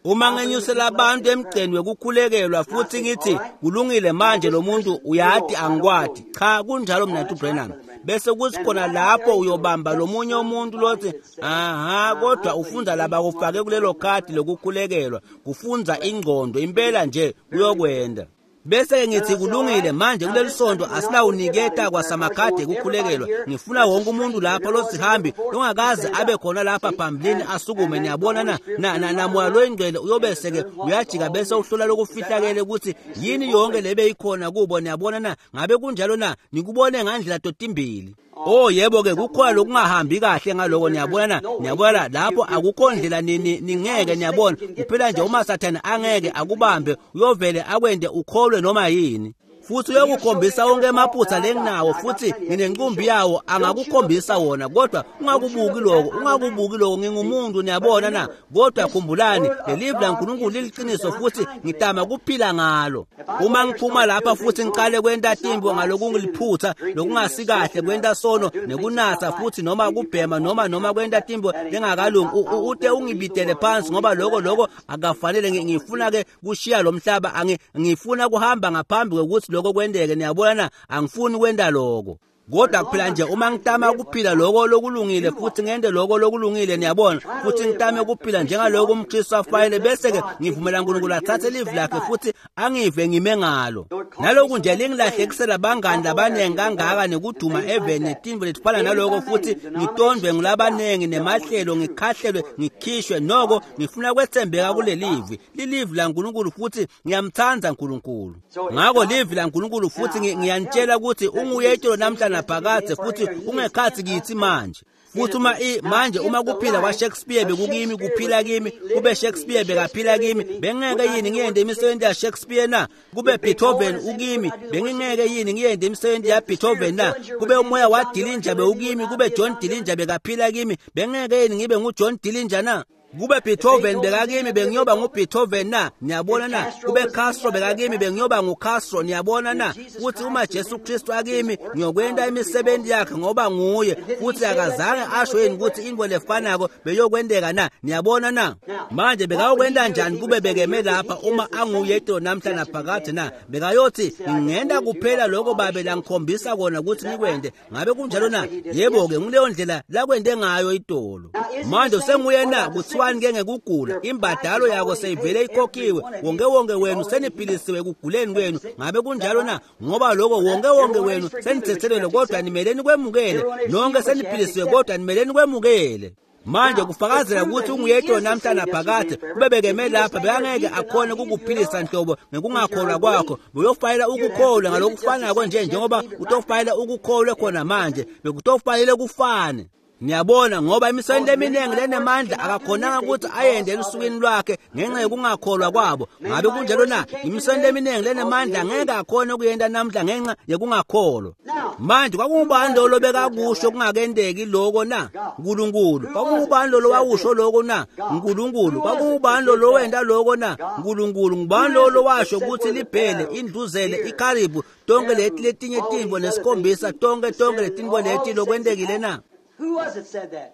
Uma ngenyusela abantu emgceni wekukhulekelwa futhi ngithi kulungile manje lo muntu uyati angikwati, cha kunjalo mnathu Branham, bese kuthi khona lapho uyobamba lomunye umuntu lothi aha, kodwa ufunda laba kufake kulelo khadi lokukhulekelwa, kufunza ingqondo impela nje kuyokwenda. Bese-ke ngithi kulungile manje kuleli sonto asinawuniketa kwasamakhadi ekukhulekelwa. Ngifuna wonke umuntu lapha losihambi longakaze abe khona lapha phambilini asukume. Niyabona na na na namoya loyingcwele uyobese-ke uyajika bese uhlola lokufihlakele ukuthi yini yonke lebe ikhona kubo. Niyabona na? Ngabe kunjalo na? Nikubone ngandlela totimbili. Oh yebo ke kukhona lokungahambi kahle ngaloko. Niyabona na? Niyabona lapho akukho ndlela ningeke niyabona kuphela nje uma Sathane angeke akubambe uyovele akwende ukholwe noma yini. Futhi uyokukhombisa wonke emaphutha lenginawo futhi nginenqumbi yawo angakukhombisa wona, kodwa ungakubuki lokho, ungakubuki lokho. Ngingumuntu, niyabona na? Kodwa khumbulani lelivi laNkulunkulu liliqiniso futhi ngitama kuphila ngalo. Uma ngiphuma lapha futhi ngiqale kwenta timbo ngalokungiliphutha lokungasikahle kwenta sono nekunatha futhi noma kubhema noma noma kwenta timbo lengakalungi, ute ungibidele phansi ngoba lokho lokho akafanele. Ngifuna ke kushiya lo mhlaba, ngifuna kuhamba ngaphambi kokuthi lokho kwendeke. Niyabona na? Angifuni kwenda lokho. Kodwa kuphela nje uma ngitama ukuphila lokho lokulungile futhi ngende lokho lokulungile, niyabona, futhi ngitame ukuphila njengaloko umKristu afanele, bese-ke ngivumela uNkulunkulu athathe livi lakhe futhi angive ngime ngalo. Naloku nje lingilahlekisela bangani labaningi kangaka nekuduma eveni netinto letifana naloko, futhi ngitondwe ngulabaningi nemahlelo, ngikhahlelwe, ngikhishwe. Noko ngifuna kwethembeka kulelivi, lilivi laNkulunkulu futhi ngiyamthanda uNkulunkulu. Ngakho livi laNkulunkulu futhi ngiyanitshela ukuthi unguye itolo namhla phakade futhi ungekhathi kithi manje. Futhi uma manje uma kuphila kwa Shakespeare bekukimi kuphila kimi, kube Shakespeare bekaphila kimi, bengeke yini ngiyende imisebenzi ya Shakespeare na? Kube Beethoven ukimi, bengingeke yini ngiyende imisebenzi ya Beethoven na? Kube umoya wa Dillinger bewukimi, kube John Dillinger bekaphila kimi, bengeke yini ngibe nguJohn Dillinger na? Kube Beethoven bekakimi, bengiyoba nguBeethoven na? Niyabona na? Kube Castro bekakimi, bengiyoba nguCastro. Niyabona na? Futhi uma Jesu Kristu akimi, ngiyokwenta imisebenzi yakhe ngoba nguye. Futhi akazange asho yini ukuthi into lefanako beyokwenteka na? Niyabona na? Manje bekayokwenta njani kube bekeme lapha uma anguye namhla naphakade na? Bekayothi ngingenta kuphela lokho babe langikhombisa kona ukuthi ngikwente. Ngabe kunjalo na? Yebo ke, nguleyo ndlela lakwente ngayo itolo. Manje usenguye na? Kuthiwa ke ngekugula imbadalo yako seyivele ikhokhiwe, wonke wonke wenu seniphilisiwe ekuguleni kwenu. Ngabe kunjalo na? Ngoba lokho wonke wonke wenu senithethelelwe, kodwa nimele nikwemukele. Nonke seniphilisiwe, kodwa nimele nikwemukele. Manje kufakazela ukuthi unguyedwa namhla naphakade. Kube bekeme lapha bekangeke akhone ukukuphilisa nhlobo ngekungakholwa kwakho. Uyofayela ukukholwa ngalokufanako nje njengoba utofayela ukukholwe khona manje, bekutofanele kufane. Niyabona, ngoba imisebenzi eminingi lenemandla akakhonanga ukuthi ayende elusukwini lwakhe ngenxa yokungakholwa kwabo. Ngabe kunjalo na? Imisebenzi eminingi lenemandla ngeke akhone ukuyenda namhla ngenxa yokungakholwa. Manje kwakungubani lo lobekakusho kungakendeki lokho na? uNkulunkulu. Kwakungubani lo lowawusho lokho na? uNkulunkulu. Kwakungubani lo lowenda lokho na? uNkulunkulu. Ngubani lo lowasho ukuthi libhele, indluzele, ikharibu, tonke leti letinye tintfo lesikhombisa, tonke tonke letintfo leti lokwendekile na?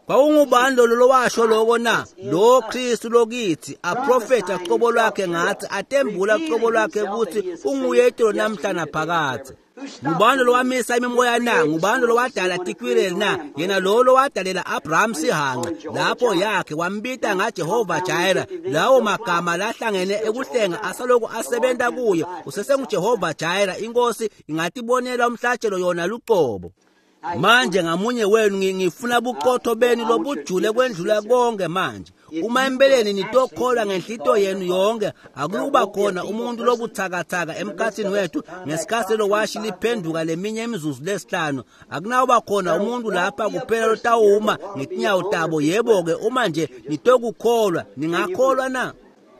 Kwakungubani lolo lowasho lokho na? Lo Kristu lokithi aprofetha qobo lwakhe ngathi atembula qobo lwakhe ukuthi unguye itolo namhla naphakade. Ngubani lo wamisa imimoya na? Ngubani lo wadala tikwireli na? Yena lo lowadalela Abraham sihanqa lapho yakhe wambita ngaJehova Jireh. Lawo magama lahlangene ekuhlenga asaloku asebenza kuye. UsesenguJehova Jireh. Inkosi ingatibonela umhlatshelo yona luqobo. Manje ngamunye wenu ngifuna buqotho benu lobujule kwendlula konke manje. Uma empeleni nitokholwa ngenhlito yenu yonke, akuba khona umuntu lobuthakathaka emkhathini wethu ngesikhathi lowashi liphenduka leminye imizuzu lesihlanu. Akunawuba khona umuntu lapha kuphela lotawuma ngetinyawo tabo. Yebo-ke, uma nje nitokukholwa, ningakholwa na?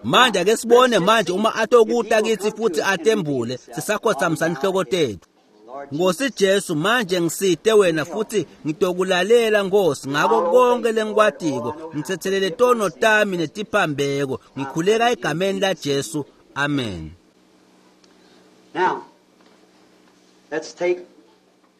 Manje ake sibone manje uma atokuta kithi futhi atembule, sisakhothamisa inhloko tethu. Nkosi Jesu, manje ngisite wena futhi ngitokulalela Nkosi ngako konke lengikwatiko. Ngithethelele tono tami netiphambeko. Ngikhuleka egameni la Jesu. Amen. Now, let's take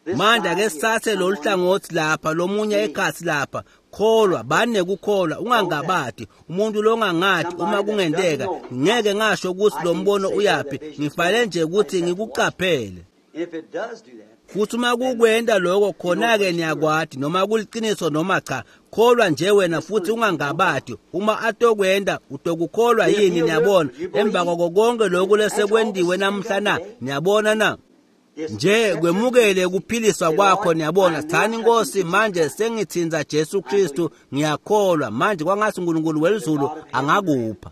this. Manje ake sithathe lolu hlangothi lapha lomunye ekhathi lapha. Kholwa, banekukholwa, ungangabadi. Umuntu longangadi uma kungenteka, ngeke ngasho ukuthi lo mbono uyapi. Ngifale nje ukuthi ngikuqaphele. If it does do that, Futhi uma kukwenta lokho khona-ke niyakwati noma kuliciniso noma cha. Kholwa nje wena futhi ungangabati. Uma atokwenta utokukholwa yini? Niyabona, emva kwako konke lokhu lesekwentiwe namhla na? Niyabona na? Nje kwemukele kuphiliswa kwakho. Niyabona, thani Nkosi, manje sengithinza Jesu Kristu, ngiyakholwa manje kwangathi uNkulunkulu welizulu angakupha.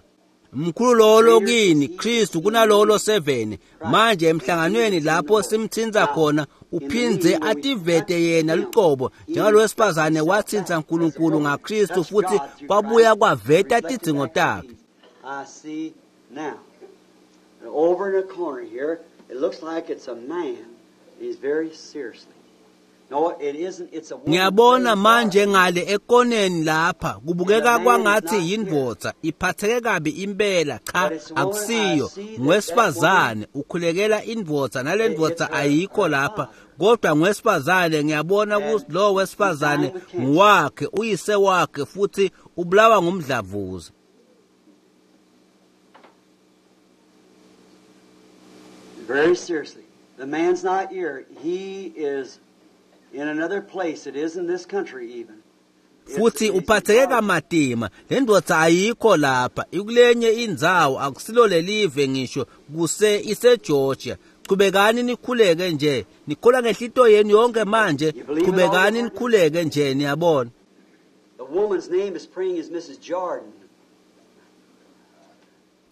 Mkhulu lolo kini Kristu kunalolo seven. Manje emhlanganweni lapho simthinza khona uphindze ativete yena lucobo njengalowesifazane wathinza uNkulunkulu ngaKristu futhi kwabuya kwaveta tidzingo takhe. I see now. And over in the corner here, it looks like it's a man. He's very seriously. No, it isn't. It's a woman. Ngiyabona manje ngale ekoneni lapha kubukeka kwangathi yindvodza iphatheke kabi impela. Cha, akusiyo, ngwesifazane ukhulekela indvodza nale ndvodza ayikho lapha, kodwa ngwesifazane. Ngiyabona ukuthi lo wesifazane nguwakhe, uyise wakhe, futhi ubulawa ngumdlavuza. Very seriously. The man's not here. He is in another place. It isn't this country even. Futhi uphatheke kamatima. Le ndvodza ayikho lapha, ikulenye indzawo, akusilo lelive ngisho, kuse iseGeorgia. Chubekani nikhuleke nje, nikholwa ngenhlito yenu yonke manje. Chubekani nikhuleke nje, niyabona. The woman's name is praying is Missus Jordan.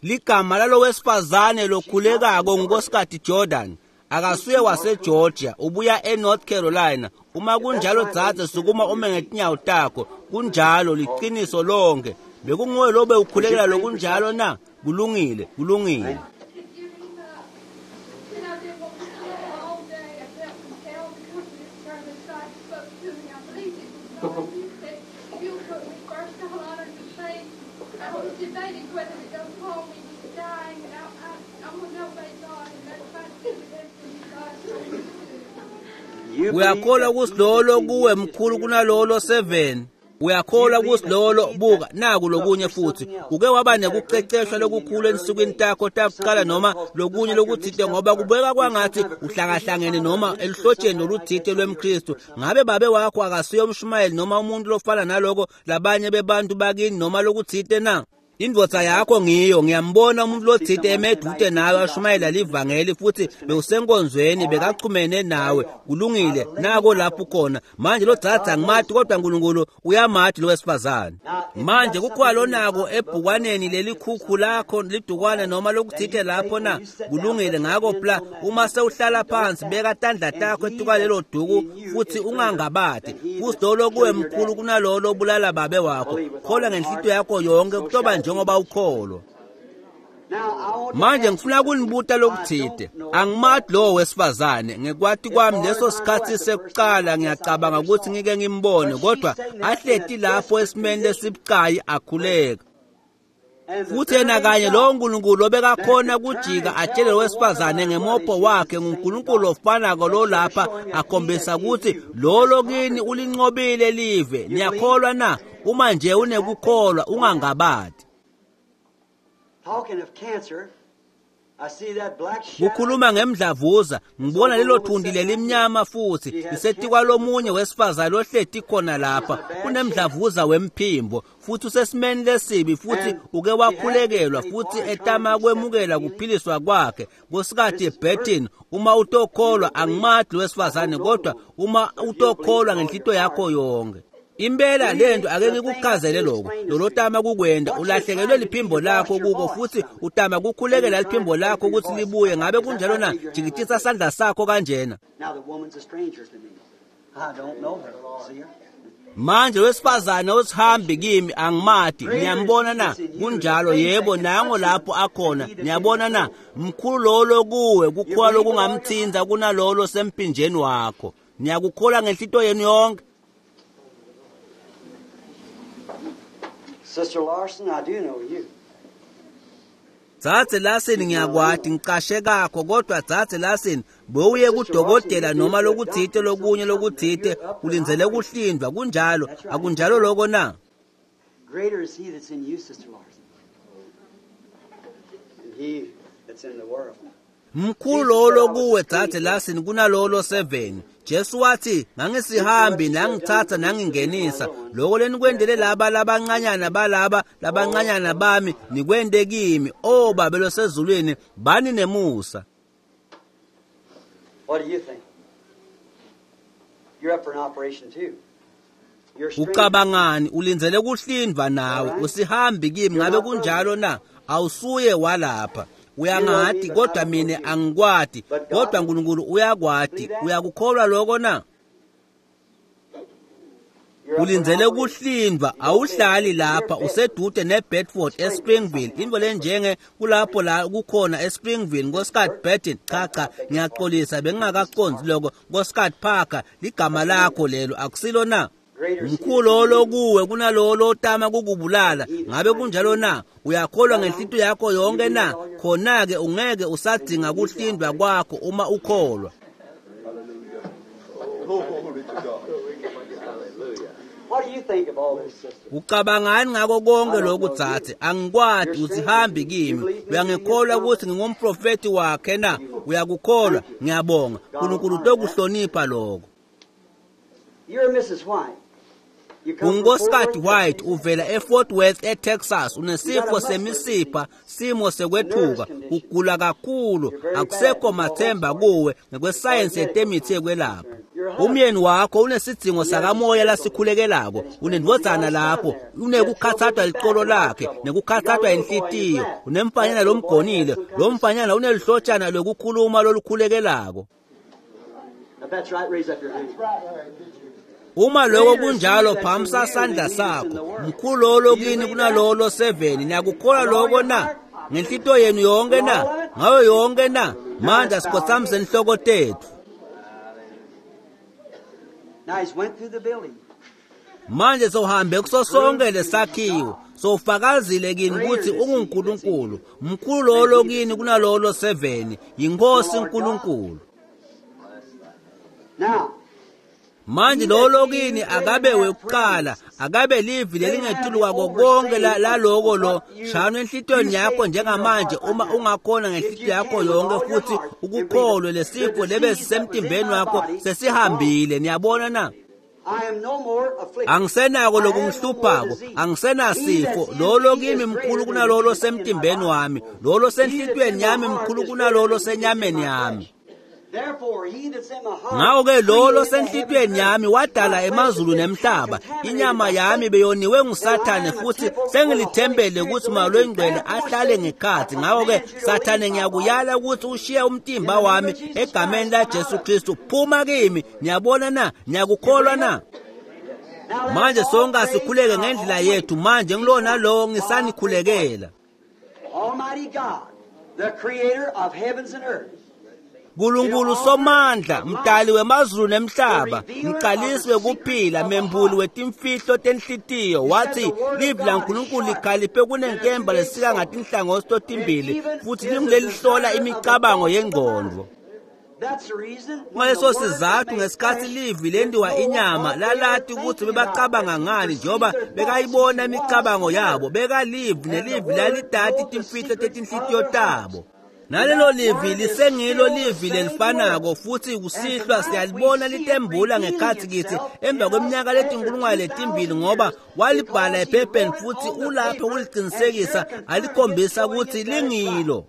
Ligama lalo wesifazane lokhulekako nguNkosikati Jordan. Akasuye waseGeorgia, ubuya eNorth Carolina. Uma kunjalo dzadze, sukuma ume ngetinyawo takho. Kunjalo, liqiniso lonke. Bekunguwe lobe ukhulekela lokunjalo na? Kulungile, kulungile. Uyakholwa ukuthi lolo kuwe mkhulu kunalolo seven? Uyakholwa ukuthi lolo? Buka naku lokunye futhi. Uke waba nekuqeqeshwa lokukhulu ensukwini takho takuqala noma lokunye lokuthite, ngoba kubeka kwangathi uhlakahlangene noma eluhlotsheni loluthite lwemKristu. Ngabe babe wakho akasuye umshumayeli noma umuntu lofana naloko labanye bebantu bakini noma lokuthite na? Indvodza yakho ngiyo, ngiyambona umuntu lothite emedude nawe ashumayela livangeli futhi bewusenkonzweni bekachumene nawe. Kulungile, nako lapho khona. Manje lo dzadza angimati, kodwa uNkulunkulu uyamati lo wesifazane. Manje kukhona lonako ebhukwaneni lelikhukhu lakho lidukwana noma lokuthite lapho na? Kulungile, ngako pla uma sewuhlala phansi beka tandla takho etuka lelo duku futhi ungangabati. Futhi lolo kuwe mkhulu kunalolo obulala babe wakho. Kholwa ngenhlitiyo yakho yonke kutoba nje ngoba ukholo. Manje ngifuna kunibuta lokuthite. Angimati lo wesifazane, ngekwati kwami leso sikhathi sekuqala ngiyacabanga ukuthi ngike ngimbone, kodwa ahleti lapho esimeni lesibucayi akhuleka. Futhi yena kanye lo nkulunkulu obekakhona kujika atshele wesifazane ngemopho wakhe nguNkulunkulu ofanako lo lapha akhombisa ukuthi lolo kini ulinqobile live. Niyakholwa na? Uma nje unekukholwa ungangabati. Talking of cancer, I see that black shadow. Kukhuluma ngemdlavuza, ngibona lelo thundi lelimnyama futhi lisetikwa lomunye wesifazane ohleti khona lapha. Unemdlavuza wemphimbo futhi usesimeni lesibi futhi uke wakhulekelwa futhi etama kwemukela kuphiliswa kwakhe. Nkosikati Burton, uma utokholwa, angimati wesifazane, kodwa uma utokholwa ngenhlito yakho yonke. Impela lento ake ngikuchazele lokho. Lolotama kukwenda ulahlekelwe liphimbo lakho kuko futhi utama kukhulekela liphimbo lakho ukuthi libuye. Ngabe kunjalo na? Jikitisa sandla sakho kanjena. Now the woman's a stranger to me. I don't know her. See her? Manje wesifazane osihambi kimi, angimati. Niyambona na? Kunjalo, yebo, nango lapho akhona. Niyabona na? Mkhulu lolo kuwe kukholwa lokungamthinza kunalolo sempinjeni wakho. Niyakukholwa ngenhlito yenu yonke? Sister Larson, I do know you. Dzadze Larson, ngiyakwati, ngicashe kakho, kodwa Dzadze Larson, bowuye kudokotela noma lokuthite lokunye lokuthite, ulindzele kuhlindwa. Kunjalo, akunjalo lokho na? Greater is he that's in you, Sister Larson, than he that's in the world. Mkhulu lolo kuwe dzadze Larson kunalolo seven. Jesu wathi ngangisihambi nangithatha nangingenisa lokho lenikwendele laba labancanyana balaba labancanyana bami nikwende kimi. O Babe losezulwini, bani nemusa. What do you think? You're up for an operation too. You're strange. Ucabangani? Ulindzele kuhlindvwa nawe, usihambi kimi, ngabe kunjalo na? Awusuye walapha. Uyangati kodwa mine angikwati, kodwa uNkulunkulu uyakwati. Uyakukholwa lokho na? You're up for an Ulindzele operation. kuhlindvwa, awuhlali lapha, usedude neBedford eSpringville. Into lenjenge kulapho la kukhona eSpringville, Nkosikazi Burton. Cha cha, ngiyaxolisa bengingakaqondi lokho. Nkosikazi Parker, ligama lakho lelo, akusilo na? Mkhulu lo kuwe kunalowo lotama kukubulala. Ngabe kunjalo na? Uyakholwa ngenhlitiyo yakho yonke na? Khona-ke ungeke usadzinga kuhlindwa kwakho uma ukholwa. Glory to God. What do you think of all this, sister? Ucabangani ngako konke lokhu dzadze? Angikwati, usihambi kimi. Uyangikholwa ukuthi ngingumprofeti wakhe na? Uyakukholwa? Ngiyabonga. uNkulunkulu utokuhlonipha lokho. You're Missus White. You come from Unkosikazi Fort Worth, White Texas. uvela eFort Worth eTexas, unesifo semisipha, simo sekwethuka, ugula kakhulu, akusekho mathemba kuwe ngekwesayensi yetemithi yekwelapha. Umyeni wakho unesidzingo sakamoya lasikhulekelako, unendvodzana lapho, unekukhathathwa licolo lakhe, nekukhathathwa inhlitiyo, unemfanyana lomgonile, lo mfanyana unelihlotshana lwekukhuluma lolukhulekelako. If that's right, raise up your hand. Uma lokho kunjalo, phamisa sandla sakho. Mkhulu lolo kini kunalolo seven. Niyakukholwa lokho na? Ngenhlitiyo yenu yonke na? Ngayo yonke na? Manje asikhothamise inhloko tethu. Now he's went through the building. Manje sohambe kuso sonke lesakhiwo. Sofakazile kini ukuthi unguNkulunkulu. Mkhulu lolo kini kunalolo seven. Yinkosi uNkulunkulu. Now, Manje lolo kini akabe wekuqala, akabe livi lelingetulu kwako konke la- laloko lo shano enhlitiyweni yakho njengamanje uma ungakhona ngenhlitiyo yakho yonke futhi ukukholwe lesifo lebe sisemtimbeni wakho sesihambile. Niyabona na? I am no more afflicted. Angisenako lokungihluphako, angisenasifo. Lolo kimi mkhulu kunalolo semtimbeni wami, lolo senhlitiyweni yami mkhulu kunalolo senyameni yami. Therefore, he that's in my heart Ngakho-ke lolo created the senhlitiyweni heavens yami and wadala earth. emazulu nemhlaba. Inyama yami beyoniwe nguSathane futhi sengilithembele ukuthi Moya loyiNgcwele ahlale ngekhathi. Ngakho-ke Sathane, ngiyakuyala ukuthi ushiye umtimba wami egameni laJesu Kristu. Phuma kimi. Niyabona na? Niyakukholwa na? Now let Manje us all sonke pray asikhuleke our ngendlela own way. yethu. Manje ngilona lowo ngisanikhulekela. Almighty God, the creator of heavens and earth. Nkulunkulu somandla, mdali wemazulu nemhlaba, mqalisi wekuphila, membuli wetimfihlo tenhlitiyo, wathi livi laNkulunkulu likhaliphe kunenkemba lesika ngatinhlangothi totimbili futhi lingulelihlola imicabango yengqondo. That's the reason when the Ngaleso word sizathu made ngesikhathi flesh, livi lendiwa didn't know inyama what they were lalati ukuthi thinking bebacabanga about. ngani njengoba Perceived their thoughts, bekayibona he was imicabango the yabo, Word. bekalivi And the nelivi Word lalidati knows the timfihlo secrets tetinhlitiyo of their hearts. tabo. Nalelo livi lisengilo livi lelifanako futhi kusihlwa siyalibona litembula ngekhathi kithi emva kweminyaka letinkulungwane letimbili, ngoba walibhala ephepheni futhi ulapho ukuliqinisekisa alikhombisa ukuthi lingilo.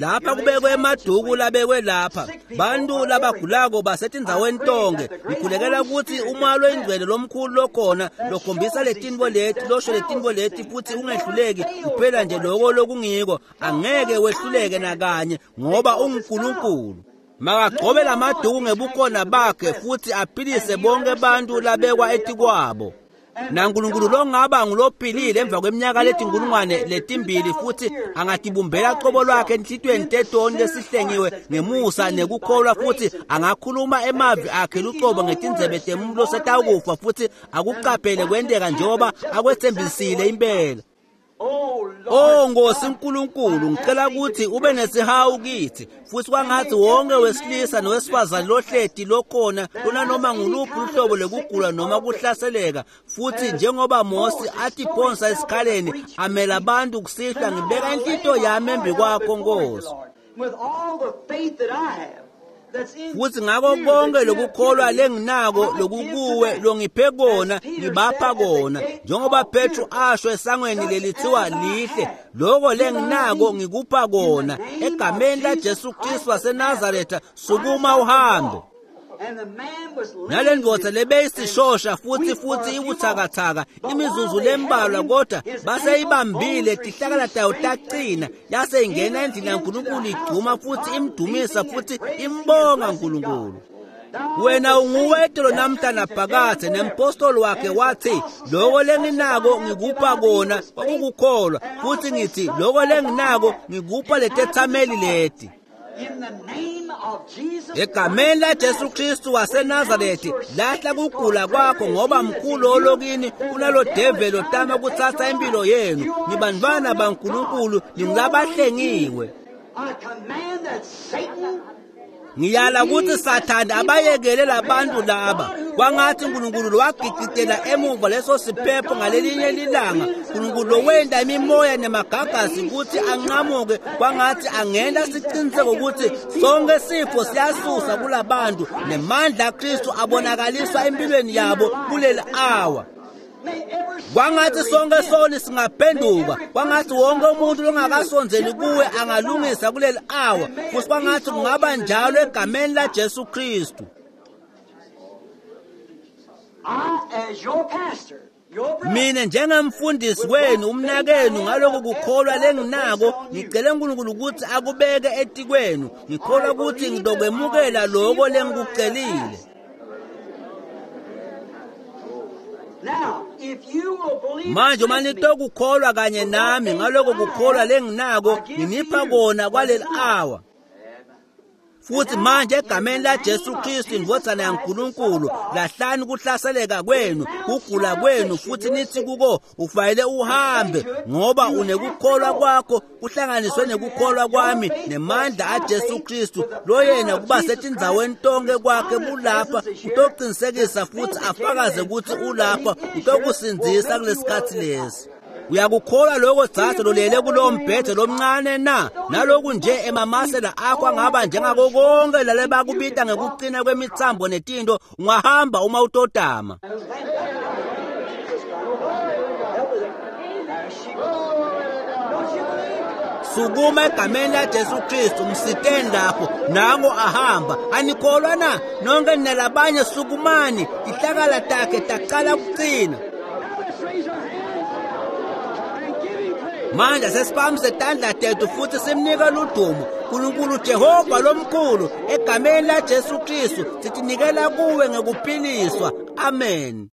Lapha kubekwe emaduku labekwe lapha bantu labagulako basetindzaweni tonke. Ngikhulekela ukuthi umoya loyingcwele lomkhulu lokhona lokhombisa letinto leti, losho letinto leti futhi ungehluleki kuphela nje loko lokungiko, angeke wehluleke nakanye ngoba unguNkulunkulu. Makagcobe lamaduku ngebukhona bakhe futhi aphilise bonke bantu labekwa etikwabo. NaNkulunkulu longaba ngulophilile emva kweminyaka letinkulungwane letimbili futhi angatibumbela qobo lwakhe enhlitiyweni tetoni lesihlengiwe ngemusa nekukholwa futhi angakhuluma emavi akhe lucobo ngetindzebe temuntu losetawukufa futhi akucaphele kwenteka njengoba akwetsembisile impela. Oh, Lord, Oh Nkosi uNkulunkulu, ngicela ukuthi ube nesihawu kithi futhi kwangathi wonke wesilisa nowesifazane lohleti lokhona kunanoma nguluphi uhlobo lokugula noma kuhlaseleka, futhi njengoba Mose atiphonsa esikhaleni amela abantu kusihlwa, ngibeka inhlitiyo yami embi kwakho Nkosi. With all the faith that I have, that's in Futhi ngako konke lokukholwa lenginako lokukuwe longiphe kona ngibapha kona, njengoba Petru asho esangweni lelithiwa lihle, loko lenginako ngikupha kona egameni laJesu Kristu waseNazaretha, sukuma uhambe. And the man was Nalendvodza lebeyisishosha and futhi weak for futhi a few ibuthakathaka moments. But imizuzu while they lembalwa, held him, kodwa his baseyibambile ankle bones tihlakala received tayo strength taqina, yase ingena endlini yaNkulunkulu igcuma futhi imdumisa futhi imbonga uNkulunkulu. Wena unguwetelo namhla naphakadze, nempostoli wakhe wathi, loko lenginako ngikupha kona kwakukukholwa, futhi ngithi loko lenginako ngikupha letethameli leti. In the name of Jesus Egameni laJesu Kristu waseNazarethi, lahla kugula kwakho, ngoba mkhulu olokini kunalo develi otama kuthatha impilo yenu. Nibantwana baNkulunkulu, ningulabahlengiwe. I command that Satan Ngiyala ukuthi Sathane abayekele labantu laba. Kwangathi uNkulunkulu wagigitela emuva leso siphepho ngalelinye lilanga. uNkulunkulu lowenda imimoya nemagagasi ukuthi anqamuke, kwangathi angena siqiniseko ukuthi sonke sifo siyasusa kulabantu, nemandla aKristu abonakaliswa empilweni yabo kuleli awa. may every Kwangathi sonke soni singaphenduka, kwangathi wonke umuntu longakasondzeli kuwe angalungisa kuleli awa, futhi kwangathi kungaba njalo egameni laJesu Kristu. I, as your pastor, your brother, Mina njengemfundisi wenu, umnakenu, ngaloko kukholwa lenginako, ngicela uNkulunkulu ukuthi akubeke etikwenu. Ngikholwa ukuthi ngizokwemukela lokho lengikucelile. Now, if you will believe Manje uma with me, nitokukholwa kanye nami ngaloko kukholwa lenginako, nginipha kona kwaleli awa. Futhi manje egameni laJesu Kristu indvodzana yaNkulunkulu, lahlani kuhlaseleka kwenu, kugula kwenu, futhi nithi kuko ufanele uhambe, ngoba unekukholwa kwakho kuhlanganiswe nekukholwa kwami nemandla aJesu Kristu loyena kuba setindzaweni tonke kwakhe bulapha utoqinisekisa futhi afakaze ukuthi ulapha utokusindzisa kulesikhatsi lesi. Uyakukholwa lokho dzadze lolele kulowo mbhede lomncane na? Naloku nje emamasela akho angaba njengako konke lalebakubita ngekuqina kwemitsambo netinto, ungahamba uma utotama. Sukuma egameni laJesu Kristu, msiteni lapho, nango ahamba. Anikholwa na? Nonke nina labanye sukumani, tihlakala takhe taqala kucina. Now let's raise our hands and give him praise. Manje sesiphakamisa tandla tethu futhi simnika ludumo uNkulunkulu Jehova lomkhulu egameni laJesu Kristu, sitinikela kuwe ngekuphiliswa. Amen.